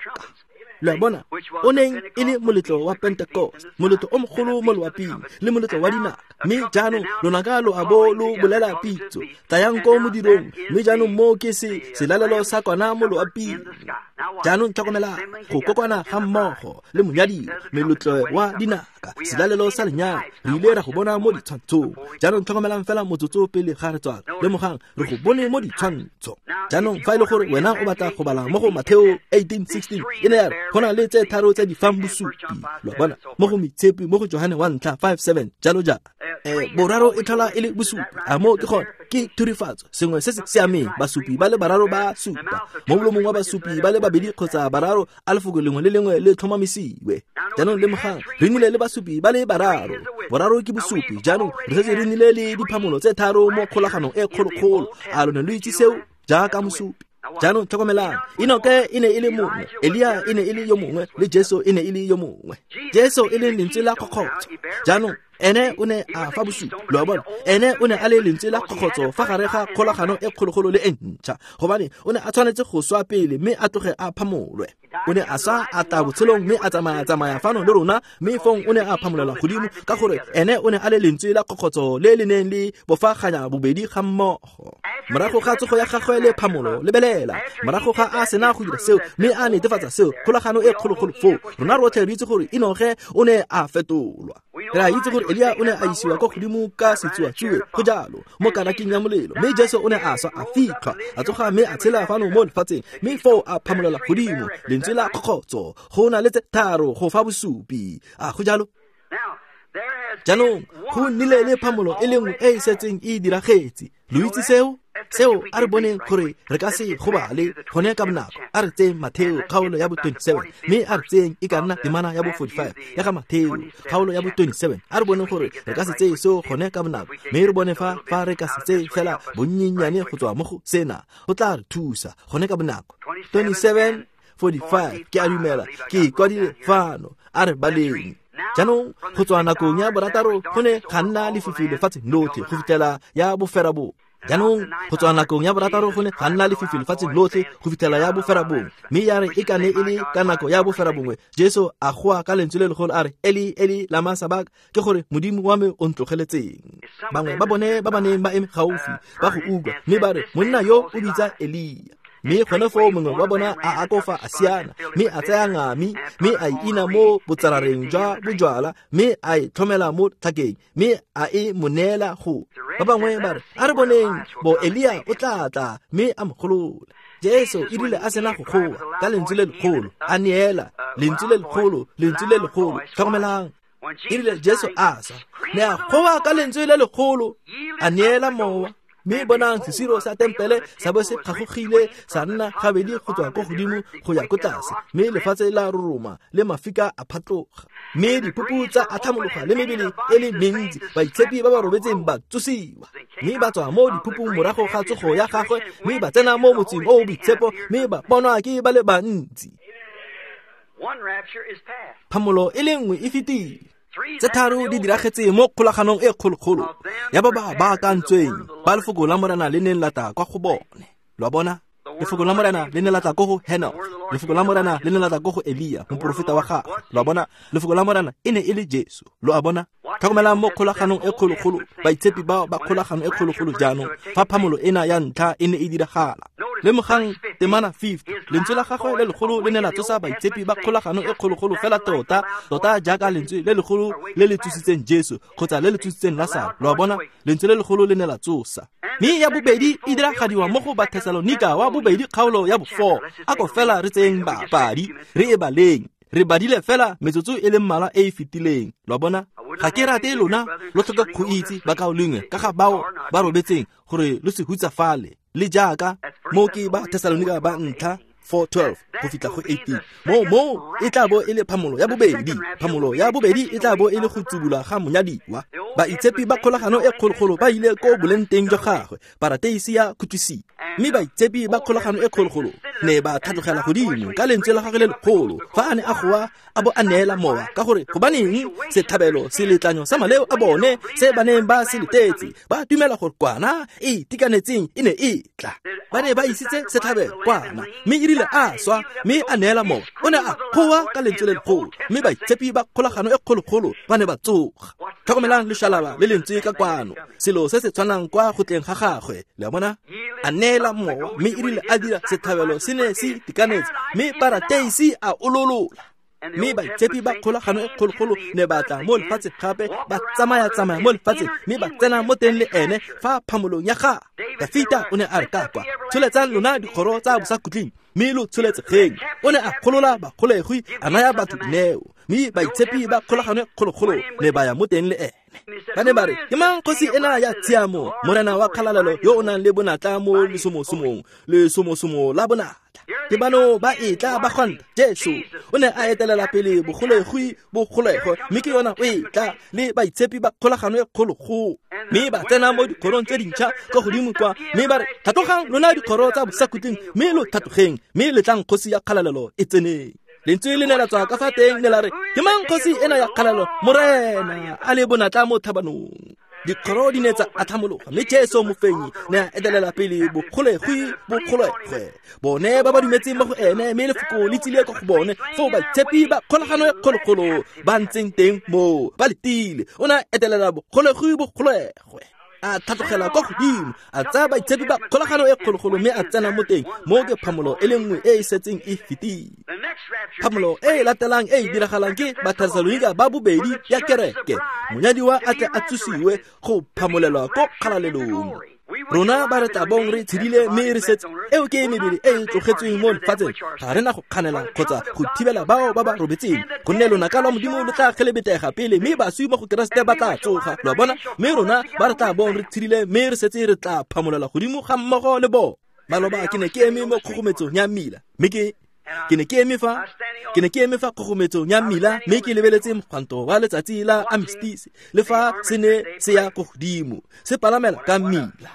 Lo a bona, o neng e le moletlo wa Pentecost, moletlo o mogolo mo loaping, le moletlo wa dinaka. Mme jaanong lonaka lo a bo lo bolela pitso, tlayang ko modirong, mme jaanong moo ke se selalelo sa kwana mo loaping. Jaanong tlhokomelang go kokwana ga mmogo le monyadiwa, meletlo wa dinaka, selalelo sa lenyalo, re ile ra go bona mo ditshwantshong. Jaanong tlhokomelang fela motsotso pele ga re tswala, lemogang re go bone mo ditshwantsho. Jaanong fa e le gore wena o batla go bala mo go Matheo eighteen sixteen, e ne ya re go na le tse tharo tse di fang bosupi. Lo a bona, mo go Moitshepi, mo go Johane wa ntlha five seven, jalo jalo. Eh, boraro e tlhola e le bosupi. A mo ke gone, ke thurifatso, sengwe se se siameng. Basupi ba le bararo ba supa, mo molomong wa basupi ba le babedi babedi kgotsa bararo a lefoko lengwe le lengwe le tlhomamisiwe. Jaanong lemogang, re nnile le basupi ba le bararo. Boraro ke bosupi. Jaanong re setse re nnile le diphamolo tse tharo mo kgolaganong e kgolokgolo. A lo ne lo itse seo jaaka mosupi? Jaanong tlhokomelang, Enoke e ne e le mongwe, Elia e ne e le yo mongwe, le Jesu e ne e le yo mongwe. Jesu e leng lentswe la kgokgotso. Jaanong ene o ne a fa bosupi, lo a bona, ene o ne a le lentswe la kgokgotso fa gare ga kgolagano e kgologolo le e ntšha, gobane o ne a tshwanetse go swa pele mme a tloge a phamolwe. O ne a swa a tla botshelong mme a tsamaya-tsamaya fano le rona, mme fong o ne a phamolelwa godimo ka gore ene o ne a le lentswe la kgokgotso le le neng le bofaganya bobedi ga mmogo. Morago ga tsogo ya gagwe le phamolo, lebelela, morago ga a sena go dira seo mme a netefatsa seo, kgolagano e kgologolo foo, rona rotlhe re itse gore Enoge o ne a fetolwa. Re a itse gore Elia o ne a isiwa kwa godimo ka setsuatsue, go jalo, mo karaking ya molelo, mme Jesu o ne a swa a fitlhwa, a tsoga mme a tshela fano mo lefatsheng, mme foo a phamolela godimo, lentswe la kgokgotso, go na le tse tharo go fa bosupi. A go jalo? Jaanong go nnile le phamolo e le nngwe e e setseng e diragetse. Lo itse seo? Seo a re boneng gore re ka se gobale gone ka bonako. A re tseyeng Matheo kgaolo ya bo twenty-seven, mme a re tseyeng e ka nna temana ya bo forty-five ya ga Matheo kgaolo ya bo twenty-seven. A re boneng gore re ka se tseye seo gone ka bonako, mme re bone fa fa re ka se tseye fela bonnyennyane go tswa mo go sena, go tla re thusa gone ka bonako. twenty-seven forty-five, ke a dumela ke kwadile fano, a re baleng. Jaanong go tswa nakong ya borataro go ne ga nna lefifi lefatsheng lotlhe go fitlhela ya boferabongwe. Jaanong go tswa nakong ya borataro go ne ga nna lefifi lefatsheng lotlhe go fitlhela ya boferabongwe, mme ya re e ka ne e le ka nako ya boferabongwe, Jesu a goa ka lentswe le legolo a re, Eli, Eli, lama sabak, ke gore Modimo wa me o ntlogeletseng. Bangwe ba bone ba ba neng ba eme gaufi ba go utlwa, mme ba re, monna yo o bitsa Elia. Mme gone foo mongwe wa bona a akofa a siana, mme a tsaya ngami, mme a e ina mo botsarareng jwa bojwala, mme a e tlhomela mo tlhakeng, mme a e mo neela go. Ba bangwe ba re, a re boneng bo Elia o tla tla, mme a mo golola. Jesu e rile a sena go goa ka lentswe le legolo, a neela lentswe le legolo, lentswe le legolo. Tlhokomelang, e rile Jesu a swa, ne a goa ka lentswe le legolo, a neela mowa. Mme bonang sesiro sa tempele sa bo se kgagogile sa nna gabedi go tswa ko godimo go ya ko tlase, mme lefatshe la roroma le mafika a phatloga, mme diphupu tsa atlhamologa le mebele e le mentsi, baitshepi ba ba robetseng ba tsosiwa, mme ba tswa mo diphupung morago ga tsogo ya gagwe, mme ba tsena mo motseng o o boitshepo, mme ba bonwa ke ba le bantsi. Phamolo e le nngwe e fetile. Tse tharo di diragetse mo kgolaganong e kgologolo ya ba ba baakantsweng ba lefoko la Morena le neng la tla kwa go bone. Lo a bona? Lefoko la Morena le ne la tla ko go Henoch, lefoko la Morena le ne la tla ko go Elia, moporofeta wa gagwe. Lo a bona? Lefoko la Morena e ne e le Jesu. Lo a bona? Tlhokomelang mo kgolaganong e kgologolo, baitshepi bao ba kgolagano e kgologolo jaanong fa phamolo ena ya ntlha e ne e diragala. Lemogang temana fifty, lentswe la gagwe le legolo le ne la tsosa baitshepi ba kgolagano e kgologolo fela tota, tota jaaka lentswe le legolo le le tsositseng Jesu kgotsa le le tsositseng Lasaro. Lo a bona? Lentswe le legolo le ne la tsosa. Mme ya bobedi e diragadiwa mo go Bathesalonika wa bobedi kgaolo ya bo four. A ko fela re tseyeng bapadi, re e baleng. Re badile fela metsotso e le mmalwa e e fetileng. Lo a bona? Ga ke rate lona lo tlhoka go itse bakaulengwe ka ga bao ba robetseng gore lo se hutsafale, le jaaka mo ke ba Thesalonika ba ntlha four twelve go fitlha go eighteen. Mo mo e tla bo e le phamolo ya bobedi. Phamolo ya bobedi e tla bo e le go tsubula ga monyadiwa. Baitshepi ba kgolagano e kgologolo ba ile ko boleng teng jwa gagwe, parateisi ya khutlisiwa. Mme baitshepi ba kgolagano e kgologolo ne ba tlhatlogela godimo ka lentswe la gagwe le legolo fa a ne a goa a bo a neela mowa, ka gore gobaneng setlhabelo seletlanyo sa maleo a bone se ba neng ba se letetse, ba dumela gore kwana e itekanetseng e ne e tla. Ba ne ba isitse setlhabelo kwana, mme e rile a swa mme a neela mowa, o ne a goa ka lentswe le legolo, mme baitshepi ba kgolagano e kgologolo ba ne ba tsoga. Tlhokomelang lešalaba le lentswe ka kwano, selo se se tshwanang kwa go tleng ga gagwe. Le a bona? A neela mowa, mme e rile a dira setlhabelo se ne se itekanetse, mme parateisi a ololola. Mme baitshepi ba kgolagano e kgologolo ne ba tla mo lefatsheng gape, ba tsamaya-tsamaya mo lefatsheng, mme ba tsena mo teng le ene fa phamolong ya gagwe. Dafita o ne a re ka kwa, tsholetsang lona dikgoro tsa bosakhutleng, mme lo tsholetsegeng. O ne a golola bagolegwi, a naya batho dineo, mme baitshepi ba kgolagano e kgologolo ne ba ya mo teng le ene. Ba ne ba re, ke mang kgosi ena ya tshiamo, morena wa kgalalelo yo o nang le bonatla mo lesomosomong, lesomosomo la bonatla? Ke bano ba etla ba gwanta Jesu o ne a etelela pele bogolegwi bogolegwe mme ke yona o etla le baitshepi ba kgolagano e kgologolo mme ba tsena mo dikgorong tse dintšha kwa godimo kwa mme ba re tlhatlogang lona dikgoro tsa bosakhutleng mme lo tlhatlogeng mme letlang kgosi ya kgalalelo e tseneng. Lentswe le ne la tswa ka fa teng ne la re ke mang kgosi ena ya kgalalelo morena a le bonatla mo thabanong. Dikgoro di ne tsa atlhamologa mme Jesu mofenyi ne a etelela pele bogolegwi bogolegwe bone ba ba dumetseng mo go ene mme lefoko le tsile kwa go bone foo baitshepi ba kgolagano e kgologolo ba ntseng teng moo ba letile. O ne a etelela bogolegwi bogolegwe a tlhatlogela kwa godimo a tsaya baitshepi ba kgolagano e kgologolo mme a tsena mo teng mo ke phamolo e le nngwe e e setseng e fetile. Phamolo e e latelang e e diragalang ke Bathesalonika ba bobedi ya kereke monyadiwa a tle a tsosiwe go phamolelwa ko kgalalelong. Rona ba re tla bong re tshedile mme re setse eo ke mebele e e tlogetsweng mo lefatsheng ga re na go kganela kgotsa go thibela bao ba ba robetseng gonne lonaka lwa Modimo lo tla kgelebetega pele mme baswi mo go Keresete ba tla tsoga lo a bona mme rona ba re tla bong re tshedile mme re setse re tla phamolela godimo ga mmogo le bona. Maloba ke ne ke eme mo kgogometsong ya mmila mme ke ke ne ke eme fa ke ne ke eme fa kgogometsong ya mmila mme ke lebeletse mogwanto wa letsatsi la armistice le fa se ne se ya ko godimo se palamela ka mmila.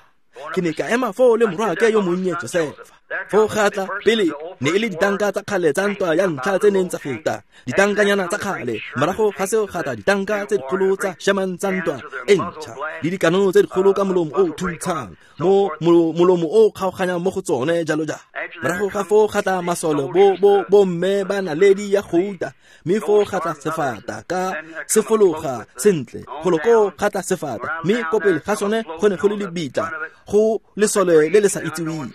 Ke ne ka ema foo le morwaake yo monnye Josefa. Foo ga tla pele ne e le ditanka tsa kgale tsa ntwa ya ntlha tse neng tsa feta ditankanyana tsa kgale morago ga seo ga tla ditanka tse dikgolo tsa Sherman tsa ntwa e ntšha le dikanono tse dikgolo ka molomo o o thuntshang mo molomo o kgaoganyang mo go tsone jalo jalo. Morago ga foo ga tla masole bo bo bomme ba naledi ya gouta mme foo ga tla sefata ka sefologa sentle golo koo ga tla sefata mme ko pele ga sone go ne go le lebitla go lesole le le sa itseweng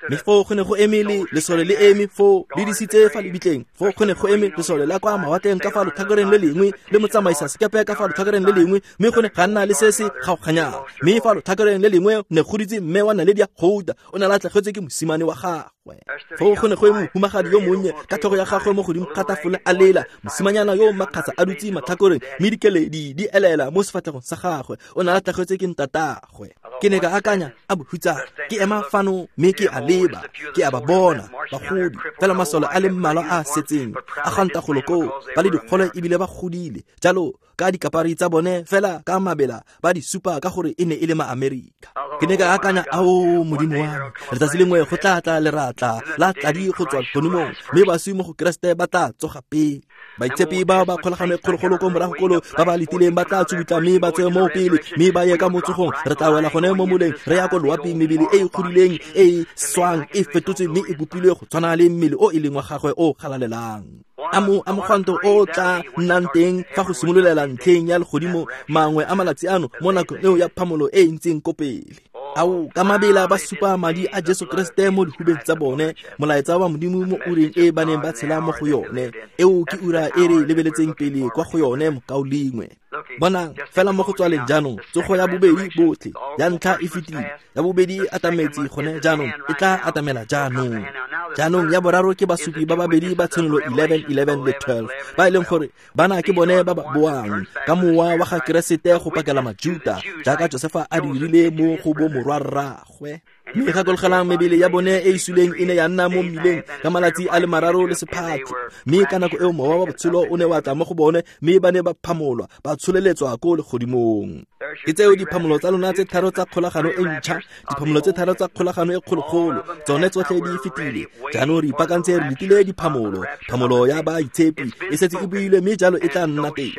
mme foo go ne go eme le lesole le eme foo le disitse fa lebitleng foo go ne go eme lesole la kwa mawatleng ka fa lotlhakoreng le lengwe le motsamaisa sekepe ka fa lotlhakoreng le lengwe mme go ne ga nna le se se kgaoganyang mme fa lotlhakoreng le lengwe ne go ditse mme wa naledi ya gouta o ne a latlhegetswe ke mosimane wa gagwe. Foo go ne go eme mohumagadi yo monnye ka tlhogo ya gagwe mo godimo ga tafole a lela mosimanyana yo makgasa a dutse matlhakoreng mme dikeledi di elela mo sefatlhegong sa gagwe o ne a latlhegetswe ke ntatagwe. Ke ne ka akanya a bohutsana ke ema fano mme ke a leba ke a ba bona bagodi fela masole a le mmalwa a setseng a ganta golo koo ba le dikgole ebile ba godile jalo ka dikapari tsa bone fela ka mabela ba di supa ka gore e ne e le ma-Amerika. Ke ne ka akanya ao Modimo wa me letsatsi lengwe go tla tla leratla la tladi go tswa legodimong mme baswi mo go Keresete ba tla tsoga pele. Baitshepi ba ba kgolagano e kgologolo ko morago kolo ba ba letileng ba tla tsubutla mme ba tswe mo pele mme ba ye ka motsogong re tla wela gone mo moleng re ya ko loaping mebele e e godileng e e swang e fetotswe mme e bopilwe go tshwana le mmele o e leng wa gagwe o galalelang. A mo a mogwanto o tla nnang teng fa go simololela ntlheng ya legodimo mangwe a malatsi ano mo nakong eo ya phamolo e e ntseng ko pele. Ao ka mabela ba supa madi a Jesu Kriste mo dihubeng tsa bone molaetsa wa Modimo mo ureng e ba neng ba tshela mo go yone eo ke ura e re lebeletseng pele kwa go yone mokaulengwe. Bonang fela mo go tswaleng jaanong tsogo ya bobedi botlhe ya ntlha e fetile ya bobedi e atametse gone jaanong e tla atamela jaanong. Jaanong ya boraro ke basupi ba babedi ba Tshenolo eleven eleven le twelve ba e leng gore bana ke bone ba ba boang ka mowa wa ga Keresete go pakela Majuta jaaka Josefa a dirile mo go bo morwarraagwe. Mme gakologelang mebele ya bone e e suleng e ne ya nna mo mmileng ka malatsi a le mararo le sephatlo mme ka nako eo mowa wa botshelo o ne wa tla mo go bone mme ba ne ba phamolwa ba tsholeletswa ko legodimong. Ke tseo diphamolo tsa lona tse tharo tsa kgolagano e ntšha diphamolo tse tharo tsa kgolagano e kgologolo tsone tsotlhe di fetile jaanong re ipaakantse re letile diphamolo phamolo ya baitshepi e setse e builwe mme jalo e tla nna teng.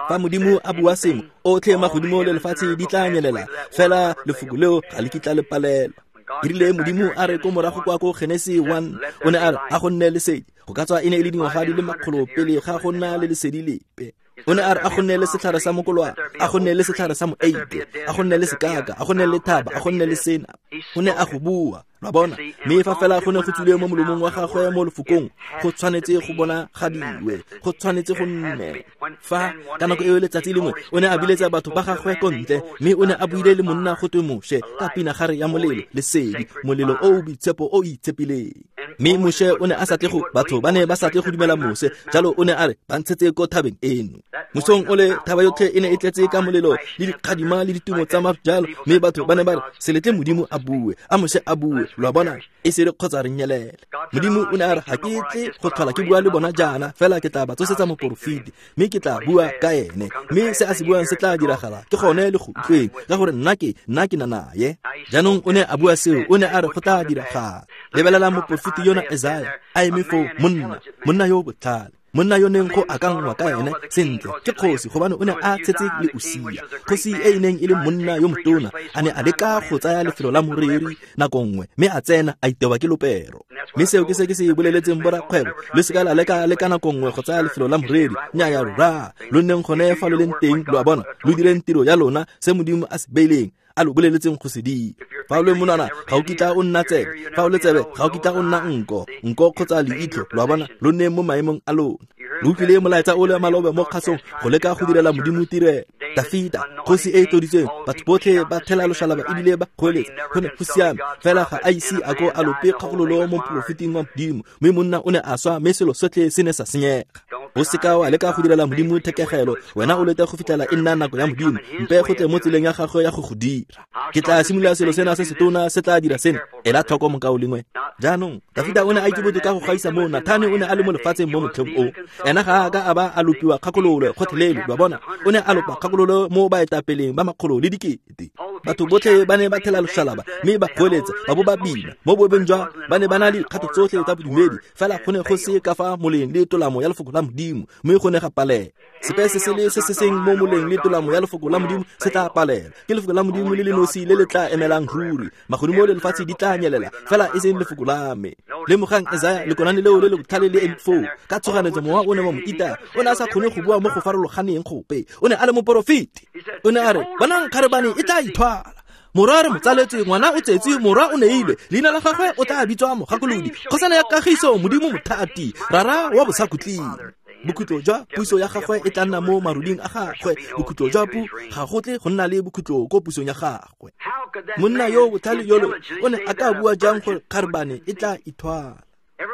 Fa Modimo a bua sengwe otlhe magodimo le lefatshe di tla nyelela fela lefoko leo ga le kitla le palelwa. E rile Modimo a re ko morago kwa ko Genesi one o ne a re a go nne lesedi go ka tswa e ne e le dingwaga di le makgolo pele ga go nna le lesedi lepe. O ne a re a go nne le setlhare sa mokolwane a go nne le setlhare sa moeite a go nne le sekaka a go nne le thaba a go nne le sena. O ne a go bua lwa bona mme fa fela go ne go tswile mo molomong wa gagwe mo lefokong go tshwanetse go bona gadiwe go tshwanetse go nne. Fa ka nako eo letsatsi lengwe o ne a biletsa batho ba gagwe ko ntle mme o ne a buile le monna go twe Moshe ka pinagare ya molelo lesedi molelo o o boitshepo o o itshepileng. Mme Moshe o ne a sa tle go batho ba ne ba sa tle go dumela Moshe, jalo o ne a re ba ntshetse ko thabeng eno. Mosong ole thaba yotlhe e ne e tletse ka molelo le dikgadima le ditumo tsa maru jalo, mme batho ba ne ba re se letle Modimo a bue, a Moshe a bue, lo a bona, e se re kgotsa re nyelele. Modimo o ne a re ga ke tle go tlhola ke bua le bona jaana, fela ke tla ba tsosetsa moporofeti, mme ke tla bua ka ene, mme se a se buang se tla diragala, ke gone le go utlweng, ka gore nna ke nna ke na naye. Jaanong o ne a bua seo, o ne a re go tla diragala. Lebelela moporofeti yona Isaiah a eme foo, monna, monna yo o botlhale, monna yo neng go akangwa ka ene sentle ke kgosi, gobane o ne a tshetse le Usia, kgosi e e neng e le monna yo motona, a ne a leka go tsaya lefelo la moreri nako nngwe, mme a tsena a itewa ke lopero. Mme seo ke se ke se boleletseng borakgwebo, lo seka la leka le ka nako nngwe go tsaya lefelo la moreri. Nnyaya rra, lo nneng gone fa lo leng teng, lo a bona, lo direng tiro ya lona, se Modimo a se beileng, a lo boleletseng go se dira. Fa o le monwana ga o kitla o nna tsebe, fa o le tsebe ga o kitla o nna nko, nko kgotsa leitlho, lo a bona, lo nneng mo maemong a lona. Lo utlwile molaetsa o le malobe mo kgasong go leka go direla Modimo tirelo. Dafita, kgosi e e tloditsweng, batho botlhe ba thela loshalaba ebile ba goeletsa, go ne go siame, fela ga a ise a ko a lope kgakololo mo moporofeting wa Modimo, mme monna o ne a swa, mme selo sotlhe se ne sa senyega. O seka wa leka go direla Modimo thekegelo, wena o lete go fitlhela e nna nako ya Modimo, mpe go tle mo tseleng ya gagwe ya go go dira. Ke tla simolola selo sena se setona se tla dira sena, ela tlhoko mokaulengwe. Jaanong Dafita o ne a itse botoka go gaisa moo. Nathane o ne a le mo lefatsheng mo motlheng o, ena ga a ka a ba a lopiwa kgakololo gotlhelele, lo a bona, o ne a lopa kgakololo mo baetapeleng ba makgolo le dikete. Batho botlhe ba ne ba thela loshalaba mme ba goeletsa, ba bo ba bina mo boebeng jwa ba ne ba na le dikgato tsotlhe tsa bodumedi, fela go ne go se ka fa moleng le tolamo ya lefoko la Modimo, mme go ne ga palela. Sepe se se le se se seng mo moleng le tolamo ya lefoko la Modimo se tla palela. Ke lefoko la Modimo le le nosi le le tla emelang ruri. Magodimo le lefatshe di tla nyelela, fela e seng lefoko la me. Lemogang Isaiah, lekonane leo le le botlhale le eme foo ka tshoganetso, mowa o ne wa mo ita, o ne a sa kgone go bua mo go farologaneng gope, o ne a le moporofeti. O ne a re, bonang kgarebane e tla ithwala, morwa re motsaletswe, ngwana o tsetswe, morwa o neilwe, leina la gagwe o tla bitswa Mogakolodi, kgosana ya kagiso, Modimo mothati, rara wa bosakhutleng. Bokhutlo jwa puso ya gagwe e tla nna mo maruding a gagwe, bokhutlo jwa pu ga go tle go nna le bokhutlo ko pusong ya gagwe. Monna yo botlhale yolo o ne a ka bua jang gore kgarebane e tla ithwala?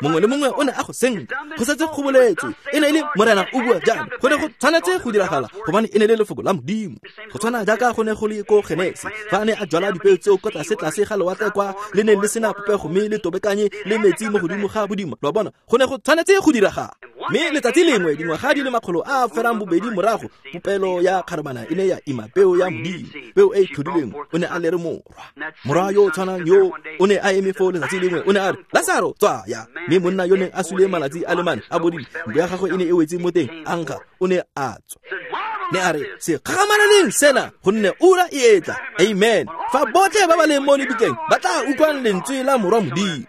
Mongwe le mongwe o ne a go senka, go setse go boletswe, e ne e le Morena o bua jalo, go ne go tshwanetse go diragala, gobane e ne le lefoko la Modimo. Go tshwana jaaka go ne go le ko Genesi, fa a ne a jwala dipeo tseo ko tlase tlase ga lewatle kwa le neng le sena popego mme le tobekanye le metsi mo godimo ga bodimo, lo a bona, go ne go tshwanetse go diragala. Mme letsatsi lengwe, dingwaga di le makgolo a ferang bobedi morago, popelo ya kgarebana e ne ya ima peo ya Modimo, peo e e tlhodilweng, o ne a lere morwa. Morwa yo o tshwanang yo o ne a eme foo letsatsi lengwe, o ne a re, Lasaro, tswaya. Mme monna yo neng a sule malatsi a le mane a bodile, ntlo ya gagwe e ne e wetse mo teng, a nkga, o ne a tswa. Ne a re, se kgakgamaleleng sena, gonne ura e etla. Amen. Fa botlhe ba ba leng mo lebitleng ba tla utlwang lentswe la morwa Modimo.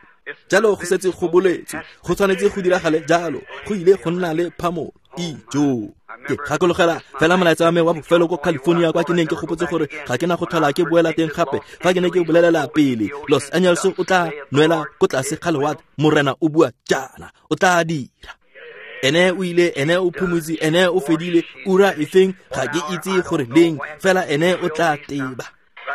Jalo go setse go boletswe, go tshwanetse go diragale jalo, go ile go nna le phamolo. Ijo. Ke gakologela fela molaetsa wa me wa bofelo ko California, kwa ke neng ke gopotse gore ga ke na go tlhola ke boela teng gape. Fa ke ne ke bolelela pele, Los Angeles o tla nwela ko tlase ga lewatle, Morena o bua jaana, o tla dira. Ene o ile, ene o phomotse, ene o fedile, ura efeng ga ke itse gore leng, fela ene o tla teba.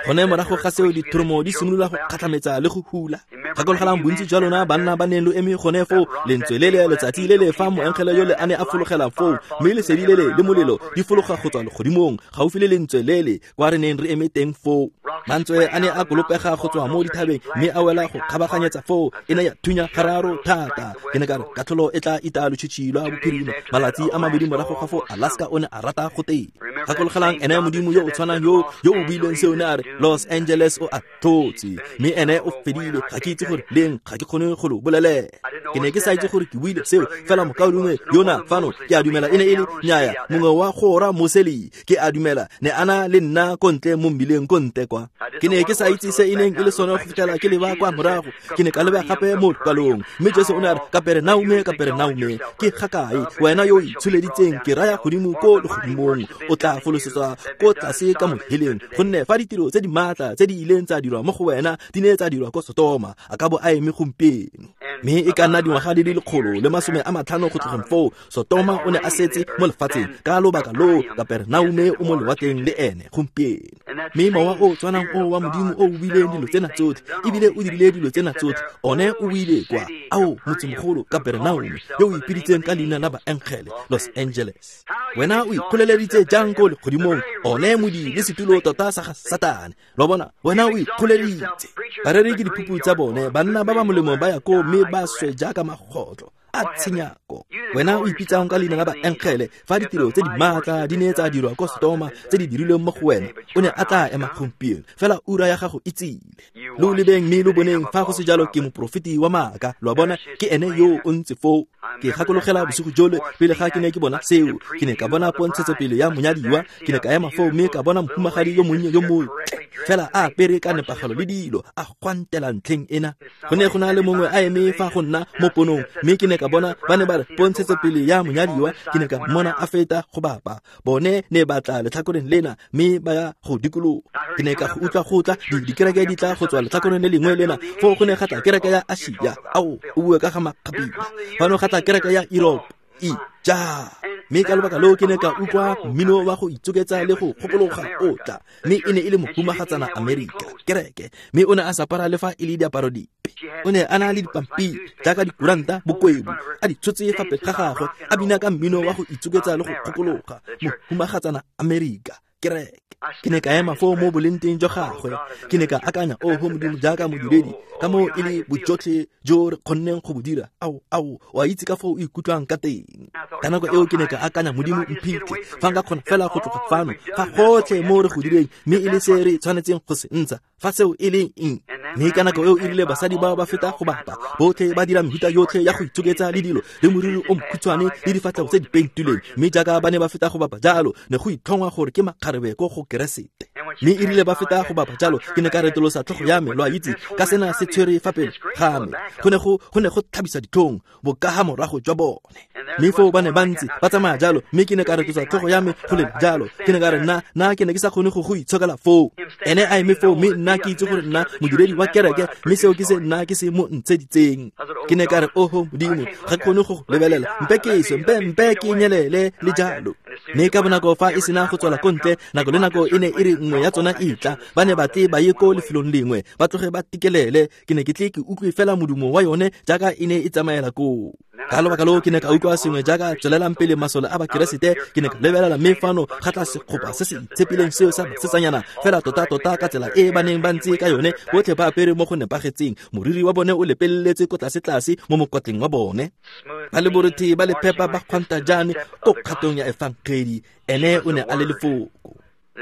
Gone morago ga seo dithoromo di simolola go kgatlhametsa le go hula. Gakologelang bontsi jwa lona banna ba neng lo eme gone foo, lentswe le le letsatsi le le fa moengele yole a ne a fologela foo, mme lesedi le le le molelo di fologa go tswa legodimong gaufi le lentswe le le kwa re neng re eme teng foo. Mantswe a ne a kolopega go tswa mo dithabeng mme a wela go kgabaganyetsa foo, e ne ya thunya gararo thata. Ke ne ka re katlholo e tla ita lotšhitšhi lwa bophirima. Malatsi a mabedi morago ga foo, Alaska o ne a rata go teng. Gakologelang ene Modimo yo o tshwanang yo yo o buileng seo, ne a re Los Angeles o a tlotse, mme ene o fedile. Ga ke itse gore leng, ga ke kgone go lo bolelela. Ke ne ke sa itse gore ke buile seo, fela mokaulengwe yona fano, ke a dumela e ne e le nnyaya mongwe wa gora Moseli, ke a dumela ne a na le nna ko ntle mo mmileng ko ntle kwa. Ke ne ke sa itse se e neng e le sone go fitlhela ke leba kwa morago. Ke ne ka leba gape mo lekwalong, mme Jesu o ne a re, Kaperenaume, Kaperenaume, ke ga kae wena yo o itsholeditseng ke raya godimo ko legodimong, o tla folosetswa ko tlase ka moheleng, gonne fa ditiro ditiro tse di maatla tse di ileng tsa dirwa mo go wena di ne tsa dirwa ko Sotoma, a ka bo a eme gompieno. Mme e ka nna dingwaga di le lekgolo le masome a matlhano go tlogeng foo, Sotoma o ne a setse mo lefatsheng ka lobaka loo Kapernaume o mo lewatleng le ene gompieno. Mme mowa o tshwanang o wa Modimo o o buileng dilo tsena tsotlhe ebile o dirile dilo tsena tsotlhe, one o buile kwa ao motsemogolo Kapernaume yo o ipiditseng ka leina la baengele, Los Angeles. Wena o ikgoleleditse jang ko legodimong, one modi le setulo tota sa ga Satane. Lo bona, wena o ikgoleditse. Bareri ke diphupu tsa bone, banna ba ba molemo ba ya koo mme ba swe jaaka magotlo a tshenyako. Wena o ipitsang ka leina la baengele, fa ditiro tse di maatla di ne tsa dirwa ko Sotoma tse di dirilweng mo go wena, o ne a tla ema gompieno, fela ura ya gago e tsile. Lo lebeng mme lo boneng, fa go se jalo ke moprofeti wa maaka. Lo a bona, ke ene yo o ntse foo. Ke gakologela bosigo jole pele ga ke ne ke bona seo, ke ne ka bona pontshetsopele ya monyadiwa. Ke ne ka ema foo mme ka bona mohumagadi yo monnye yo montle, fela a apere ka nepagalo le dilo, a gwantela ntlheng ena. Go ne go na le mongwe a eme fa go nna mo ponong, mme ke ne ka bona ba ne ba re pontshetsopele ya monyadiwa. Ke ne ka mmona a feta go bapa, bone ne ba tla letlhakoreng lena mme ba ya go dikologa. Ke ne ka go utlwa go tla dikereke di tla go tswa letlhakoreng le lengwe lena, foo go ne ga tla kereke ya Asia. Ao, o bue ka ga makgapila. Fano ga tla kereke ya Europe. Ija. Mme ka lobaka loo ke ne ka utlwa mmino wa go itsoketsa le go kgokologa o tla, mme e ne e le mohumagatsana Amerika, kereke. Mme o ne a sa apara le fa e le diaparo dipe, o ne a na le dipampiri jaaka dikuranta bokwebu a di tshotse fa pele ga gagwe, a bina ka mmino wa go itsoketsa le go kgokologa, mohumagatsana Amerika, kereke. Ke ne ka ema foo mo bolenteng jwa gagwe, ke ne ka akanya, oho Modimo, jaaka modiredi, ka moo e le bojotlhe jo re kgonneng go bo dira. Ao, ao, o a itse ka foo o ikutlwang ka teng. Ka nako eo ke ne ka akanya, Modimo mphitlhe, fa nka kgona fela go tloga fano, fa gotlhe mo re go direng, mme e le se re tshwanetseng go se ntsha, fa seo e le eng. Mme ka nako eo e rile basadi bao ba feta go bapa, botlhe ba dira mehuta yotlhe ya go itsoketsa le dilo, le moriri o mokhutshwane le difatlhego tse di pentilweng. Mme jaaka ba ne ba feta go bapa jalo, ne go itlhongwa gore ke makgarebe ko go Keresete. Mme e rile ba feta go bapa jalo, ke ne ka retolosa tlhogo ya me, lo a itse, ka sena se tshwere fa pele ga me. Go ne go go ne go tlhabisa ditlhong bokaga morago jwa bone. Mme foo ba ne ba ntse ba tsamaya jalo, mme ke ne ka retolosa tlhogo ya me go le jalo. Ke ne ka re nna nna ke ne ke sa kgone go go itshokela foo. Ene a eme foo, mme nna ke itse gore nna modiredi wa kereke, mme seo ke se nna ke se mo ntsheditseng. Ke ne ka re, oho Modimo, ga ke kgone go go lebelela, mpe ke swe, mpe mpe ke nyelele le jalo. Mme ka bonako fa e sena go tswela ko ntle, nako le nako e ne e re nngwe ya tsona e tla, ba ne ba tle ba ye ko lefelong lengwe, ba tloge ba tikelele. Ke ne ke tle ke utlwe fela modumo wa yone jaaka e ne e tsamaela koo. Ka lobaka loo ke ne ka utlwa sengwe jaaka tswelelang pele masole a Bakeresete. Ke ne ka lebelela, mme fano ga tla sekgopa se se itshepileng seo sa basetsanyana, fela tota-tota ka tsela e ba neng ba ntse ka yone, botlhe ba apere mo go nepagetseng, moriri wa bone o lepeletse ko tlase-tlase mo mokotleng wa bone, ba le borothe ba le phepa ba kgwanta jane ko kgatong ya efangedi. Ene o ne a le lefoko.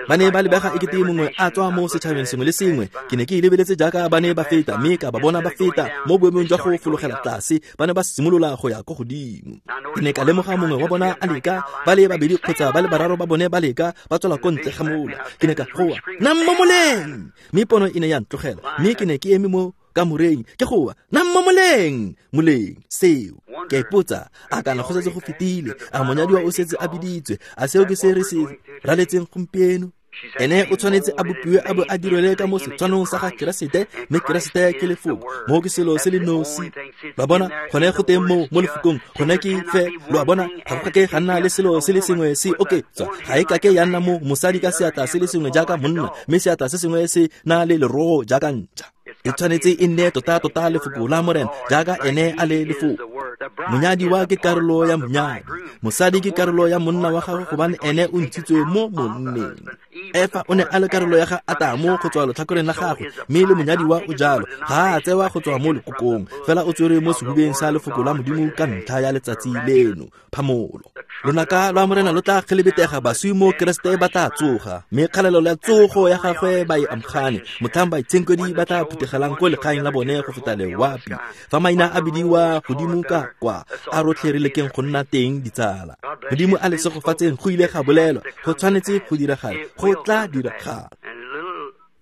Ba ne ba lebega ekete mongwe a tswa mo setšhabeng sengwe le sengwe. Ke ne ke e lebeletse jaaka ba ne ba feta, mme ka ba bona ba feta mo boemong jwa go fologela tlase, ba ne ba simolola go ya ko godimo. Ke ne ka lemoga mongwe wa bona a leka, ba le babedi kgotsa ba le bararo ba bone ba leka, ba tswela ko ntle ga mola. Ke ne ka goa, nna mo moleng! Mme pono e ne ya ntlogela, mme ke ne ke eme mo kamoreng ke goa, nna mo moleng! Moleng, seo. Ke a ipotsa, a kana go setse go fetile, a monyadiwa o setse a biditswe, a seo ke se re se raletseng gompieno? Ene o tshwanetse a bopiwe a bo a direle ka mo setshwanong sa ga Keresete, mme Keresete ke lefoko. Moo ke selo se le nosi. Ba bona, gone go teng moo mo lefokong, gone ke fe, lo a bona, ga go kake ga nna le selo se le sengwe se oketswa. Ga e kake ya nna mo mosadi ka seatla se le sengwe jaaka monna, mme seatla se sengwe se na le lerogo jaaka ntša. E tshwanetse e nne tota-tota lefoko la Morena jaaka ene a le lefoko. Monyadiwa ke karolo ya monyadi, mosadi ke karolo ya monna wa gagwe, gobane ene o ntshitswe mo monneng. Efa o ne a le karolo ya ga Atamo go tswa letlhakoreng la gagwe, mme le monyadiwa o jalo, ga a tsewa go tswa mo lekokong, fela o tswere mo sehubeng sa lefoko la Modimo ka ntlha ya letsatsi leno. Phamolo. Lonaka lwa Morena lo tla kgelebetega, baswi mo Keresete ba tla tsoga, mme kgalelo ya tsogo ya gagwe ba e amogane, motlhang baitshenkwedi ba tla phuthegelang ko legaeng la bone go feta lewapi. Fa maina a bidiwa godimo ka kwa, a rotlhe re lekeng go nna teng ditsala. Modimo a le segofatseng, go ile ga bolelwa, go tshwanetse go diragala, go tla diragala.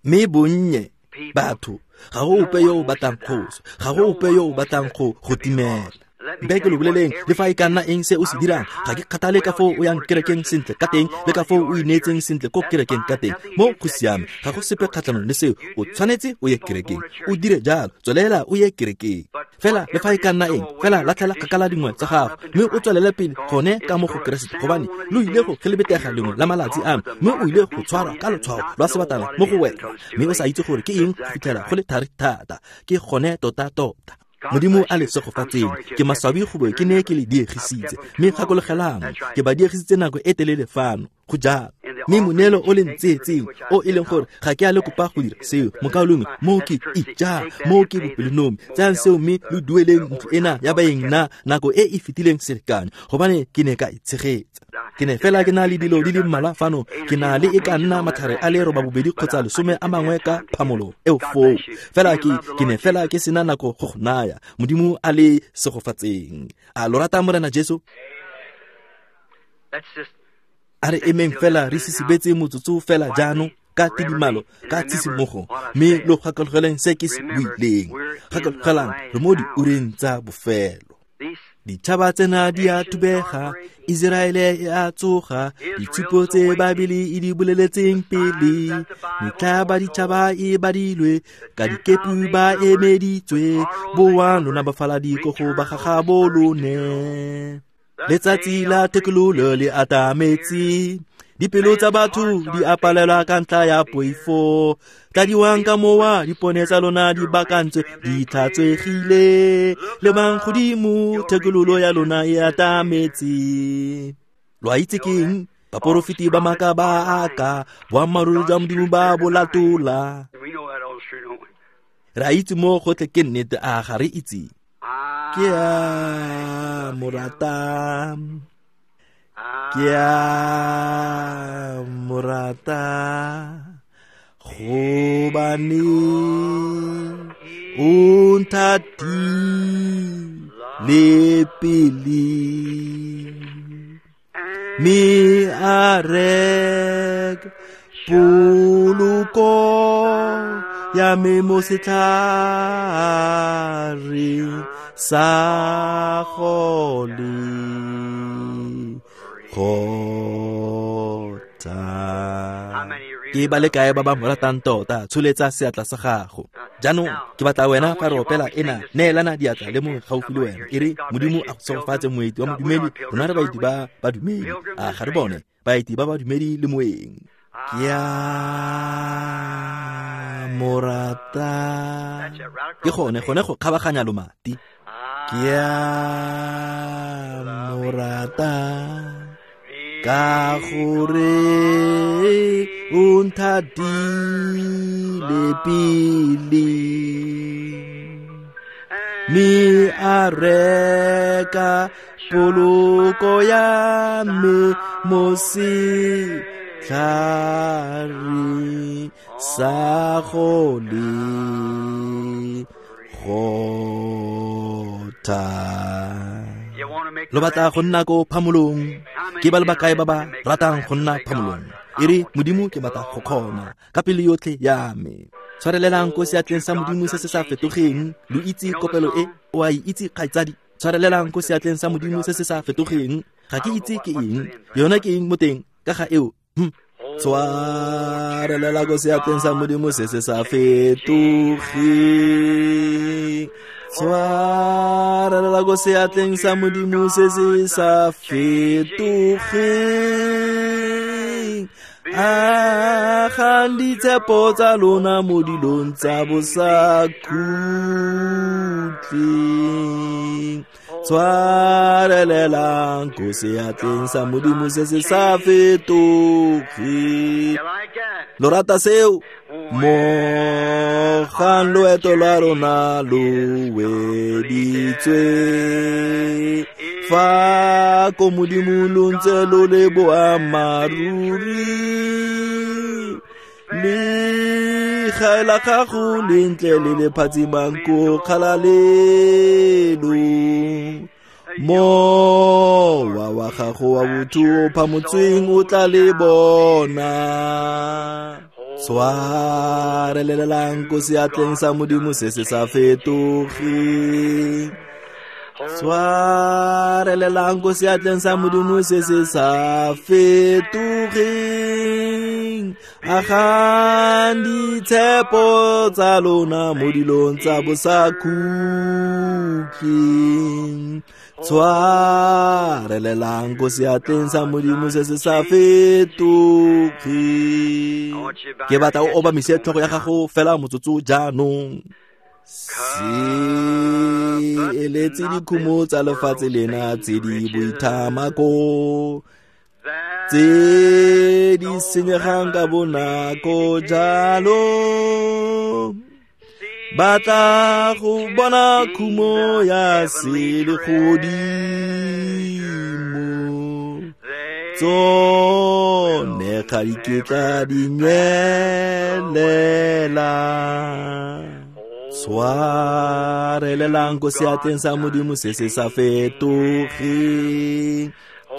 Mme bonnye batho, ga go ope yo o batlang kgoso, ga go ope yo o batlang go go timela. Mpe ke lo boleleng le fa e ka nna eng se o se dirang, ga ke kgathale ka foo o yang kerekeng sentle ka teng le ka foo o ineetseng sentle ko kerekeng ka teng. Mo go siame, ga go sepe kgatlhanong le seo. O tshwanetse o ye kerekeng, o dire jalo, tswelela o ye kerekeng. Fela le fa e ka nna eng, fela latlhela kgakala dingwe tsa gago mme o tswelele pele gone ka mo go Keresete, gobane lo ile go gelebetega lengwe la malatsi ano, mme o ile go tshwarwa ka lotshwao lwa sebatana mo go wena, mme o sa itse gore ke eng go fitlhela go le thari thata. Ke gone tota-tota. Modimo a le segofatseng. Ke maswabi go bo ke ne ke le diegisitse, mme gakologelang ke ba diegisitse nako e telele fano. Go jalo. Mme moneelo o le ntseetseng o e leng gore ga ke a le kopa go dira seo, mokaulengwe, mo ke ija, mo ke bopelonomi. Tsayang seo mme lo dueleng ntlo ena ya baeng nna nako e e fetileng selekane, gobane ke ne ka e tshegetsa. Ke ne fela ke na le dilo di le mmalwa fano, ke na le e ka nna matlhare a le robabobedi kgotsa lesome a mangwe ka phamolo eo foo. Fela ke ke ne fela ke sena nako go go naya. Modimo a le segofatseng. A lo rata Morena Jesu? A re emeng fela re sisibetse motsotso fela jaanong ka tidimalo, ka tshisimogo, mme lo gakologeleng se ke se buileng. Gakologelang re mo diureng tsa bofelo. Ditšhaba tsena di a thubega, Iseraele e a tsoga, ditshupo tse Baebele e di boleletseng pele, metlha ba ditšhaba e badilwe, ka dikepu ba emeditswe, boang lona bafaladi ko go ba gagabo lone. Letsatsi la thekololo le atametse, dipelo tsa batho di a palelwa ka ntlha ya poifo. Tladiwang ka mowa, dipone tsa lona di bakantswe, di tlhatswegile. Lebang godimo, thekololo ya lona e atametse. Lo a itse ke eng? Baporofeti ba maaka ba aka, boammaaruri jwa Modimo ba bo latola. Re a itse mo gotlhe ke nnete, a ga re itse? Ke a mo rata, ke a mo rata, gobane o nthatile pele, mme a reka poloko ya me mo setlhareng sa Golgotha. Ke ba le kae ba ba mo ratang tota? Tsholetsa seatla sa gago. Jaanong ke batla wena fa re opela ena, neelana diatla le mongwe gaufi le wena. E re Modimo a go segofatse, moeti wa modumedi. Rona re baeti ba badumedi, a ga re bone baeti ba badumedi le moeng. Ke a mo rata. Ke gone gone go kgabaganya lomati. Ke a mo rata ka gore o nthatile pele, mme a reka poloko ya me mo setlhareng sa Golgotha. Lo batla go nna ko phamolong? Ke ba le bakae ba ba ratang go nna phamolong? E re Modimo, ke batla go kgona ka pelo yotlhe ya me. Tshwarelelang ko seatleng sa Modimo se se sa fetogeng. Lo itse kopelo e? O a e itse, kgaitsadi? Tshwarelelang ko seatleng sa Modimo se se sa fetogeng. Ga ke itse ke eng, yona ke eng mo teng ka ga eo? Hm. Tshwarelela ko seatleng sa Modimo se se sa fetogeng. Tshwarelela ko seatleng sa Modimo se se sa fetogeng. Agang ditshepo tsa lona mo dilong tsa bosakhutleng. Tshwarelelang ko seatleng sa Modimo se se sa fetogeng. Lo rata seo? Mogang loeto lwa rona lo weditswe, fa ko Modimo lo ntse lo le boammaaruri, le gae la gago le ntle le le phatsimang ko kgalalelong. Mowa wa gago wa botho o phamotsweng o tla le bona. Tshwarelelelang ko seatleng sa Modimo se se sa fetogeng. Tshwarelelang ko seatleng sa Modimo se se sa fetogeng. Agang ditshepo tsa lona mo dilong tsa bosakhutleng. Tshwarelelang ko seatleng sa Modimo se se sa fetogeng. Ke batla o obamise tlhogo ya gago fela motsotso jaanong. Se eletse dikhumo tsa lefatshe lena tse di boithamako, tse di senyegang ka bonako jalo. Batla go bona khumo ya selegodimo, tsone ga di ketla di nyelela. Tshwarelelang ko seatleng sa Modimo se se sa fetogeng.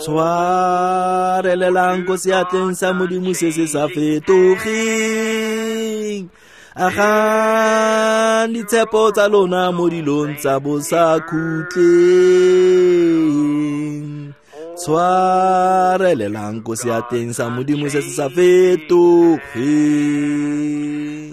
Tshwarelelang ko seatleng sa Modimo se se sa fetogeng. Agang ditshepo tsa lona mo dilong tsa bosakhutleng. Tshwarelelang ko seatleng sa Modimo se se sa fetogeng.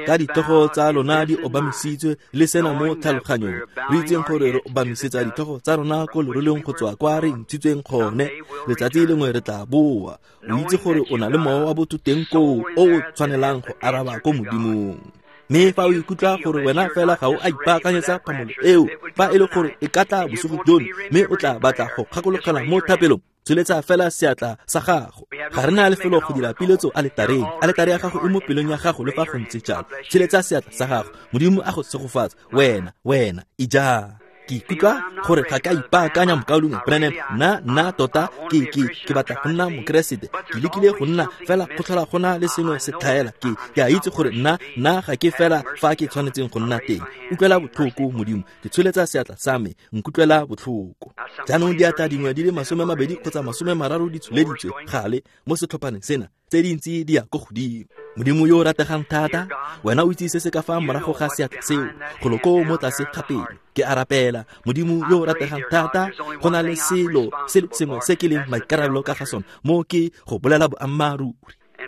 Ka ditlhogo tsa lona di obamisitswe le sena mo tlhaloganyong, re itseng gore re obamisetsa ditlhogo tsa rona ko leroleng go tswa kwa re ntshitsweng gone. Letsatsi lengwe re tla boa. O itse gore o na le mowa wa botho teng koo o o tshwanelang go araba ko Modimong. Mme fa o ikutlwa gore wena fela ga o a ipaakanyetsa phamolo eo, fa e le gore e ka tla bosigo jono mme o tla batla go kgakologela mo thapelong, tsholetsa fela seatla sa gago. Ga re na lefelo go dira piletso aletareng. Aletare ya gago e mo pelong ya gago le fa go ntse jalo. Tsholetsa seatla sa gago. Modimo a go segofatse. Wena, wena, ija. Ke ikutlwa gore ga ka ipaakanya mokaulengwe Branham. Nna, nna tota ke ke ke batla go nna mokeresete. Ke lekile go nna fela go tlhola go na le sengwe se tlhaela. Ke ke a itse gore nna nna ga ke fela fa ke tshwanetseng go nna teng. Utlwela botlhoko Modimo. Ke tsholetsa seatla sa me. Nkutlwela botlhoko. Jaanong diatla dingwe di le masome a mabedi kgotsa masome a mararo di tsholeditswe gale mo setlhophaneng sena. Tse dintsi di ya ko godimo. Modimo yo o rategang thata, wena o itse se se ka fa morago ga seatla seo, golo koo mo tlase ga pelo. Ke a rapela, Modimo yo o rategang thata, go na le selo se le sengwe se ke leng maikarabelo ka ga sone, mo ke go bolela boammaaruri.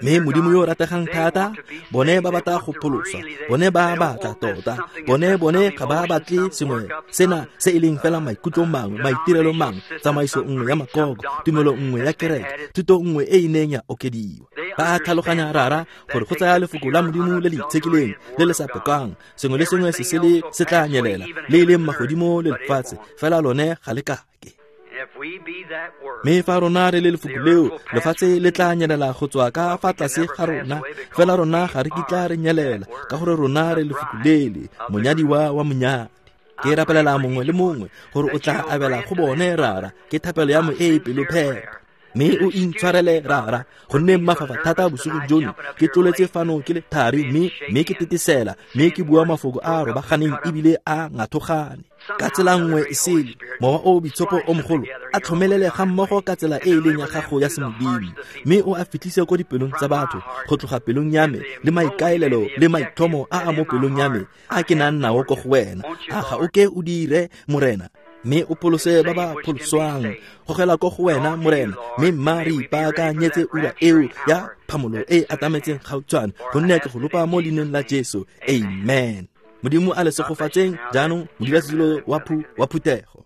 Mme Modimo yo o rategang thata, bone ba batla go pholoswa, bone ba batla tota, bone bone ga ba batle sengwe sena se e leng fela maikutlo mangwe, maitirelo mangwe, tsamaiso nngwe ya makoko, tumelo nngwe ya kereke, thuto nngwe e e neng ya okediwa. Ba tlhaloganya rara gore go tsaya lefoko la Modimo le le itshekileng le le sa pekang, sengwe le sengwe se sele se tla nyelela, le e leng magodimo le lefatshe, fela lone ga le kake. Mme fa rona re le lefoko leo, lefatshe le tla nyelela go tswa ka fa tlase ga rona, fela rona ga re kitla re nyelela, ka gore rona re lefoko lele, monyadiwa wa monyadi. Ke rapelela mongwe le mongwe gore o tla abela go bone rara, ke thapelo ya mo e e pelophepa. Mme o intshwarele rara, gonne mafafa thata bosigo jono, ke tloletse fano ke le thari mme mme ke tetesela, mme ke bua mafoko a a robaganeng ebile a ngathogane. Ka tsela nngwe e sele, mowa o boitshepo o mogolo a tlhomelele ga mmogo ka tsela e e leng ya gago ya semodimo, mme o a fitlhise ko dipelong tsa batho, go tloga pelong ya me le maikaelelo le maitlhomo a a mo pelong ya me a ke nang nao ko go wena. A ga o ke o dire, Morena, mme o pholose ba ba pholoswang. Gogela ko go wena, Morena, mme mma re ipaakanyetse ura eo ya phamolo e atametseng gautshwane, gonne ke go lopa mo leineng la Jesu. Amen. Modimo a le segofatseng jaanong modulasetulo wa phu wa phuthego.